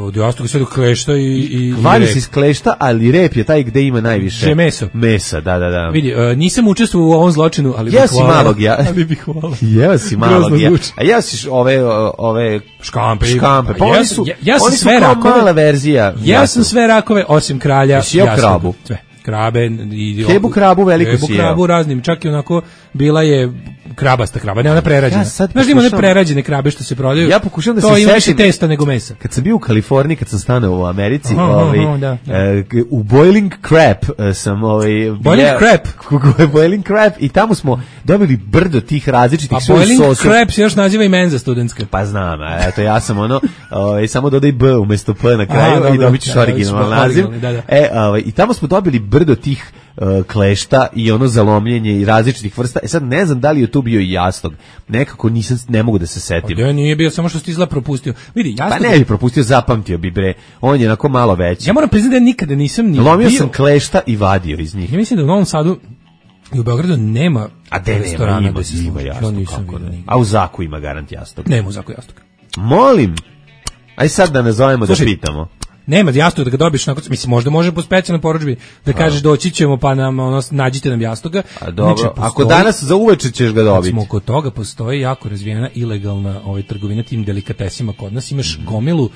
Od jastoga se jede klešta i Valje se iz klešta, ali rep je taj gde ima najviše. Že meso. Mesa, da. Vidi, nisam učestvovao u ovom zločinu, ali bih hvala. Ali bih hvala. Jeo si malog ja. A jeo si ove škampe. Pa oni su sve rakove. Mala verzija. Ja sam sve rakove, osim kralja. Sve. krabe i Kebu krabu veliko si jeo. Kebu krabu raznim, čak i onako bila je krabasta kraba, ne ona prerađena. Znaš da ima one prerađene krabe što se prodaju? Ja pokušam da se setim. To ima više testa nego mesa. Kad sam bio u Kaliforniji, kad sam stanao u Americi, u Boiling Crab sam Boiling Crab i tamo smo dobili brdo tih različitih sosa. Boiling Crab se još naziva i menza studentska. Pa znam, eto ja sam samo dodaj B umesto P na kraju i dobit ćeš originalan naziv. I tamo smo dobili brdo tih klešta i ono zalomljenje i različitih vrsta. Sad ne znam da li je tu bio i jastog. Nekako ne mogu da se setim. Ja nije bio, samo što si izgleda propustio. Vidi, jastog... Pa ne bi propustio, zapamtio bi bre. On je onako malo veći. Ja moram priznati da nikada nisam ni lomio sam klešta i vadio iz njih. Ja mislim da u Novom Sadu i u Beogradu nema restorana ima jastog. A u Zaku ima garant jastog. Nema u Zaku jastog. Molim. Aj sad da nazovemo da pitamo. Nema jastog da ga dobiješ, mislim možda može po specijalnoj porudžbi da kažeš doći ćemo pa nam nađite nam jastoga. A dobro, ako danas za uveče ćeš ga dobiti. Smo kod toga postoji jako razvijena ilegalna trgovina tim delikatesima kod nas. Imaš gomilu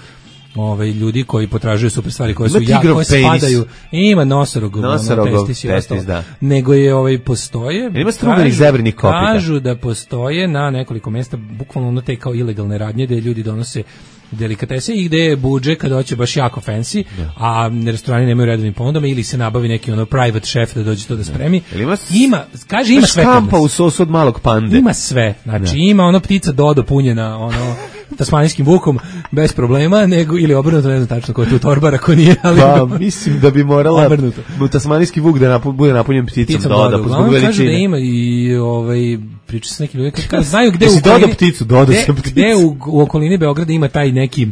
ljudi koji potražuju super stvari koje su koje spadaju. Ima nosorogov testis, da. Nego je postoje. Ima struganih zebrinih kopita. Kažu da postoje na nekoliko mesta bukvalno te kao ilegalne radnje gde ljudi donose delikatese i gde je budžet kad hoće baš jako fancy, a restorani nemaju redovnim ponudama ili se nabavi neki private chef da dođe to da spremi. Ima sve. Škampa u sosu od malog pande. Ima sve. Znači ima ptica Dodo punjena tasmanijskim vukom bez problema, nego ili obrnuto, ne znam tačno ko je tu torbar ako nije, ali pa mislim da bi morala tasmanijski vuk da bude napunjen pticom Dodo. Kažu da ima i priča se neki ljudi koji znaju gde gde u okolini Beograda ima taj neki,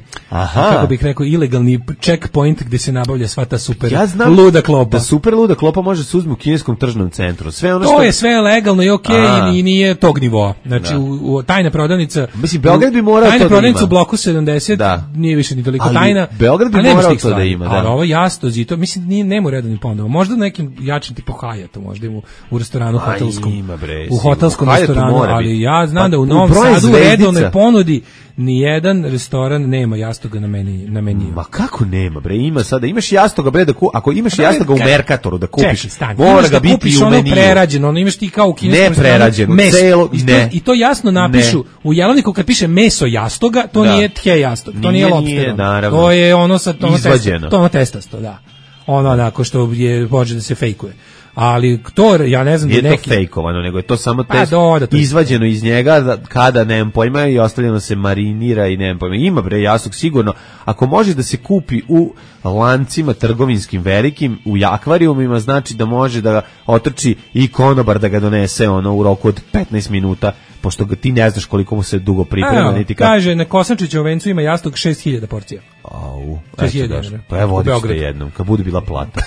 kako bih rekao, ilegalni checkpoint gde se nabavlja sva ta super luda klopa. Da super luda klopa može se uzme u kineskom tržnom centru. Sve ono to je sve legalno i okej i nije tog nivoa. Znači tajna prodavnica. Mislim Beograd bi morao tajna prodavnica u bloku 70 nije više ni toliko tajna. Beograd bi morao to da ima, ali ovo jastozi to mislim nema redovnih ponudova. Možda nekim jačim tipu Hyatt, možda u restoranu hotelskom. U hotelskom restoranu, ali ja znam da u Novom Sadu redovne ponudi nijedan restoran nema jastoga na meniju. Ma kako nema bre, ima sada, imaš jastoga bre ako imaš jastoga u Merkatoru da kupiš, mora ga biti u meniju. Prerađeno, imaš ti kao u kineskom prerađeno, celo i to jasno napišu u jelovniku kad piše meso jastoga, to nije tje jastog, to nije lobster. To je ono testasto, da. Ono onako što je može da se fejkuje. Ali to, ja ne znam da neki... Nije to fejkovano, nego je to samo izvađeno iz njega kada, nemam pojma, i ostavljeno se marinira i nemam pojma. Ima bre jastog sigurno, ako može da se kupi u lancima trgovinskim velikim, u akvarijumima, znači da može da ga otrči i konobar da ga donese u roku od 15 minuta, pošto ga ti ne znaš koliko mu se dugo priprema. Kaže, na Kosančićevom vencu ima jastog 6000 porcija. 6000. Pa evo odište jednom, kad bude bila plata.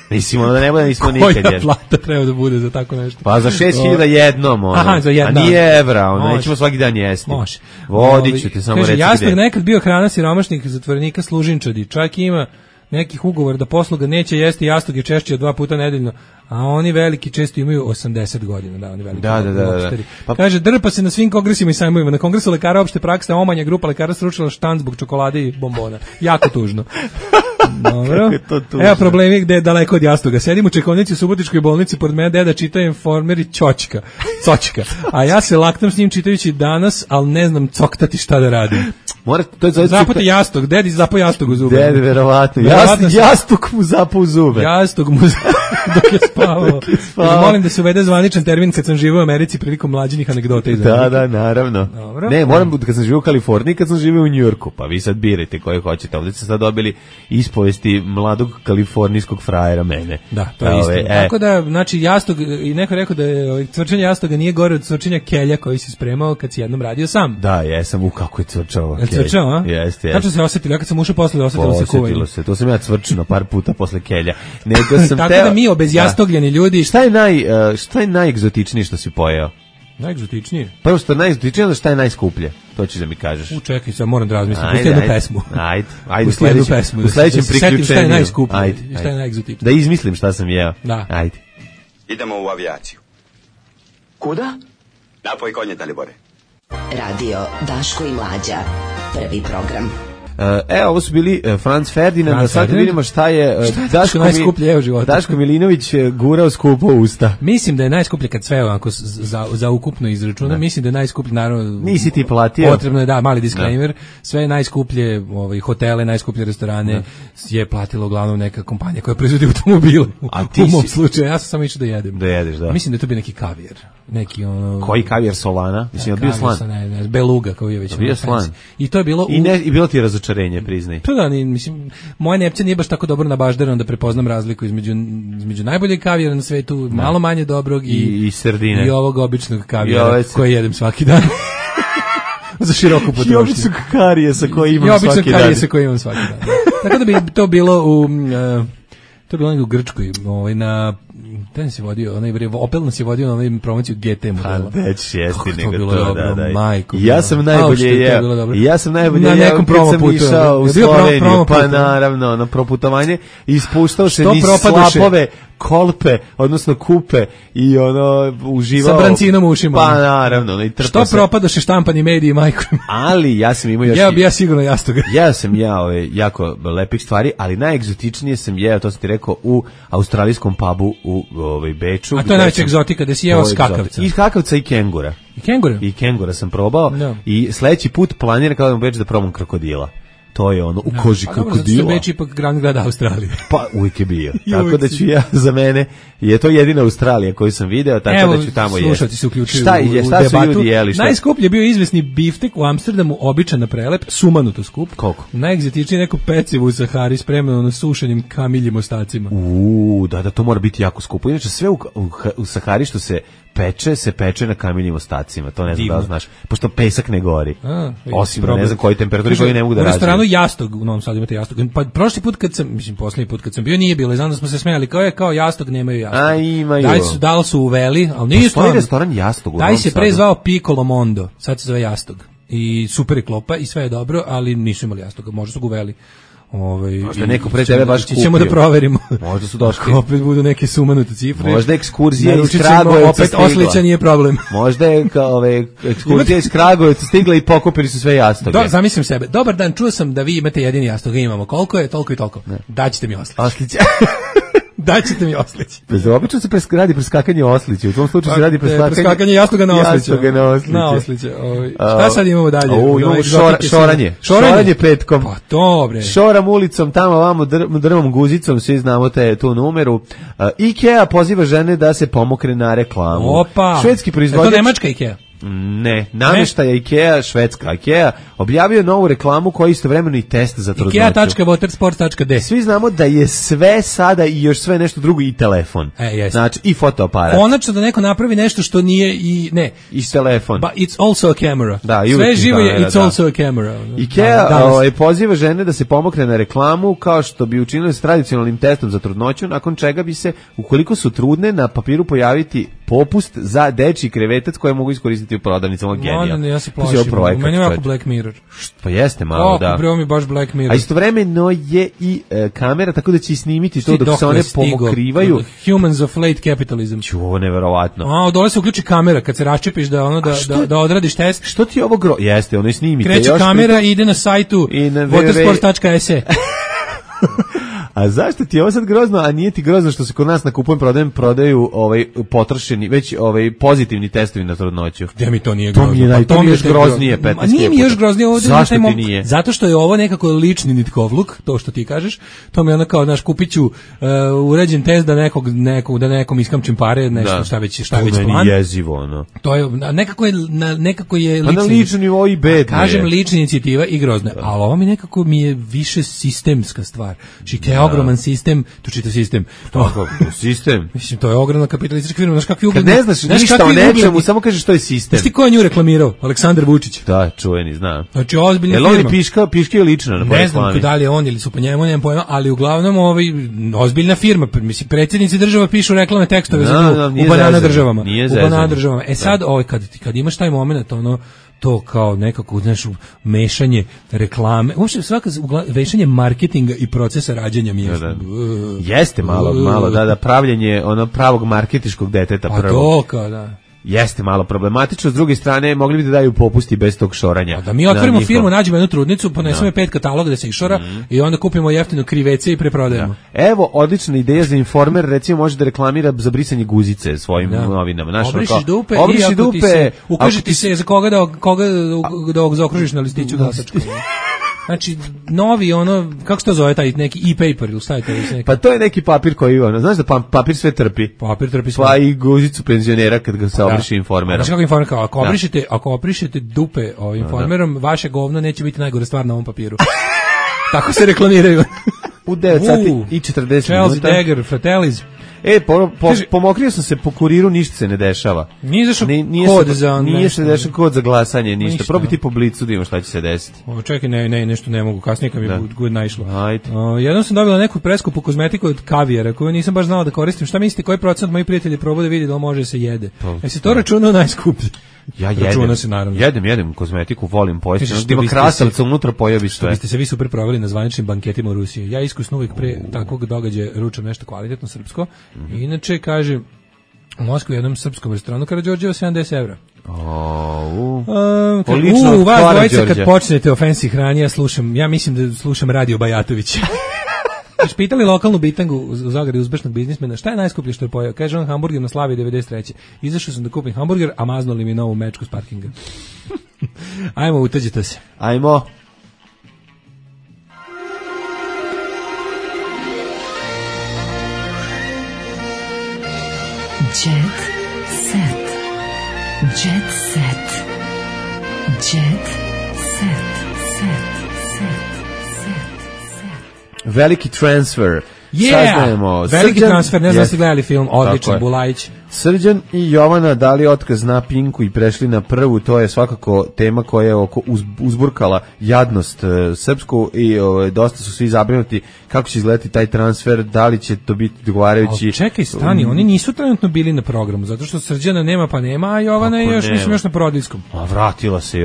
Mislim, da ne bude nismo nikad jedno. Koja plata treba da bude za tako nešto? Pa za 6000 jednom, za jednom. A nije evra, nećemo svaki dan jesti. Može. Vodit ću ti samo reći gde. Jasno, nekad bio hrana siromašnih zatvorenika Služinčadi. Čak ima nekih ugovora da posluga neće jesti jastoge češće od 2 puta nedeljno, a oni veliki često imaju 80 godina, da, oni veliki. Da. Pa kaže, drpa se na svim kongresima i sajmovima. Na kongresu lekara opšte prakse Omanja grupa lekara sručila štand zbog čokolade i bombona. Jako tužno. Dobro. Evo problemi gde je daleko od jastoga. Sedim u čekovnici u Subotičkoj bolnici, pored mene deda čita Informer i Cočka. A ja se laktam s njim čitajući Danas, ali ne znam coktati šta da radim. Zapute jastog, dedi zapao jastog u zube. Dedi, verovatno. Jastog mu zapao u zube. Jastog mu dok je spavao. Molim da se uvede zvaničan termin kad sam živio u Americi prilikom mlađinih anegdota. Da, naravno. Dobro. Ne, moram kad sam živio u Kaliforniji, kad sam živio u Njujorku, pa vi sad birajte koje hoćete. Ovdje ste sad dobili ispovesti mladog kalifornijskog frajera mene. Da, to je isto. Tako da, znači, jastog, i neko rekao da je cvrčanje jastoga nije gore od cvrčanja kelja koji si spremao kad si jednom radio sam. Da, jesam, kako je cvrčao. Cvrčao, a? Jeste. Kako se osjetilo? Ja kad sam ušao posle, osjetilo se kuvanje. Osjetilo se, to sam ja cvrčino par puta posle kelja. Tako da mi obezjastogljeni ljudi... Šta je najegzotičnije što si pojeo? Najegzotičnije? Prvo što je najegzotičnije, onda šta je najskuplje? To ćeš da mi kažeš. Čekaj, sad moram da razmislim. Pusti jednu pesmu. Ajde. U sledećem priključenju. Šta je najskuplje? Šta je najegzotičnije? Da izmislim šta sam jeo. Da. Ajde. Idemo u avijaciju. Kuda? Napoj konje, Dalibore. Radio Daško i Mlađa. Prvi program. Ovo su bili Franz Ferdinand, a sad vidimo šta je Daško Milinović gurao skupo usta. Mislim da je najskuplje kad sve ovako za ukupno izračuna, mislim da je najskuplje, naravno. Nisi ti platio. Potrebno je, mali disclaimer, sve najskuplje hotele, najskuplje restorane je platila uglavnom neka kompanija koja proizvodi automobile. U mom slučaju, ja sam samo išao da jedem. Da jedeš, da. Mislim da je to bio neki kavijer. Neki Koji kavijer Solana? Mislim da bio slan. Ne, Beluga kao je već. Bio slan. I to je bilo i bilo ti je razočarenje, priznaj. To da, mislim, moja nepcija nije baš tako dobro nabaždarana da prepoznam razliku između najboljeg kavijera na svetu, malo manje dobrog i sardine. I ovog običnog kavijera koje jedem svaki dan. Za široku potrošnju. I običnog karijesa koji imam svaki dan. I običnog karijesa koji imam svaki dan. Tako da bi to bilo u Grčkoj, na ten se vodio, Opel nas je vodio na onaj promociju GT modela. Već jesti nego to, da. Majko. Ja sam najbolje na nekom promo putu išao u Sloveniju, pa naravno, na proputovanje, i ispuštao se niz slapove, kolpe, odnosno kupe, i uživao. Sa brancinom u ušima. Pa naravno, i trpao se. Što propadoše štampani mediji, majko? Ali ja sam imao još... Ja sigurno jastoga. Ja sam jako lepih stvari, ali najegzotičnije sam jeo, to sam ti rekao, u australijskom pubu u Beču. A to je najveća egzotika, da si jeo skakavca. I skakavca i kengura. I kengura sam probao, i sledeći put planiram kada u Beč da probam krokodila. To je u koži krokodila. Beč ipak glavni grad Australije. Pa uvijek je bio. Tako da ću za mene, je to jedina Australija koju sam video, tako da ću tamo jesti. Slušati se uključuju šta su ljudi jeli? Najskuplji je bio izvesni biftek u Amsterdamu, običan na prelep, sumanuto skup. Koliko? Najegzotičnije neko pecivo u Sahari spremno na sušenim kamiljim ostacima. Da, to mora biti jako skupo. Inače sve u Sahari što se peče na kamiljim ostacima. To ne znam da znaš. Pošto pesak ne gori. Osim ne znam koji temperaturi koji ne mogu da razviju. U restoranu Jastog, u Novom Sadu imate Jastog. Pa prošli put posljednji put kad sam bio nije bilo. Znam da smo se smejali kao Jastog, nemaju Jastog. A imaju. Da li su uveli, ali nisu. Postoji restoran Jastog u Novom Sadu. Taj se pre zvao Piccolo Mondo. Sad se zove Jastog. I super je klopa i sve je dobro, ali nisu imali Jastoga. Možda su ga uveli. Možda neko pre tebe baš kupio. Ćemo da proverimo. Možda su došli. Opet budu neke sumanute cifre. Možda ekskurzija iz Kragujevca opet stigla. Oslića nije problem. Možda je ekskurzija iz Kragujevca stigla i pokupili su sve jastoge. Zamislim sebe. Dobar dan, čuo sam da vi imate jedini jastog. Imamo. Koliko je? Toliko i toliko. Daćete mi Oslić. Daćete mi Oslić. Obično se radi preskakanje Oslića. U tom slučaju se radi preskakanje jastoga na Oslića. Na Oslića. Šta sad imamo dalje? Šoranje petkom. Pa dobre. Šoram ulicom, tamo vamo drvom guzicom, svi znamo tu numeru. IKEA poziva žene da se pomokre na reklamu. Opa. Švedski proizvođač. Je to nemačka IKEA? Ne, namještaja IKEA, švedska IKEA, objavio novu reklamu koja je istovremeno i test za trudnoću. IKEA.watersports.de. Svi znamo da je sve sada i još sve nešto drugo i telefon. Znači i fotoaparat. Konačno da neko napravi nešto što nije i telefon. But it's also a camera. Da, sve živo je it's also a camera. IKEA poziva žene da se pomokre na reklamu kao što bi učinili s tradicionalnim testom za trudnoću, nakon čega bi se, ukoliko su trudne, na papiru pojaviti popust za dečji krevetac koje mogu iskoristiti u prodavnicama. Genijal. Ja se plašim. Meni je ovako Black Mirror. Pa jeste malo, da. Prvo mi baš Black Mirror. A istovremeno je i kamera, tako da će snimiti to dok se one pomokrivaju. Humans of late capitalism. Ovo neverovatno. Dole se uključi kamera kad se raščepiš da odradiš test. Što ti ovo jeste, ono i snimite. Kreće kamera i ide na sajtu watersports.se. A zašto ti je ovo sad grozno, a nije ti grozno što se kod nas na kupujem prodaju potrošeni, već pozitivni testovi na trudnoću? Gde mi to nije grozno? To mi je još groznije 15 puta. Nije mi još groznije ovdje. Zašto ti nije? Zato što je ovo nekako lični nitkovluk, to što ti kažeš. To mi je ono kao, znaš, kupit ću uređen test da nekom iskamčim pare, nešto šta već plan. To meni jezivo, ono. To je, nekako je lični. Pa na lični nivou i bedne. Kažem lična inicijativa i grozna. Ali ovo mi je više sistemska stvar. IKEA ogroman sistem, to čitav sistem. Sistem? Mislim, to je ogromna kapitalistička firma. Znaš kakvi ugledni... Kad ne znaš ništa o nečemu, samo kažeš što je sistem. Znaš ti ko je nju reklamirao? Aleksandar Vučić. Da, čuveni, znam. Znači, ozbiljna firma. Jel on piškio lično na reklami? Ne znam da li je on ili su po njemu, nemam pojma, ali uglavnom ozbiljna firma. Mislim, predsjednici država pišu reklamne tekstove za nju u banana državama. Sad, kad imaš taj moment, to kao nekako, znaš, mešanje reklame, uopšte vešanje marketinga i procesa rađanja mi je. Jeste malo, pravljenje pravog marketiškog deteta prvo. Pa to kao, da. jeste malo problematično, s druge strane mogli bi da daju popusti bez tog šoranja. Da mi otvorimo firmu, nađemo jednu trudnicu, ponesemo je 5 kataloga da se išora i onda kupimo jeftino krivece i preprodajemo. Evo, odlična ideja za Informer, recimo može da reklamira za brisanje guzice svojim novinama. Obriši dupe i ako ti se, ukaži ti se za koga da zaokružiš na listiću glasačku. Znači, novi, kako se to zove, taj neki e-paper ili stavite neki? Pa to je neki papir koji, znaš da papir sve trpi. Papir trpi sve. Pa i guzicu penzionera kad ga se obriši Informerom. Znači kako Informer, ako obrišete dupe Informerom, vaše govno neće biti najgore stvar na ovom papiru. Tako se reklamiraju. U 9 sati i 40 minuta. Chelsea Dagger, Fratellis. Pomokrio sam se po kuriru, ništa se ne dešava. Nije se dešava kod za glasanje, ništa. Probi ti po blicu da ima šta će se desiti. Čekaj, nešto ne mogu, kasnije kad mi je naišlo. Jednom sam dobila neku preskupu kozmetiku od Kavijara, koju nisam baš znala da koristim. Šta mislite, koji procent moji prijatelji probaju da vidi da može se jede? Jesi to računao najskuplje? Ja jedem kozmetiku, volim pojesti. Ima krastavca unutra, pojavi sve. Vi ste se vi super proveli na zvaničnim banketima u Rusiji. Ja iskusno uvijek pre takvog događaja ručam nešto kvalitetno srpsko. Inače, kaže, u Moskvi u jednom srpskom restoranu Karađorđeva 70 evra. Vas dvojica kad počnete o fancy hrani, ja mislim da slušam Radio Bajatović. Pitali lokalnu bitangu u Zagrebu uspešnog biznismena šta je najskuplje što je pojeo. Kaže on hamburger na Slavi 93. Izašao sam da kupim hamburger, a maznuli mi novu mečku s parkinga. Ajmo, utađite se. Ajmo. Jet set. Jet set. Jet set. Veliki transfer. Veliki transfer, ne znam da ste gledali film, odličan, Bulajić. Srđan i Jovana dali otkaz na Pinku i prešli na Prvu, to je svakako tema koja je uzburkala jadnost srpsku i dosta su svi zabrinuti kako će izgledati taj transfer, da li će to biti dogovarajući. Ali čekaj, stani, oni nisu trenutno bili na programu, zato što Srđana nema pa nema, a Jovana je još na porodiljskom. A vratila se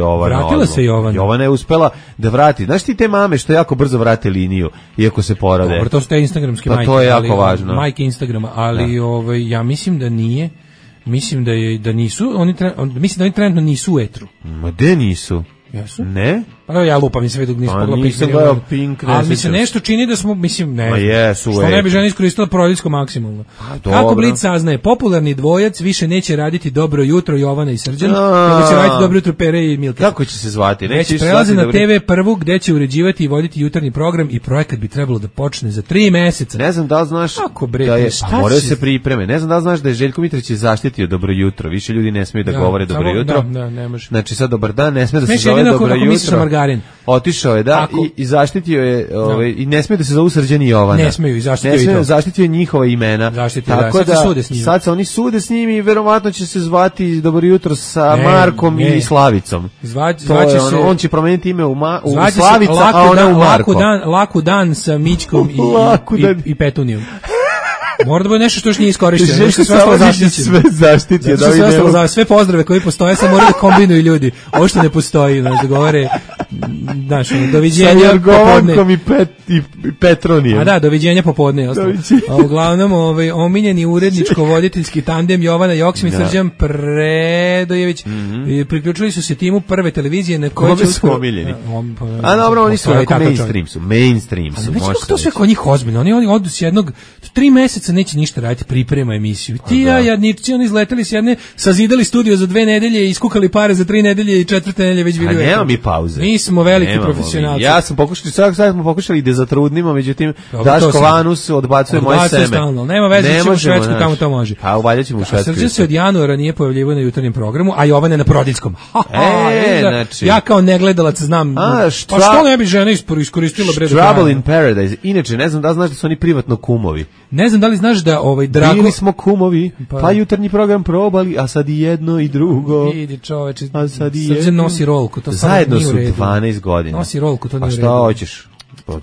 Jovana. Jovana je uspela da vrati. Znaš ti te mame što jako brzo vrate liniju, iako se porode. Dobro, to su te instagramske majke. To je jako važno. Majke Instagrama, ali ja mislim da nije. Mislim da nisu, mislim da oni trenutno nisu u etru. Ma gde nisu? Jesu? Ne? Pa ja lupam, nisam vidio nisu pogledao Pink. Nisam gledao Pink. Ali mi se nešto čini da smo, mislim, ne. Ma jesu. Što ne bi žena iskoristila porodiljsko maksimalno. Kako Blic saznaje, popularni dvojac više neće raditi Dobro jutro Jovana i Srđan, nego će raditi Dobro jutro Pere i Milka. Kako će se zvati? Već prelaze na TV Prvu gde će uređivati i voditi jutarnji program i projekat bi trebalo da počne za 3 meseca. Ne znam da li znaš da je, moraju se pripreme. Ne znam da li znaš da je Željko Mitrović zaštitio Dobro jutro. Više ljudi ne smiju da govore Dobro jutro. Da, ne može. Znači sad dobar dan, ne sme da se zove Dobro jutro. Otišao je, i zaštitio je, i ne smije da se zovu Srđan i Jovana. Ne smiju, i zaštitio je njihova imena. Tako sad se oni sude s njim i verovatno će se zvati Dobro jutro sa Markom i Slavicom. On će promeniti ime u Slavica, a ona u Marko. Laku dan sa Mićkom i Petunijom. Mora da bude nešto što još nije iskorišteno. Sve zaštitio. Sve pozdrave koji postoje, sad moraju da kombinuju ljudi. Ovo što ne postoji, da govore, doviđenja popodne. I Petronijem. A da, doviđenja popodne. Uglavnom, omiljeni uredničko-voditeljski tandem Jovana Joksimić i Srđan Predojević priključili su se timu Prve televizije na kojoj će su omiljeni. A dobro, oni su mainstream su. Ali kako to sve kod njih ozbiljno? Oni odu s jednog 3 meseca neće ništa raditi, priprema emisiju. Ti jadnici, oni izleteli s jedne, sazidali studio za 2 nedelje, iskukali pare za 3 nedelje i 4. nedelje već bili. A nema mi pauze. Mi smo veliki profesionalci. Ja sam pokušao, sad smo pokušali da zatrudnimo, međutim, Daško Vanus odbacuje moje seme. Stalno. Nema veze, ćemo u Švedsku, tamo to može. A uvaljat ćemo u Švedsku. Srđan se od januara nije pojavljivao na jutarnjem programu, a Jovan je na porodiljskom. Znači. Ja kao negledalac znam. Pa što ne bi žena iskoristila bre? Trouble in Paradise. Inače, ne znam da znaš da su oni privatno kumovi. Ne znam da li znaš da Drago... Bili smo kumovi, pa jutarnji program probali, a sad i jedno i drugo. Vidi čoveče, a sad i Srđan nosi rolku, to zajedno su 12 godina. Nosi rolku, to nije u redu. A šta hoćeš?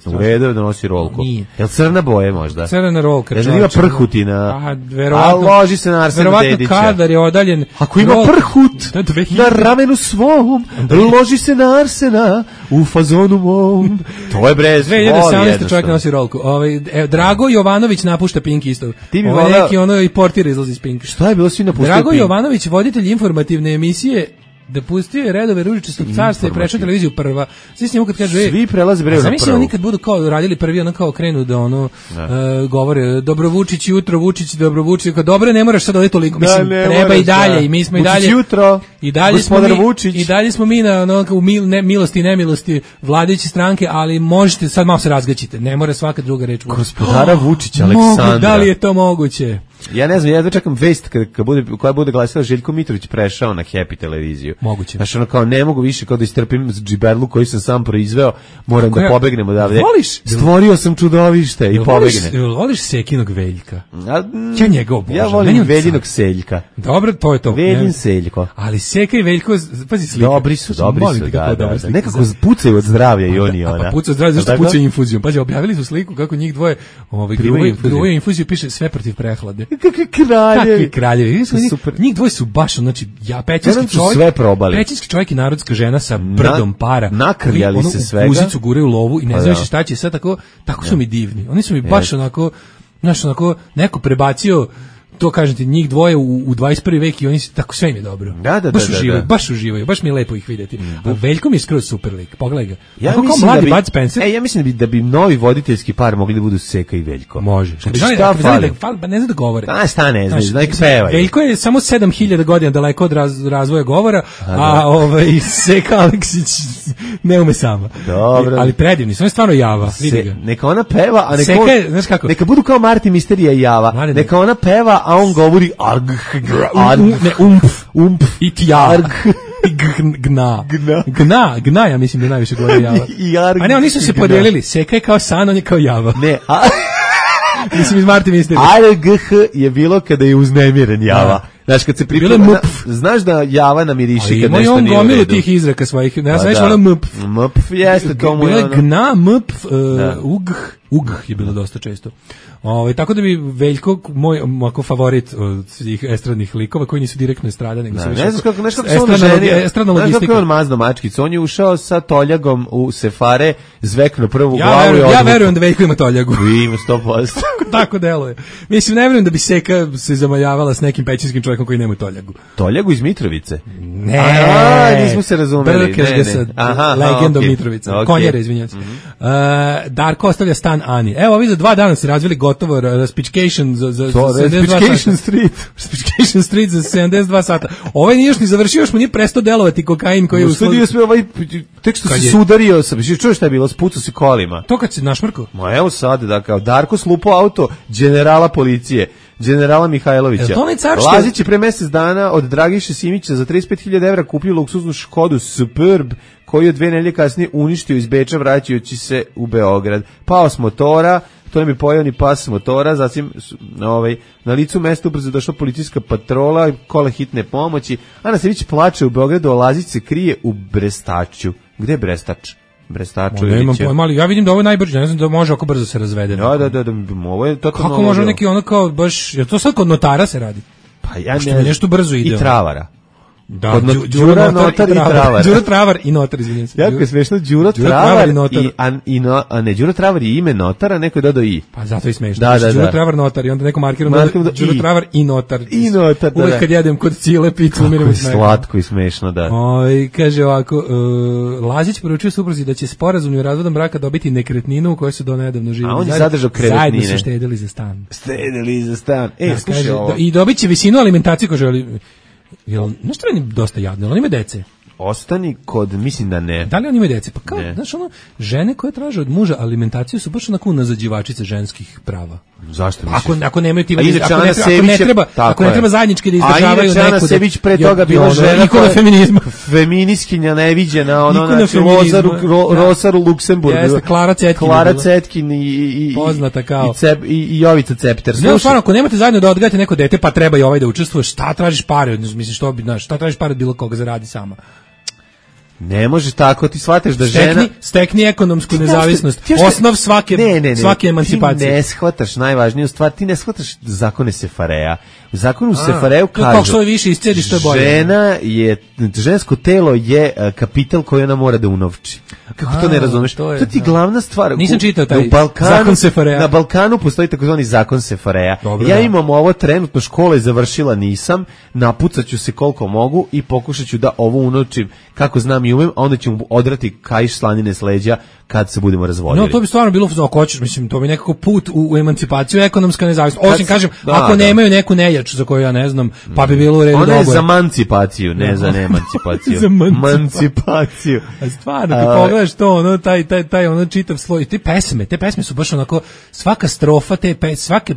U redu da nosi rolku. Nije. Jel crna boje možda? Crna rolka. Jel ima prhutina? Verovatno. A loži se na Arsena Dedića. Verovatno kadar je odaljen. Ako ima prhut na ramenu svom, loži se na Arsena u fazonu mom. To je brez. 2017. čovjek nosi rolku. Drago Jovanović napušta Pink isto. Neki ono i portir izlazi iz Pinka. Šta je bilo svi napuštaju Drago Jovanović, voditelj informativne emisije, da pustio je redove Ružičastog carstva i prešao televiziju Prva. Svi s njemu kad kažu, svi prelaze bre na Prvu. Zamisli oni kad budu kao radili Prvi, ono kao krenu da ono govore dobro Vučić jutro, Vučić dobro Vučić, kao dobro ne moraš sad odeti toliko, mislim treba i dalje i mi smo i dalje jutro. I dalje smo mi na ono u milosti i nemilosti vladajuće stranke, ali možete sad malo se razgaćite. Ne mora svaka druga reč. Gospodara Vučića Aleksandra. Da li je to moguće? Ja ne znam, ja čekam vest koja bude glasila Željko Mitrović prešao na Happy televiziju. Moguće. Znaš, ono kao ne mogu više kao da istrpim džiberlu koji sam sam proizveo, moram da pobegnem odavde. Stvorio sam čudovište i pobegnem. Voliš Sekinog Veljka? Ja njega obožavam. Ja volim Veljinog Seljka. Dobro, to je to. Veljin Seljko. Ali Seka i Veljko, pazi slika. Dobri su, da. Nekako pucaju od zdravlja i oni ona. Pa pucaju od zdravlja, zašto pucaju infuzijom? Pazi, objavili su sliku kako njih dvoje gruvaju infuziju, piše sve protiv prehlade. Kakvi kraljevi. Njih dvoje su baš, znači, pećinski čovjek i narodska žena sa brdom para. Nakrljali se svega. U guzicu guraju lovu i ne znaš šta će sve tako su mi divni. Oni su mi baš onako, znaš, onako, neko prebacio to kažem ti, njih dvoje u 21. vek i oni su tako, sve im je dobro. Baš uživaju, baš mi je lepo ih vidjeti. A Veljko mi je skroz super lik, pogledaj ga. Ja mislim da bi novi voditeljski par mogli da budu Seka i Veljko. Može. Šta fali? Ne znam da govore. Šta ne znaš, da nek pevaju. Veljko je samo 7000 godina daleko od razvoja govora, a Seka Aleksić ne ume sama. Dobro. Ali predivni, on je stvarno java. Neka ona peva, a neka budu kao Marti Misterija i Java. Neka ona peva, a on govori ump i tja gna, ja mislim da najviše govori Java. A ne, oni su se podelili, Seka je kao San, on je kao Java. Ne, mislim iz Marti Misterija. ARGH je bilo kada je uznemiren Java. Znaš, kad se priprema, znaš da Java namiriši kad nešto nije u redu. Imao on gomilu tih izraka svojih, ja sam nešto ono mp. Mp jeste to mu je ono. Bilo je gna, mp, ugh je bilo dosta često. Tako da bi Veljko, moj favorit od svih estradnih likova, koji nisu direktno estrada, nego su više estradna logistika. Znaš kako je on mazno mačkicu, on je ušao sa toljagom u sefare, zvekno prvu glavu. Ja verujem da Veljko ima toljagu. Ima 100%. Tako deluje. Mislim, ne verujem da bi Seka se zamaljavala s nekim pećinskim čovjekom koji nema toljagu. Toljagu iz Mitrovice? Ne. Nismo se razumeli. Brkeš ga sa legendom Mitrovice. Konjere, izvinjam se. Darko ostavlja stan Ani. Evo, ovi za 2 dana se razvili gotovo Raspication za 72 Street za 72 sata. Ovaj nije još ni završio, još mu nije prestao delovati kokain koji je usledio sve tek što se sudario sam. Čuješ šta je bilo? Spucao se kolima. To kad se našmrkao? Ma evo sad, da kao Darko slupao auto generala policije, generala Mihajlovića. Lazić je pre mjesec dana od Dragiše Simića za 35.000 evra kupio luksuznu Škodu Superb, koju je 2 nedelje kasnije uništio iz Beča vraćajući se u Beograd. Pao s motora, to nam je pojao ni pas motora, zatim na licu mesta ubrzo došla policijska patrola, kola hitne pomoći. Ana Sević plače u Beogradu, a Lazić se krije u Brestaču. Gde je Brestač? Brestaču ili imam pojma, ali ja vidim da ovo je najbrže, ne znam da može ako brzo se razvede. Da, ovo je totalno... Kako može neki ono kao baš, je to sad kod notara se radi? Pa ja ne... nešto brzo ide. I travara. Da, Đuro Notar i Travar. Đuro Travar i Notar, izvinjam se. Jako je smešno, Đuro Travar i Đuro Travar je ime notara, neko je dodao i. Pa zato je smešno. Đuro Travar Notar i onda neko markirano Đuro Travar i Notar. I Notar, da. Uvijek kad jedem kod Cile picu, umiram od smeka. Slatko i smešno, da. Kaže ovako, Lazić poručuje supruzi da će sporazumnim razvodom braka dobiti nekretninu u kojoj su do nedavno živjeli. A on je zadržao krevetnine. Zajedno su štedili za stan. Slušaj ovo. I dobit će visinu alimentacije koju želi. Jel, nešto je dosta jadno, on ima dece. Ostani kod, mislim da ne. Da li on ima dece? Pa kao, znaš, žene koje traže od muža alimentaciju su baš onako nazađivačice ženskih prava. Zašto misliš? Ako nemaju ti ako ne treba zajednički da izdržavaju neko. A Ana Sević pre toga bila žena ikona feminizma. Feministkinja neviđena, Rosaru Luksemburg. Jeste, Klara Cetkin i poznata kao i Jovica Cepter. Znaš, stvarno, ako nemate zajedno da odgajate neko dete, pa treba i ovaj da učestvuje, šta tražiš pare? Mislim, šta tražiš pare od bilo koga, zaradi sama. Ne može tako, ti shvataš da žena... Stekni ekonomsku nezavisnost, osnov svake emancipacije. Ti ne shvataš najvažniju stvar, ti ne shvataš zakone Sefareja. U zakonu Sefareju kažu... Kako što je više iscediš, to je bolje. Žensko telo je kapital koji ona mora da unovči. Kako to ne razumeš? To ti glavna stvar. Nisam čitao taj zakon Sefareja. Na Balkanu postoji takozvani zakon Sefareja. Ja imam ovo trenutno, škole završila nisam, napucaću se koliko mogu i pokušaću da ovo unovčim kako znam i umem, a onda ćemo odrati kaiš slanine s leđa kad se budemo razvodili. No, to bi stvarno bilo, ako hoćeš, mislim, to bi nekako put u emancipaciju, ekonomska nezavisnost. Osim, kažem, ako nemaju neku nejač za koju ja ne znam, pa bi bilo u redu. Ona je za emancipaciju, ne za neemancipaciju. Za emancipaciju. A stvarno, kad pogledaš to, ono, taj ono čitav sloj, te pesme su baš onako, svaka strofa,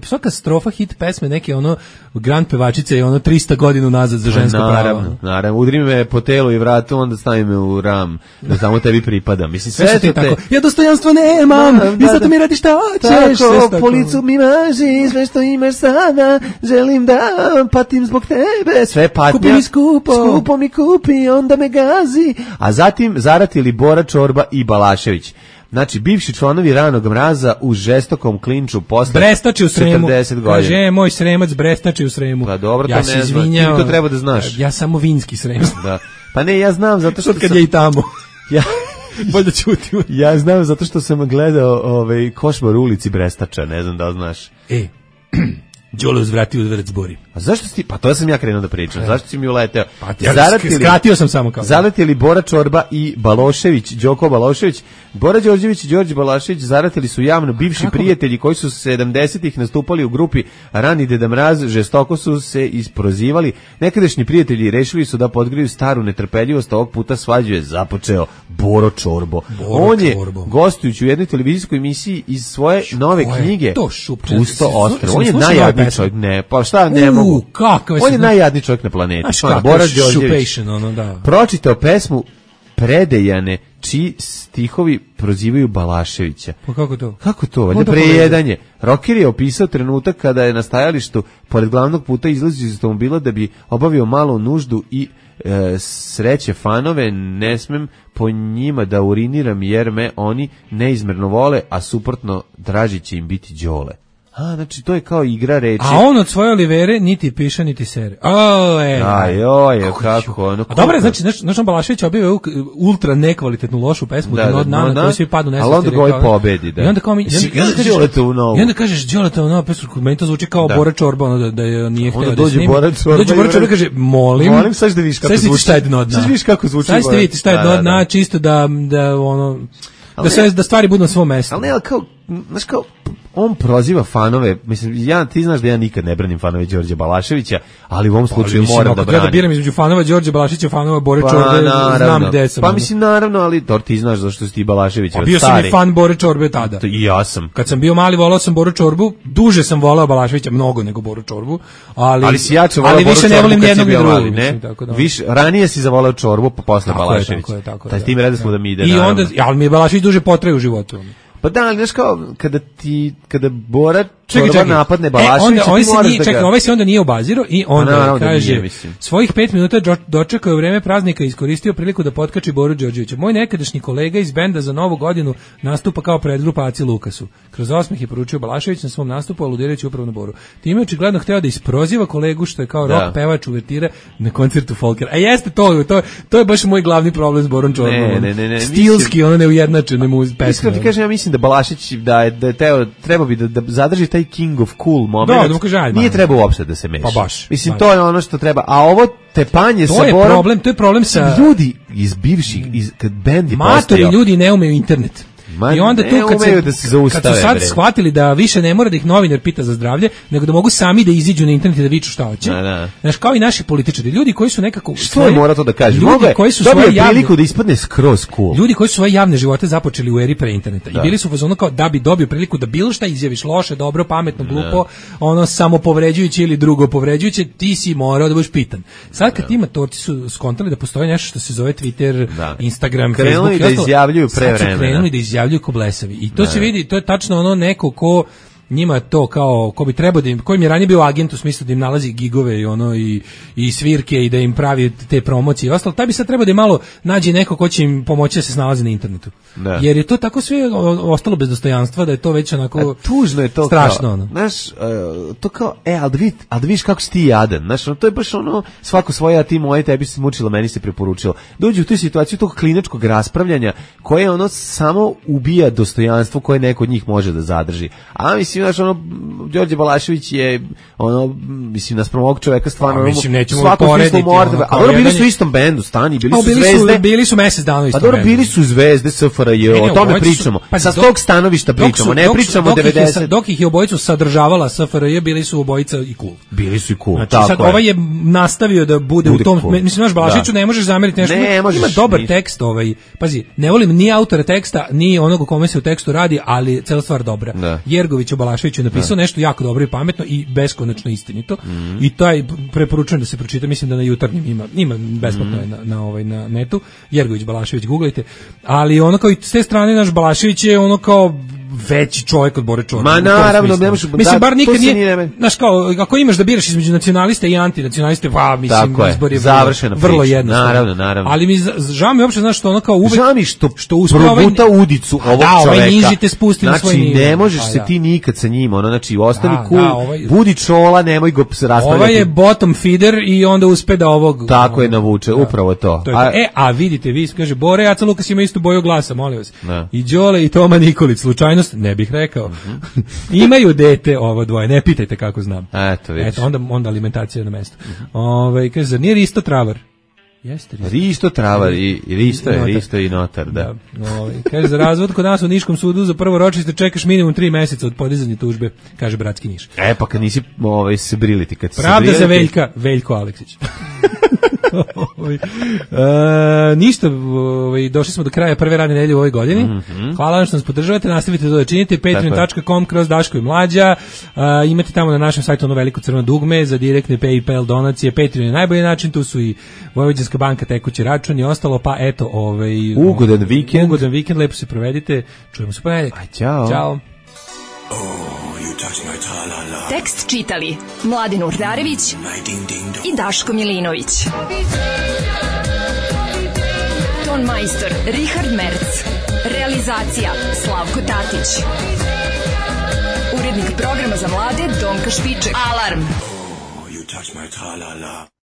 svaka strofa hit pesme, neke ono, grand pevačice je ono 300 godina nazad za žensko pravo. Naravno, udri me po telu i vratu, onda stavi me u ram, da samo tebi pripada. Mislim, sve te tako. Ja dostojanstvo nemam, i zato mi radi šta hoćeš. Tako, po licu mi maži, sve što imaš sada, želim da patim zbog tebe, sve patnja. Kupi mi skupo mi kupi, onda me gazi. A zatim zaratili Bora Čorba i Balašević. Znači, bivši članovi Ranog mraza u žestokom klinču posle Brestači u Sremu. 40 godina. Kaže, moj Sremac Brestači u Sremu. Pa dobro, ja to ne znam. Ti to treba da znaš. Ja samo vinski Srem. Da. Pa ne, ja znam zato što kad je i tamo. Bolje ćutim. Ja znam zato što sam gledao Košmar u ulici Brestača, ne znam da li znaš. Đole uzvratio udvarac Bori. A zašto si, pa to sam ja krenuo da pričam, zašto si mi uleteo? Pa skratio sam samo kao. Zaratili Bora Čorba i Balošević, Đoko Balošević, Bora Đorđević i Đorđe Balašević zaratili su javno bivši prijatelji koji su 70-ih nastupali u grupi Rani Deda Mraz, žestoko su se isprozivali. Nekadašnji prijatelji rešili su da podgriju staru netrpeljivost, ovog puta svađu je započeo Boro Čorbo. On je gostujući u jednoj televizijskoj emisiji iz svoje nove knjige Pusto ostrvo. On je najjadniji čovjek, ne, pa šta ne mogu. On je najjadniji čovjek na planeti. Bora Đorđević. Pročitao pesmu Predejane, čiji stihovi prozivaju Balaševića. Pa kako to? Kako to? Valjda prejedanje. Rocker je opisao trenutak kada je na stajalištu pored glavnog puta izlazio iz automobila da bi obavio malu nuždu i sreće fanove, ne smem po njima da uriniram jer me oni neizmerno vole, a suprotno draži će im biti Đole. Znači to je kao igra reči. A on od svoje olivere niti piše, niti sere. Kako? A dobro, znači, Balašević objavio ultra nekvalitetnu lošu pesmu da od Nana, koji svi padnu nesvesti. Ali onda koji pobedi, da. I onda kažeš Đoletovu novu pesmu, meni to zvuči kao Bora Čorba, da je nije hteo da snimi. Dođe Bora Čorba i kaže, molim, sad da vidiš kako zvuči. Sad vidiš kako zvuči. Sad ste vidite šta je dno dna, čisto da ono... Da stvari budu na svom mjestu. Ali ne, kao, znaš kao, on proziva fanove, mislim, ti znaš da ja nikad ne branim fanove Đorđe Balaševića, ali u ovom slučaju moram da branim. Ako da biram između fanova Đorđe Balaševića, fanova Bore Čorbe, znam gde sam. Pa mislim, naravno, ali ti znaš zašto si ti Balaševića. Bio sam i fan Bore Čorbe tada. I ja sam. Kad sam bio mali, volao sam Boru Čorbu, duže sam volao Balaševića, mnogo nego Boru Čorbu, ali si jače volao Boru Čorbu kad si bio mali, ne? Ranije si zavolao Čorbu, pa posle Balaševića. Taj tim reda smo da mi ide, naravno. Ali mi je Balašević duže potraje u životu. Pa da, ali znaš kao, kada Bora Čorba napadne Balaševića, ti moraš da ga... Ovaj se onda nije obazirao i onda kaže, svojih 5 minuta dočekao je vreme praznika i iskoristio priliku da potkači Boru Đorđevića. Moj nekadašnji kolega iz benda za Novu godinu nastupa kao predgrupa Aci Lukasu. Kroz osmeh je poručio Balašević na svom nastupu, aludirajući upravo na Boru. Time je očigledno hteo da isproziva kolegu što je kao rock pevač uvertire na koncertu Folkera. A jeste to je baš moj glavni problem s Borom Čorbom. Ne. Stilski, ono neujednačene mu pesme. Iskreno ti kažem, ja mislim da Balašević treba bi da zadrži taj king of cool moment. Nije treba uopšte da se meša. Pa baš. Mislim, to je ono što treba. A ovo tepanje sa Borom... To je problem sa... Ljudi iz bivših, kad bendi postao... Matori ljudi ne umeju internet. I onda tu kad su sad shvatili da više ne mora da ih novinar pita za zdravlje, nego da mogu sami da iziđu na internet i da viču šta hoće. Znaš, kao i naši političari, ljudi koji su nekako... Što mora to da kaže? Dobio priliku da ispadne skroz cool. Ljudi koji su svoje javne živote započeli u eri pre interneta. I bili su u fazonu kao da bi dobio priliku da bilo šta izjaviš loše, dobro, pametno, glupo, ono samo povređujuće ili drugo povređujuće, ti si morao da budeš pitan. Sad kad ti matorci su skontali da postoji nešto što se zove Twitter, Instagram, Facebook, krenuli da izjavljuju pre vremena. Krenuli da izjavljuju ko blesavi. I to se vidi, to je tačno ono neko ko njima to kao ko bi trebao da im, koji je ranije bio agent u smislu da im nalazi gigove i svirke i da im pravi te promocije i ostalo, taj bi sad trebao da im malo nađe neko ko će im pomoći da se snalazi na internetu. Da. Jer je to tako sve ostalo bez dostojanstva da je to već onako tužno je to strašno. Kao, znaš, to kao, ali da vidiš kako si ti jadan, znaš, to je baš ono, svako svoje, a ti moje, tebi se mučilo, meni se preporučilo. Dođe u tu situaciju tog klinačkog raspravljanja koje ono samo ubija dostojanstvo koje neko od njih može da zadrži. A mislim, znaš, ono, Đorđe Balašević je, ono, mislim, naspram ovog čoveka stvarno, mislim, nećemo porediti, a dobro, bili su u istom bendu, stani, bili su zvezde. Bili su mesec dana u istom bendu. A dobro, bili su zvezde SFRJ, o tome pričamo. Sa tog stanovišta pričamo, ne pričamo 90. Dok ih je obojicu sadržavala SFRJ, bili su obojica i cool. Bili su i cool, znači, tako sad je. Ovaj je nastavio da bude u tom, cool. Mislim, naš Balaševiću ne možeš zameriti nešto, ima dobar tekst, pazi, ne volim ni autora teksta, ni onog o kome se u tekstu radi, ali cela stvar dobra. Da. Jergović o Balaševiću napisao nešto jako dobro i pametno i beskonačno istinito. I taj preporučujem da se pročita, mislim da na Jutarnjem ima besplatno na netu. Jergović Balašević, googlajte. Ali ono kao i s te strane naš Balašević je ono kao veći čovjek od Bore Čorba. Ma naravno, ne možeš. Mislim, bar nikad nije, znaš kao, ako imaš da biraš između nacionaliste i antinacionaliste, pa mislim, izbor je vrlo jednostavno. Naravno. Ali mi žao mi uopšte, znaš, što ono kao uvek... Žao mi što probuta udicu ovog čoveka. Ovaj niži te spusti na svoj nivo. Znači, ne možeš se ti nikad sa njim, ono, znači, ostani cool, budi čola, nemoj go raspravljati. Ovaj je bottom feeder i onda uspe da ovog... Tako je navuče, upravo to. A vidite, vi kaže, Bore Aca Lukas ima istu boju glasa, molim vas. I Đole i Toma Nikolić, slučajnost, ne bih rekao. Imaju dete ovo dvoje, ne pitajte kako znam. Eto, onda alimentacija na mestu. Kaže, zar nije Risto Travar? Jeste Risto Travar i Risto i notar, da. Kaže, za razvod kod nas u Niškom sudu za prvo ročište čekaš minimum 3 meseca od podizanja tužbe, kaže bratski Niš. Pa kad nisi se briliti, kad se pravda za Veljko Aleksić. Ništa, došli smo do kraja prve radne nedelje u ovoj godini. Hvala vam što nas podržavate, nastavite to da činite. patreon.com/Daško i Mlađa. Imate tamo na našem sajtu ono veliko crveno dugme za direktne PayPal donacije. Patreon je najbolji način, tu su i Vojvođanska banka, tekući račun i ostalo, pa eto, ugodan vikend, lepo se provedite. Čujemo se ponedeljak. Ćao. Tekst čitali Mladin Urdarević i Daško Milinović. Ton majstor Richard Merc. Realizacija Slavko Tatić. Urednik programa za mlade Donka Špiček. Alarm!